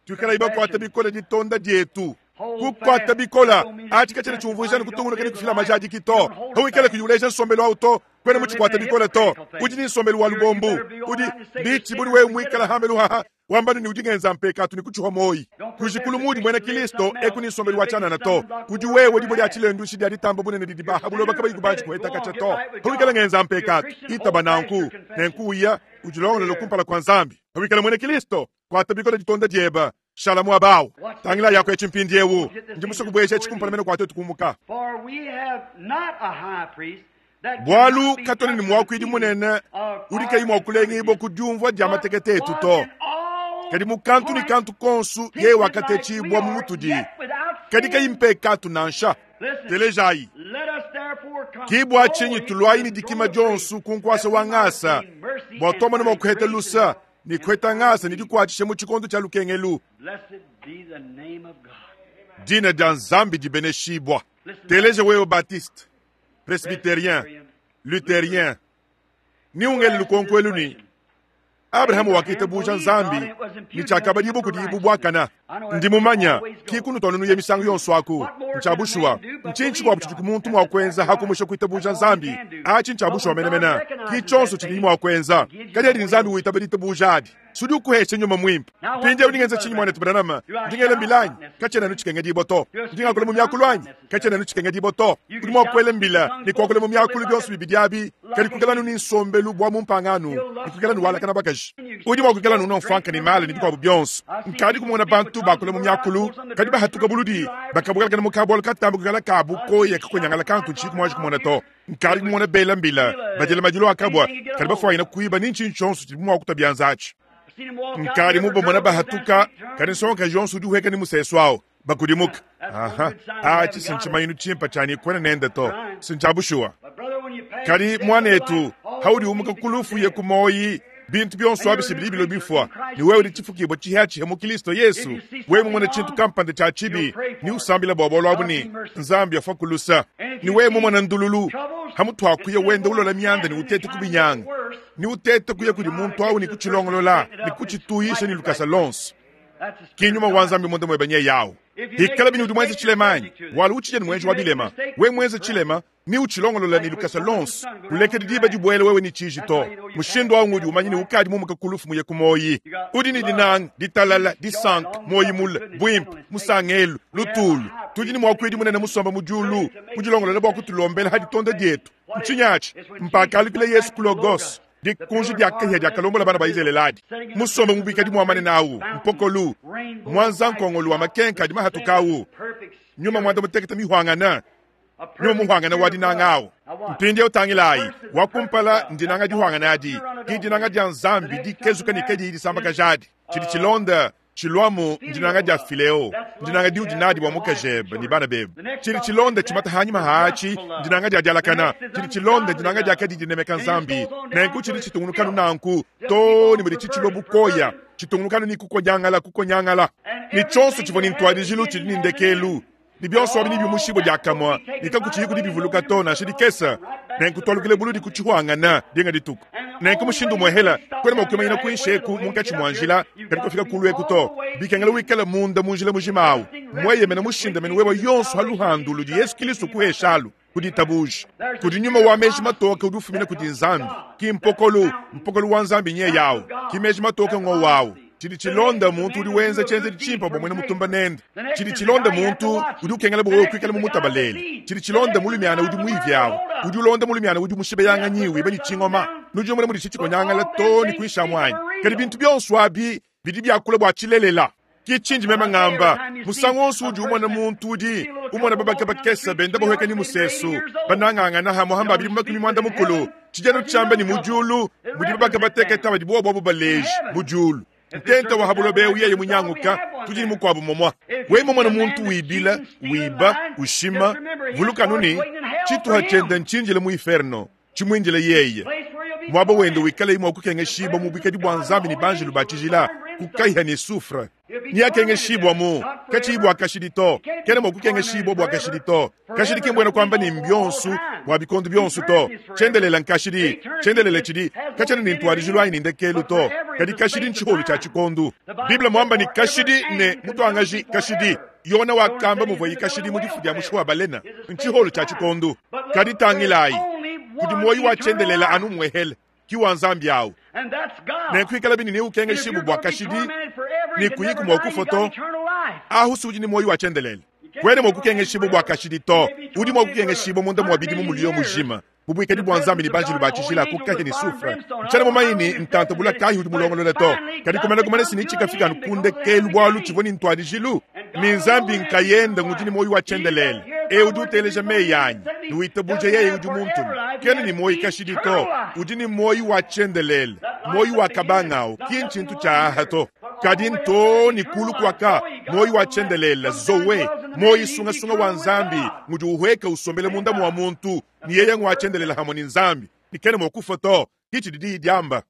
Tuikalayi bakuate bikole ditonda dietu. Kukuata bikole atshi katshiena tshiumvuija ne kutungunuka ne kufila majadiki to. Pawikala kuyi uleja nsombelu au to, kuena mutshikuate bikole to. Udi ne nsombelu wa lubombu. Udi bitshi budi wewe muikala hambelu haha wamba ne udi ngenza mpekatu ne kutshiha muoyi. Kujikulu muudi muena Kristo eku ne nsombelu wa tshianana to. Udi wewe dibue dia tshilenduishi dia ditamba bunene didi ba ha buloba kabayi kubanji kuheta katshia to. Pawikala ngenza mpekatu, itaba nanku, nenku uya udilongolole kumpala kua Nzambi. Pawikala muena Kristo, Kuata bikole ditonda diebe, shala muaba awu. Tangila yako etshi mpindiewu. Ndi musue kubueja etshi kumpala mene kua tuetu kumuka. Bualu katuena ne muakuidi munene udi kayi mua kulengibua ku diumvua dia matekete etu to, kadi mu kantu ne kantu konsu yeye wakatetshibua mu mutudi, kadi kayi mpekatu nansha. Telejayi. Ki bua tshinyi tuluayi ne dikima dionsu ku nkuasa wa ngasa, bua tuamona mua kuheta lusa ne kuheta ngasa ne dikuatshisha mu tshikondo tshia lukengelu. Dina dia Nzambi dibeneshibua. Teleja wewe Baptiste, Presbyterien, Lutherien, ni ungele lukonko elu ne, Abrahama wakitabuja Nzambi ne tshiakabadibua kudiye bu buakana. Ndi mumanya ki kunutua nunuya misangu yonso aku. Ntshia bushuwa. Ntshinyi tshikuabu tshidi muntu mua kuenza ha kumusha kuitabuja Nzambi? Atshi ntshia bushuwa menemene. Ki tshionso tshidiye mua kuenza. Kadi adi Nzambi witaba ditabuja adi, sudi ukuhesha Nyuma Muimpe. Mpindieu ndi ngenza tshinyi, muanetu Branham? Ndi ngela mbila anyi? Katshiena anu tshikengedibua to. Ndi ngakula mu miakulu anyi? Katshiena anu tshikengedibua to. Udi mua kuela mbila ne kuakula mu miakulu bionso bibidi abi, kadi kuikala anu ne nsombelu bua mu mpangano ne kuikala anu walakana bakaji. Udi mua kuikala anu unua mfuanka ne mala ne bikuabu bionso. Nkadi kumona bantu bakula mu miakulu, kadi bahatuka buludi, bakabuelakana mu kabualu katamba kuikala ka bukoya kakonyangala kantu ntshiyi kumuanji kumona to. Nkadi kumona bela mbila, badila madilu a kabua, kadi bafuanyina kuiba ne ntshinyi tshionso tshidibu mua kutua bianza atshi. Nkadi mubamona bahatuka, kadi nsongakaji yonso udi uhueka ne musesu awu, bakudimuka. Aha, atshi si ntshimanyinu tshimpe tshia ne kuena nende to, si ntshia bushuwa. Kadi muanetu, haudi umuka ku lufu uye ku muoyi, bintu bionso abi si bidi bilua bifua, ne wewe udi tshifukibua tshihiatshiha mu Kilisto Yesu. Wewe mumone tshintu kampanda tshia tshibi, ne usambila bua bualu abu ne, Nzambi afua ku lusa. Ne wewe mumone ndululu, hamutu ha kuya wenda ulola mianda ne utete kubinyanga, ne utete kuya kudi muntu au ne kutshilongolola ne kutshituyisha ne lukasa lonso. Ki nyuma wa Nzambi munda muebe nyeye au. Hikala bini udi muenze tshilema anyi? Bualu utshidi anu muenji wa bilema. Wewe muenze tshilema, ne utshilongolola ne lukasa lonso, kulekedi diba dibuela wewe ne tshiji to. Mushindu au ngudi umanya ne ukadi mumuka ku lufu muye ku muoyi. Udi ne dinanga, ditalala, disanka, muoyi mule, buimpe, musangelu, lutulu. Tudi ne muakuidi munene musomba mu diulu, mudilongolole bua kutulombela ha ditonda dietu. Ntshinyi atshi? Mpakalukila Yesu ku Logos. Dikunji dia kahia diakalombola bana ba Izalele adi. Musombe mu buikadi muamane nawu, mpokolu, muanza nkongolu wa makenka adi mahatuka awu, nyuma muanda mutekete mihuangana, nyuma muhuangana wa dinanga awu. Mpindieu tangilayi, wa kumpala ndinanga dihuangana adi, ki dinanga dia Nzambi dikezuka ne kadiyi disambakaja adi. Tshidi tshilonda tshiluamu ndinanga dia fileo, ndinanga diudi nadi bua mukajebe ne bana bebe. Tshidi tshilonda tshimata hanyima haatshi ndinanga dia dialakana. Tshidi tshilonda ndinanga dia kadi dinemeka Nzambi. Nenku tshidi tshitungunukanu nanku too ne mudi tshitshilua bukoya, tshitungunukanu ne kukonyangala kukonyangala. Ne tshionso tshivua ne ntuadijilu tshidi ne ndekelu, ne bionso abi nebiumushibue diakamue, ne kakutshiyiku dibivuluka to nansha dikese. Nenku tualukile buludi ku tshihuangana dinga dituku. Nenku mushindu umuehela, kuena mua kuimanyina kuinshi eku munkatshi mua njila, kadi kufika kulu eku to. Bikengela wikale munda mu njila mujima awu, mueyemene mushindamene wewe yonso ha luhandu ludi Yesu Kilisto kuheshalu ku ditabuja. Kudi nyuma wa meji matoke udi ufumina kudi Nzambi, ki mpokolu, mpokolu wa Nzambi nye yawu, ki meji matoke ngowu awu. Tshidi tshilonda muntu udi wenza tshienzedi tshimpe bua muena mutumba nende. Tshidi tshilonda muntu udi ukengela bua wewe kuikala mumutabalele. Tshidi tshilonda mulumiana udi muivi awu, udi ulonda mulumiana udi mushibeyanganyi wiba ne tshingoma. Nudi numona mudi tshikonyangala too ne kuinshi amu anyi? Kadi bintu bionso abi bidi biakula bua tshilelela. Ki tshindi meme ngamba, musangu wonso udi umona muntu udi umona babaka bakese benda bahueka ne musesu, banangangana hamue hamba bidimu 80, tshidi anu tshiamba ne mu diulu mudi babaka batekete badi bobu abu baleji mu diulu. Ntenta wa ha buloba eu yeye munyanguka, tudi ne mukuabu momua. Wewe mumone muntu wibila, wiba, ushima, vuluka anu ne, tshituha tshiende ntshindile mu iferno, tshimuindile yeye. Muaba wende wikalaye mua kukengeshibua mu buikadi bua Nzambi ne banjelu ba tshijila, ku kahia ne soufre. Neakengeshibua katshiyi bua kashidi to. Kena mua kukengeshibua bua kashidi to. Kashidi ki mbuena kuamba ne mbionso bua bikondo bionso to. Tshiendelele nkashidi. Tshiendelele tshidi katshiena ne ntuadijilu anyi ne ndekelu to. Kadi kashidi ntshiholu tshia tshikondu. Bible muamba ne kashidi ne mutuangaji kashidi. Yona wakamba muvuaye kashidi mu difu dia mushi wa balena. Ntshiholu tshia tshikondu. Kadi tangilayi, kudi muoyo wa tshiendelele anu muehele, ki wa Nzambi awu. Nenku ikala bini neukengeshibue bua kashidi ne kuyiku mua kufua to, ahu si udi ne muoyo wa tshiendelele. Kuena mua kukengeshibua bua kashidi to. Udi mua kukengeshibua munda mua bidimu muliyo mujima mu buikadi bua Nzambi ne banjelu ba tshijila ku kahia ne soufre. Ntshiena mumanye ne ntanta bula kayi udi mulongolole to, kadi kumana kumana si ne tshikafika anu ku ndekelu bualu tshivua ne ntuadijilu. Ne Nzambi nkayende ngudi ne muoyo wa tshiendelele. Eu udi uteleja meyi anyi ne witabuja yeye udi muntume, kena ne muoyo kashidi to, udi ne muoyo wa tshiendelele. Muoyo wa kabangau ki ntshintu tshia aha to, kadi nto ne kulu kuaka muoyo wa tshiendelele zoe, muoyo sungasunga wa Nzambi ngudi uhueka usombele munda mua muntu, ne yeye ngua tshiendelele hamue ne Nzambi, ne kena mua kufua to. Ki tshidi diyi diamba.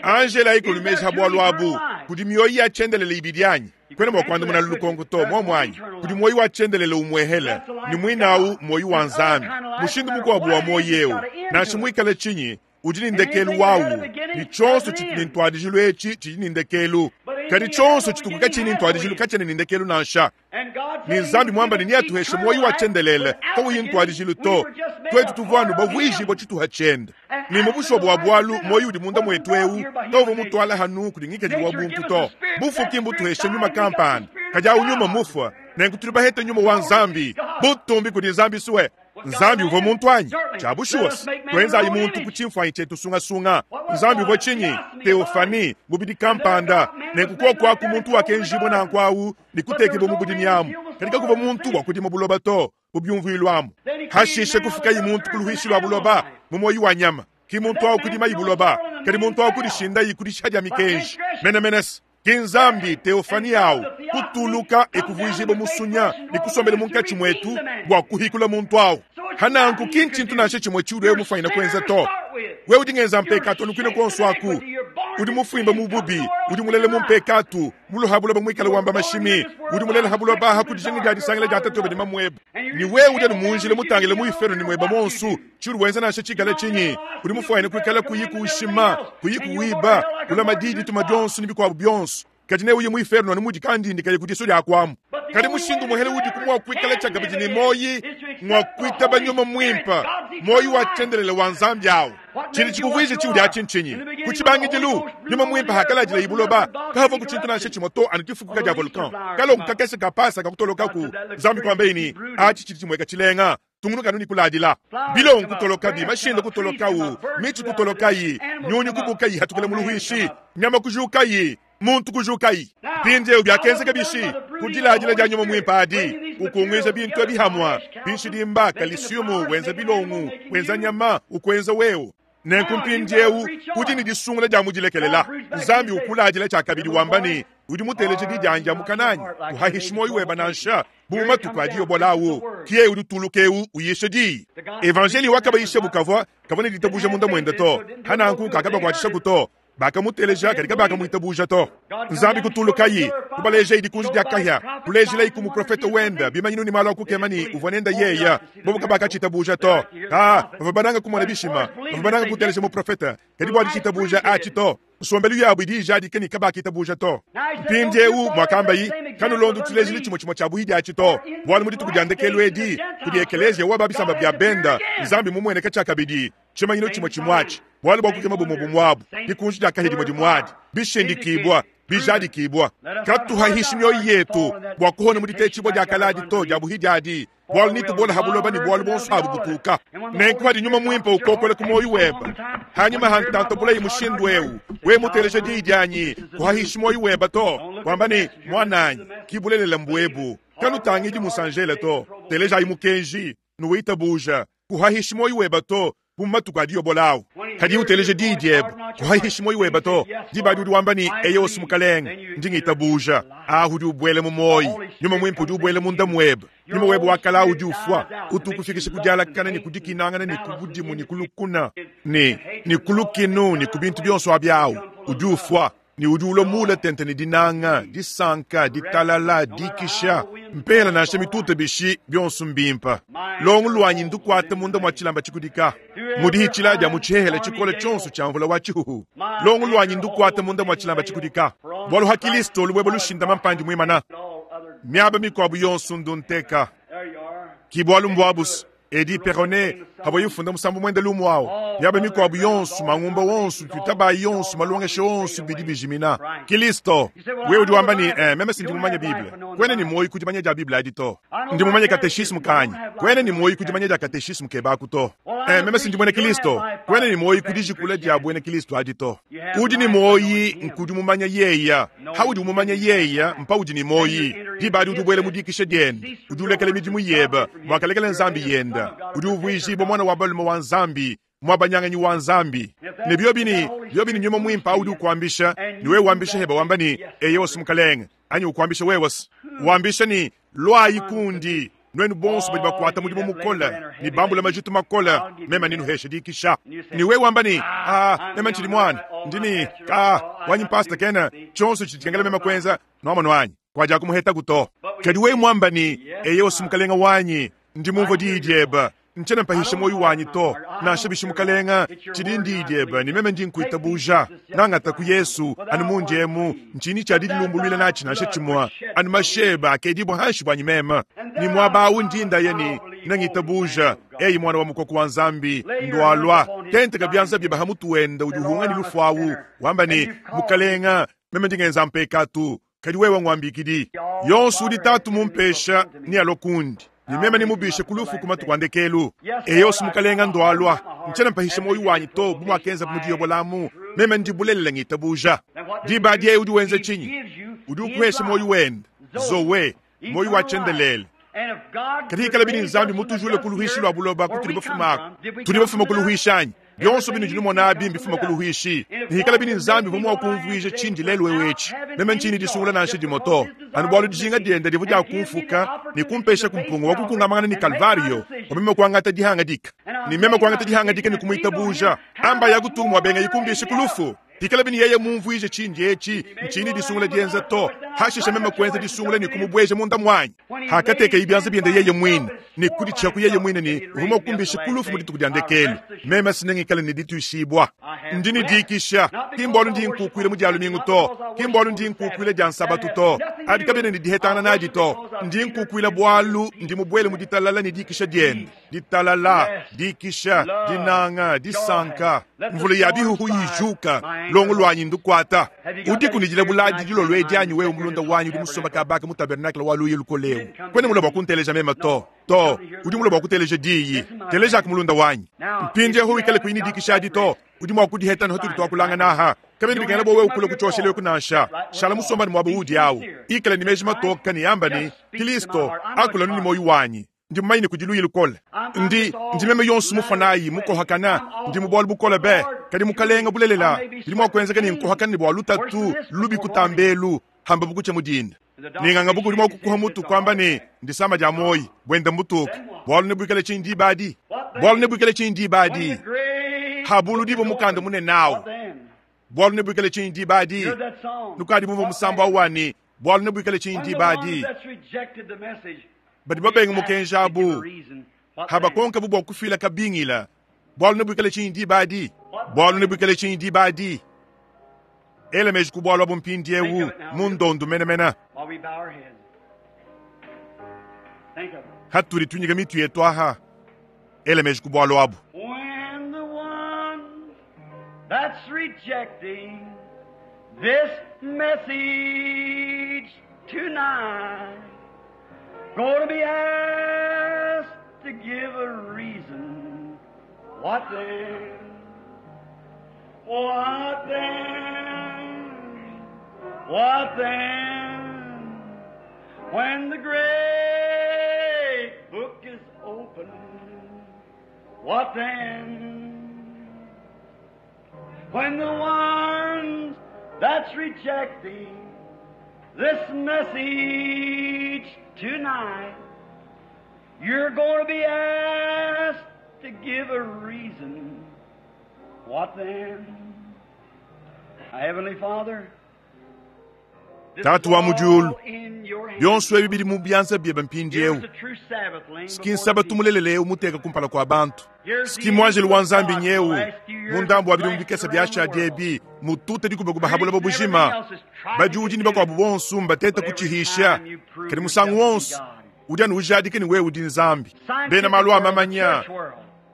Angela ikulumeja ha bualu abu, kudi mioyo ya tshiendelele ibidi anyi? Kuena mua kuandamuna lukonko to, muomu anyi? Kudi muoyo wa tshiendelele umuehele, ne muinawu muoyo wa Nzambi. Mushindu mukuabu wa muoyo eu, nansha muikale tshinyi, udi ne ndekelu wawu, ne tshionso tshitu ne ntuadijilu etshi tshidi ne ndekelu. Kadi tshionso tshituku katshiyi ne ntuadijilu katshiena ne ndekelu nansha. Ne Nzambi muamba ne neatuheshe muoyo wa tshiendelele kawuyi ntuadijilu to. Tuetu tuvua anu bavuijibua tshituha tshiende. Ne mu bushuwa bua bualu muoyo udi munda muetu eu kawuvua mutuala hanu kudi ngikadilu wa buntu to. Bufuki mbutuheshe nyuma kampanda, kadi awu nyuma mufua. Nenku tudi bahete nyuma wa Nzambi, butumbi kudi Nzambi suwe. Nzambi uvua muntu anyi? Tshia bushuwa, tuenzayi muntu ku tshimfuanyi tshietu sungasunga. Nzambi uvua tshinyi? Teofani, mubidi kampanda. Nenku kuoku aku muntu wakenjibua nanku awu ne kutekibua mu budimi amu. Kadi kakuvua muntu bua kudima buloba to, mu byumvuilu amu. Hashishe kufukayi muntu ku luhuishi lua buloba, mu muoyo wa nyama. Ki muntu awu kudimayi buloba, kadi muntu awu kudishindayi ku dishiha dia mikenji. Menemenese. Ki Nzambi teofani awu kutuluka ekuvuijibua musunya ne kusombela munkatshi muetu bua kuhikula muntu awu. Hananku ki ntshintu nansha tshimue tshiudi wewe mufanyine kuenza to. Wewe udi ngenza mpekatu anu kuine kuonso aku. Udi mufuimba mu bubi, udi mulele mu mpekatu, muluha buloba muikale wamba mashimi, udi mulele ha buloba ha ku dijinga dia disangila dia tatuebe ne mamuebe. Ne wewe udi anu mu njila mutangile mu ifero ne mueba monsu, tshiudi wenza nansha tshikale tshinyi, udi mufanyine kuikala kuyi kuushima, kuyi kuwiba, kulama diyi dituma dionso ne bikuabu bionso. Kadi neuye mu iferno anu mudi kandindi kaye ku disu dia kuamu. Kadi mushindu muhele udi ku mua kuikala tshiakabidi ne muoyi ngua kuitaba nyuma muimpe, muoyi wa tshiendelele wa Nzambi awu. Tshidi tshikuvuije tshiudi atshi ntshinyi? Ku tshibangidilu, nyuma muimpe hakaladila buloba, kahavua ku tshintu nansha tshimue to, anu difukuka dia volcan. Kalongo kakese ka pasa kakutolokaku, Nzambi kuambaye ne, atshi tshidi tshimueka tshilenga. Tungunuka anu ne kuladila. Bilongo kutolokabi, mashinda kutolokawu, mitshi kutolokayi, nyunyi kubukayi hatukila mu luhuishi, nyama kujukayi, muntu kujukayi. Mpindieu biakenzeka bishi? Ku diladila dia nyuma muimpe adi, ukunguija bintu ebi hamua, binshidimba, kalisiumu, wenza bilongo, wenza nyama, ukuenza wewe. Nenku mpindieu udi ne disungula dia mudilekelela. Nzambi ukuladila tshiakabidi wamba ne, udi muteleje di dianyi dia mukana anyi, kuhahishi muoyo weba nansha, bu matuku adi yobola awu. Ki yeye udi utuluka eu uyisha diyi. Evanjeliyo wakabayisha bukavua kavua ne ditabuja munda muende to, hananku kakabakuatshishaku to. Bakamuteleja kadi kabakamuitabuja to. Nzambi kutulukayi, kubalejayi dikunji dia kahia, kulejilayi ku muprofete wende bimanyinu ne malu a kukema ne uvua nende yeya. Bobu kabakatshitabuja to. Ka bavua bananga kumona bishima, bavua bananga kuteleja muprofete, kadi bua ditshitabuja atshi to. Nsombelu yabu idi ijadika ne kabakitabuja to. Mpindieu muakambayi, kanulondi tshilejilu tshimue tshimue tshia buhidi atshi to, bualu mu dituku dia ndekelu edi kudi ekeleziya wa ba bisamba bia benda, Nzambi mumueneka tshiakabidi. Tshimanyinu tshimue tshimue atshi, bualu bua kukema bumue bumue abu, dikunji dia kahia dimue dimue adi, bishindikibua, bijadikibua. Katuhahishi mioyo yetu bua kuhona mu ditetshibua dia kale adi to, dia buhidi adi, bualu netubola ha buloba ne bualu buonso abu butuka. Nenku padi Nyuma Muimpe ukokola ku muoyo webe, hanyima ha ntanta bulayi mushindu eu, wewe muteleja diyi dianyi, kuhahishi muoyo webe to, wamba ne, Muananyi, ki bulelela mbuebu. Kanutangidi musanjele to, telejayi mukenji, nuwitabuja. Kuhahishi muoyo webe to, bu matuku adi yobola awu. Kadi uteleje diyi diebe, kuhahishi muoyo webe to. Diba adi udi wamba ne, Eyowa, Mukalenge, ndi ngitabuja. Ahu udi ubuela mu muoyo. Nyuma Muimpe udi ubuela munda muebe. Nyuma webe wa kale udi ufua, utu ukufikisha ku dialakana ne ku dikinangana ne ku budimu ne ku lukuna ne, ne ku lukinu ne ku bintu bionso abi awu. Udi ufua ne udi ulua muule tente ne dinanga, disanka, ditalala, dikisha, mpela nansha mituta bishi, bionso mbimpe. Longo luanyi ndukuate munda mua tshilamba tshikudika, mu dihitshila dia mu tshihehele tshikole tshionso tshia mvula wa tshihuhu. Longo luanyi ndukuate munda mua tshilamba tshikudika, bualu ha Kilisto lubueba lushindama mpandi muimana. Miaba mikuabu yonso ndunteka, ki bualu mbuabu. Eddie Perronet avua ufunda musambu muende lumu au. Miaba mikuabu yonso, mangumba wonso, tuitabayi yonso, malongesha onso bidi bijimina. Kilisto, wewe udi wamba ne, eh, meme si ndi mumanye Bible. Kuena ne muoyo ku dimanya dia Bible adi to. Ndi mumanye kateshismu kanyi. Kuena ne muoyo ku dimanya dia kateshismu kebaku to. Eh, meme si ndi muena Kilisto. Kuena ne muoyo ku dijikula dia buena Kilisto adi to. Udi ne muoyi nkudi mumanya yeya. Haudi umumanya yeya, mpaudi ne muoyi. Diba adi udi ubuela mu dikisha diende. Udi ulekela midimu yebe, wakalekela Nzambi yenda. Udi uvuijibua mwana wa balume wa Nzambi, muabanyanganyi wa Nzambi. Ne biobi ne, biobi ne Nyuma Muimpe udi ukuambisha, ne wewe wambisha heba wamba ne, Eyowa Mukalenge, anyi ukuambisha wewe wambisha ne, Luayi kundi, nuenu bonso badi bakuata mudimu mukole ne bambula majitu makole, meme nenuheshe dikisha. Ne wewe wamba ne, Ah, meme ntshidi muana, ndi ne, ah, wanyi mpasta kena tshionso tshidi tshikengela meme kuenza, nuamonu anyi, kuadia kumuhetaku to. Kadi wewe muamba ne, Eyowa Mukalenge wanyi, ndi mumvue diyi diebe, ntshiena mpahisha muoyo wanyi to, nansha bishi Mukalenge, tshidi ndiyi diebe ne meme ndi nkuitabuja. Nangata ku Yesu anu mundi emu, ntshinyi tshia didilumbuluila natshi nansha tshimue, anu masheba akedibua hanshi buanyi meme. Ne muaba awu ndi ndaya ne nengitabuja, eyi muana wa mukoko wa Nzambi, ndualua, tenteka bianza biebe ha mutu wende udi uhunga ne lufu awu, wamba ne, Mukalenge, meme ndi ngenza mpekatu, kadi wewe nguambikidi. Yonso udi Tatu mumpesha nealue kundi, ne meme nemubishe ku lufu ku matuku a ndekelu. Eyosi Mukalenge ndualua, ntshiena mpahisha muoyo wanyi to, bu muakenza mu diyobolamu, meme ndi bulelela ngitabuja. Diba adi yeye udi wenza tshinyi? Udi ukuhesha muoyo wende, Zoe, muoyo wa tshiendelele. Kadi ikala bini Nzambi mutujule ku luhuishi lua buloba kutudi bafumaku. Tudi bafuma ku luhuishi anyi? Bionso binudi numona abi mbifuma ku luhuishi. Ne ikala bini Nzambi uvua mua kumvuija tshindi lelu eu etshi, meme ntshiyi ne disungula nansha dimue to, anu bualu dijinga diende divua dia kumfuka ne kumpesha ku mpunga wa kukungamangana ne Kalvario bua meme kuangata dihangadika. Ne meme kuangata dihangadika ne kumuitabuja. Amba ya kutunga mua bengayi kumbisha ku lufu. Pikala bini yeye mumvuije tshindi etshi, ntshiyi ne disungula dienza to. Hashishe meme kuenza disungula ne kumubueja munda muanyi. Hakatekeye bianza biende yeye muine ne kuditshiaku yeye muine ne uvua mua kumbisha ku lufu mu dituku dia ndekelu, meme sinengikale ne dituishibua. Ndi ne dikisha, ki mbualu ndi nkukuila mu dia lumingu to, ki mbualu ndi nkukuila dia nsabatu to. Abi kabiena ne dihetangana nadi to. Ndi nkukuila bualu ndi mubuele mu ditalala ne dikisha diende. Ditalala, dikisha, dinanga, disanka. Mvula ya bihuhu yijuka, longo luanyi ndukuata. Udiku ne dilabula adi dilolo edi anyi wewe mulunda wanyi udi musomba kabaka mu tabernakle wa luyi lukole eu? Kuena mulue bua kunteleja meme to. To, udi mulue bua kuteleja diyi. Telejaku mulunda wanyi. Mpindieu wikale kuyi ne dikisha adi to. Udi mua kudiheta ne hatudi tuakulangana aha. Kabena bikengela bua wewe kulua ku tshioshelu eku nansha. Shala musomba ne muaba uudi awu. Ikala ne meji matoka ne amba ne, Kilisto, akula anu ne muoyo wanyi. Ndi mumanye ne kudi luyi lukole. Ndi, ndi meme yonso mufuanayi, mukohakana. Ndi mu bualu bukole be. Kadi Mukalenga, bulelela, bidi mua kuenzeka ne nkohakana ne bua lutatu lubi kutamba elu, hamba bukutshia mu dinda. Ne nganga buku udi mua kukuha mutu kuamba ne, ndisama dia muoyi, buenda mbutuka. Bualu nebuikale tshinyi diba adi? Bualu nebuikale tshinyi diba adi? Habuludibua mukanda munene awu. Bualu nebuikale tshinyi diba adi? Nukadi bumvua musambu awu wa ne, Bualu nebuikale tshinyi diba adi? Badi babenga mukenji abu, habakonkabu bua kufila kabingila. Bualu nebuikale tshinyi diba adi? Bualu nebuikale tshinyi diba adi? Ela meji ku bualu abu mpindieu mu ndondu menemene. Hatudi tunyika mitu yetu aha, ela meji ku bualu abu. When the one that's rejecting this message tonight going to be asked to give a reason, what then? What then? What then? When the great book is opened, what then? When the ones that's rejecting this message tonight, you're going to be asked to give a reason. What then? Heavenly Father, Tatu wa mu diulu, bionso ebi bidi mu bianza biebe mpindieu. Ski nsabatu mulelela eu muteka kumpala kua bantu. Ski muanjelu wa Nzambi nyeu mu ndambu wa bidimu bikese biashadi ebi mutute dikubakuba ha buloba bujima. Badiudi ne bakuabu bonso mbatete kutshihisha, kadi musangu wonso udi anu ujadika ne wewe udi Nzambi. Bena malu a mamanya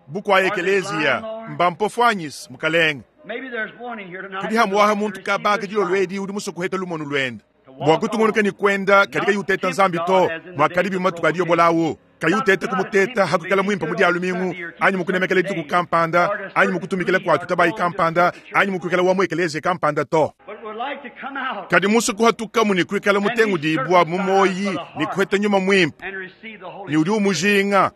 bukua ekeleziya mbampofo anyis, Mukalenge. Kudi hamuaha muntu kabaka dilolo edi udi musue kuheta lumonu luende bua kutungunuka ne kuenda, kadi kayi uteta Nzambi to, muakadi bimue matuku adi yobolawu, kayi uteta kumuteta hakuikala muimpe mu dia lumingu, anyi mu kunemekela dituku kampanda, anyi mu kutumikila kua tutabayi kampanda, anyi mu kuikala wa mu ekeleziya kampanda to. Kadi musue kuhatukamu ne kuikala mutengudibua mu muoyi ne kuheta nyuma muimpe, ne udi umujinga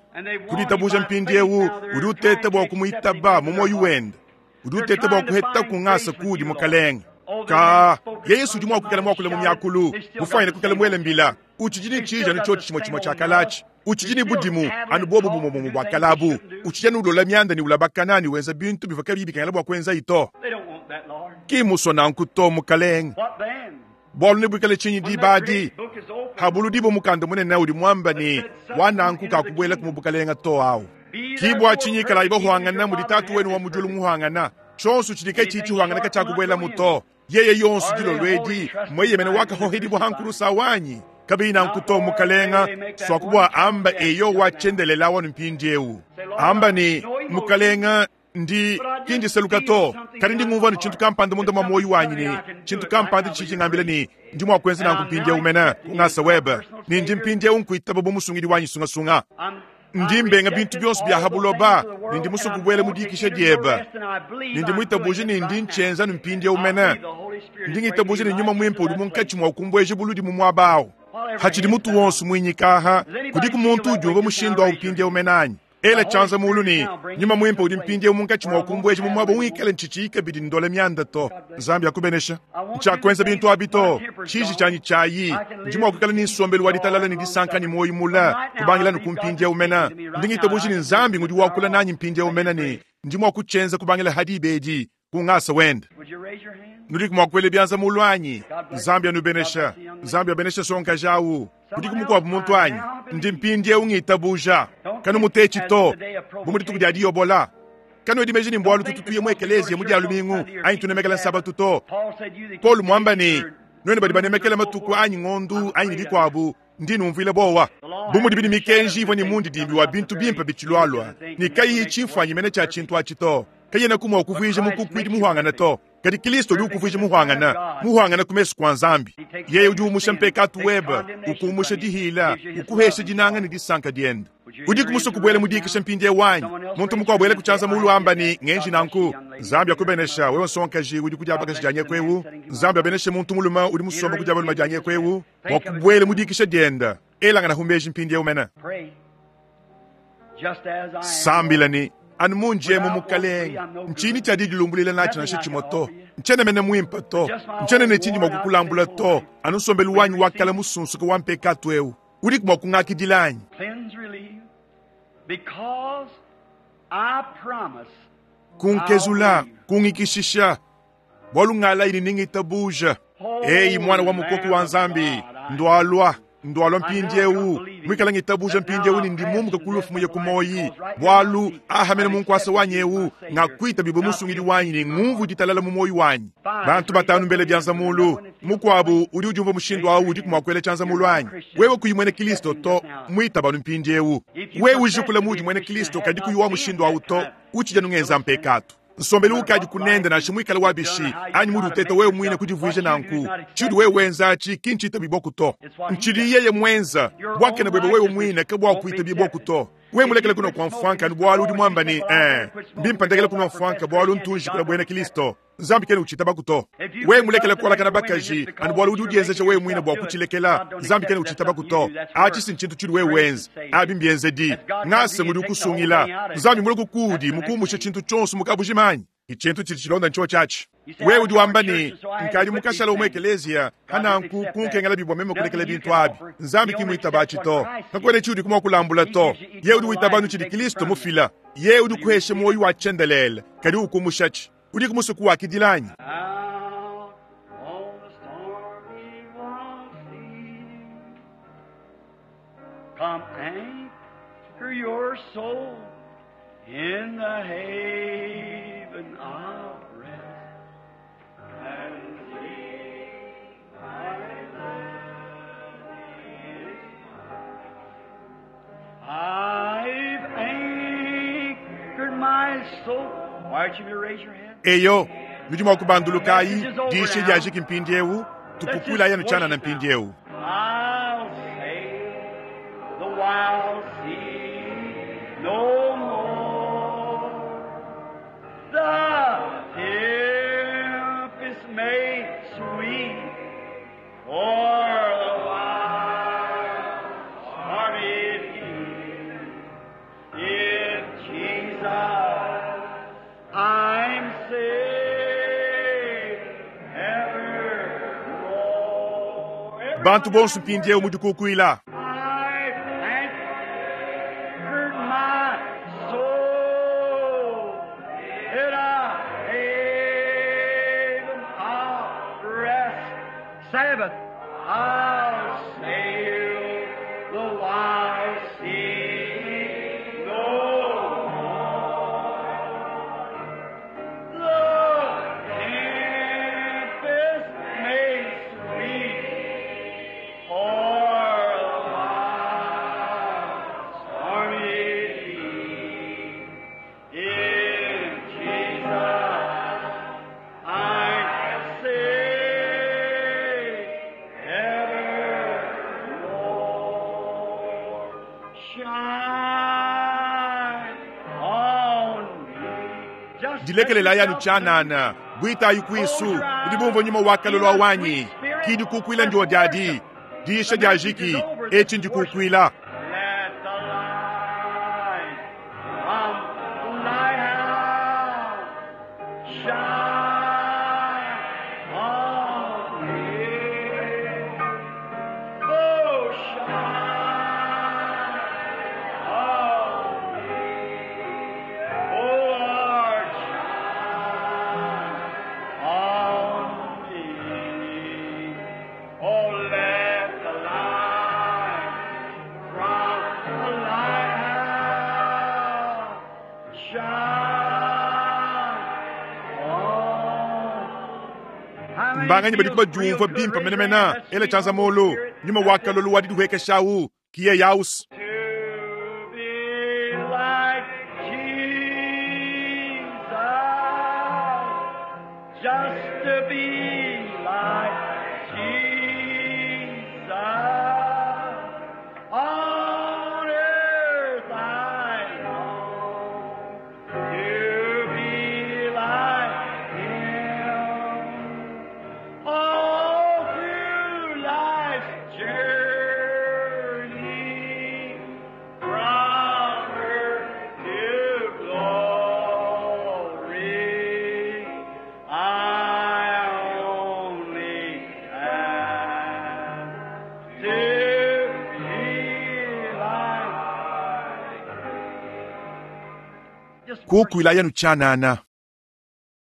ku ditabuja mpindieu, udi uteta bua kumuitaba mu muoyi wende. Udi uteta bua kuheta ku ngasa kudi Mukalenge. Ka Yesu udi mua kuikala muakule mu miakulu, mufuanyine kuikala muele mbila. Utshidi ne tshiji anu tshiotshi tshimue tshimue tshia kalatshi. Utshidi ne budimu anu buobu bumue bumue bua kalabu. Utshidi anu ulola mianda ne ulabakana ne wenza bintu bivua kabiyi bikengela bua kuenzayi to. Ki mmusue nanku to, Mukalenge. Bualu nebuikale tshinyi diba adi? Habuludibua mukanda munene udi muamba ne, wa nanku kakubuelaku mu bukalenga to awu. Ki bua tshinyi ikalayi bahuangana mudi Tatu wenu wa mu diulu muhuangana. Tshionso tshidi katshiyi tshihuangana katshiakubuelamu to. Yeye yonso dilolo edi mueyemene wakahohedibua ha nkulusa wanyi. Kabiyi nanku to, Mukalenga, suaku bua amba eyowa tshiendelela wanu mpindieu. Amba ne, Mukalenga, ndi ki ndiseluka to, kadi ndi ngumvua ne tshintu kampanda munda mua muoyo wanyi ne tshintu kampanda tshidi tshingambila ne ndi mua kuenza nanku mpindieu mene ku ngasa webe, ne ndi mpindieu nkuitaba bu musungidi wanyi sungasunga. Ndi mbenga bintu bionso bia ha buloba ne ndi musue kubuela mu dikisha diebe, ne ndi muitabuje ne ndi ntshienza ne mpindieu mene. Ndi ngitabuja ne Nyuma Muimpe udi munkatshi mua kumbueja buludi mu muaba au. Hatshidi mutu wonso muinyika aha, kudiku muntu udi umvua mushindu au mpindieu mene anyi? Ela tshianza mulu ne, Nyuma Muimpe udi mpindieu munkatshi mua kumbueja mu muaba ungikale ntshitshiyi kabidi ndola mianda to. Nzambi akubenesha. Ntshiakuenza bintu abi to. Tshiji tshianyi tshiayi. Ndi mua kuikala ne nsombelu wa ditalala ne disanka ne muoyo mule kubangila anu ku mpindieu mene. Ndi ngitabuja ne Nzambi ngudi wakula nanyi mpindieu mene ne ndi mua kutshienza kubangila ha diba edi ku ngasa wende. Nudiku mua kuela bianza mulu anyi? Nzambi anubenesha. Nzambi abenesha nsongakaji au. Kudiku mukuabu muntu anyi? Ndi mpindieu ngitabuja. Kanumutetshi to, bu mu dituku dia diyobola. Kanuedi meji ne mbualu tutu tuya mu ekeleziya mu dia lumingu anyi tunemekela Nsabatu to. Paulo muamba ne, Nuenu badi banemekela matuku anyi ngondu anyi ne bikuabu, ndi numvuila buowa. Bu mudibi ne mikenji ivua ne mundidimbi wa bintu bimpe bitshilualua, ne kayiyi tshimfuanyi mene tshia tshintu atshi to, kayenaku mua kuvuija mukukuidi muhuangane to. Kadi Kristo udi ukuvuija muhuangane, muhuangane ku mesu kua Nzambi. Yeye udi umusha mpekatu webe, ukumusha dihila, ukuhesha dinanga ne disanka diende. Udiku musue kubuela mu dikisha mpindieu anyi? Muntu mukuabu ela ku tshianza muulu wamba ne, Ngenji nanku. Nzambi akubenesha, wewe nsongakaji udi ku dia bakaji dia nyeku eu. Nzambi abeneshe muntu mulume udi musombe ku dia balume dia nyeku eu bua kubuela mu dikisha diende. Elanganahu meji mpindieu mene. Sambila ne, Anu mundi emu, Mukalenge, ntshinyi tshia didilumbuluila natshi nansha tshimue to. Ntshiena mene muimpe to. Ntshiena ne tshindi mua kukulambula to, anu nsombelu wanyi wa kale musunsuke wa mpekatu eu. Udiku mua kungakidila anyi? Kunkezula, kungikishisha, bualu ngalayi ne ningitabuja. Eyi, Muana wa mukoko wa Nzambi, ndualua, ndualua mpindieu, muikale ngitabuja mpindieu ne ndi mumuke ku lufu muye ku muoyi, bualu aha mene mu nkuasa wanyi eu ngakuitabibue musungidi wanyi ne ngumvu ditalala mu muoyi wanyi. Bantu batanu mbele bianza mulu. Mukuabu udi udiumvua mushindu au udiku mua kuela tshianza mulu anyi? Wewe kuyi muena Kristo to, muitaba anu mpindieu. Wewe ujikula muudi muena Kristo kadi kuyi wa mushindu au to, utshidi anu ngenza mpekatu. Nsombelu ukadi kunende nansha muikale wa bishi anyi muudi uteta wewe muine kudivuija nanku, tshiudi wewe wenza atshi ki ntshitabibua to. Ntshidi yeye muenza. Buakane buebe wewe muine kabuakuitabibua to. Wewe mulekele kunua kua mfuanka anu bualu udi muamba ne, ee, mbimpe ndekele kunua mfuanka bualu ntu njikula buena Kristo, Nzambi kena utshitabaku to. Wewe mulekele kualakana bakaji anu bualu udi udienzeja wewe muine bua kutshilekela, Nzambi kena utshitabaku to. Atshi si ntshintu tshiudi wewe wenza, abi mbienzedi. Ngasa ngudi ukusungila. Nzambi mulue kuudi mukumushe tshintu tshionso mu kabujima anyi? Tshintu tshidi tshilonda ntshiotshi atshi. Wewe udi wamba ne, Nkadi mukashala wa mu ekeleziya, pananku kunkengelabi bua meme kulekela bintu abi. Nzambi ki muitaba atshi to. Kakuena tshiudi mua kulambula to. Yeye udi witaba anu tshidi Kristo mufila. Yeye udi ukuhesha muoyo wa tshiendelele, kadi ukumushatshi. Udiku musue kuwakidila anyi? Out on the stormy wild sea, come anchor your soul in the haven of rest, and see my land is mine. I've anchored my soul. Why don't you raise your hand? Eyo, nudi mua kubandulukayi, diyisha diajiki mpindieu, tukukuilayi anu tshianana mpindieu. I'll sail the wild sea no more. The tempest may sweep o'er the wild stormy sea. In Jesus I'm safe evermore. Bantu bonso mpindieu mudikukuila. I've anchored my soul in a haven of rest. Sabbath, I'll sail the wild sea no more. The tempest may sweep o'er the wild stormy sea. In Jesus I say evermore. Shine on me. Just Dilekelelayi anu tshianana, buitayi kuisu, nudi bumvua nyuma wa kalolo wanyi. Ki dikukuila ndio diadi, diyisha diajiki, etshi ndikukuila. Let the light from the lighthouse shine on me. Oh, shine on me. Oh, Lord, shine on me. Oh, let the light Mbanganyi badiku badiumvua bimpe menemene? Ela tshianza muulu. Nyuma wa kalolo wa didihuekesha awu, ki yeye awusi. To be like Jesus, just to be like Jesus. On earth I long to be like Him. All through life's journey, from earth to glory, I only ask to be like. Kukuila yanu tshianana.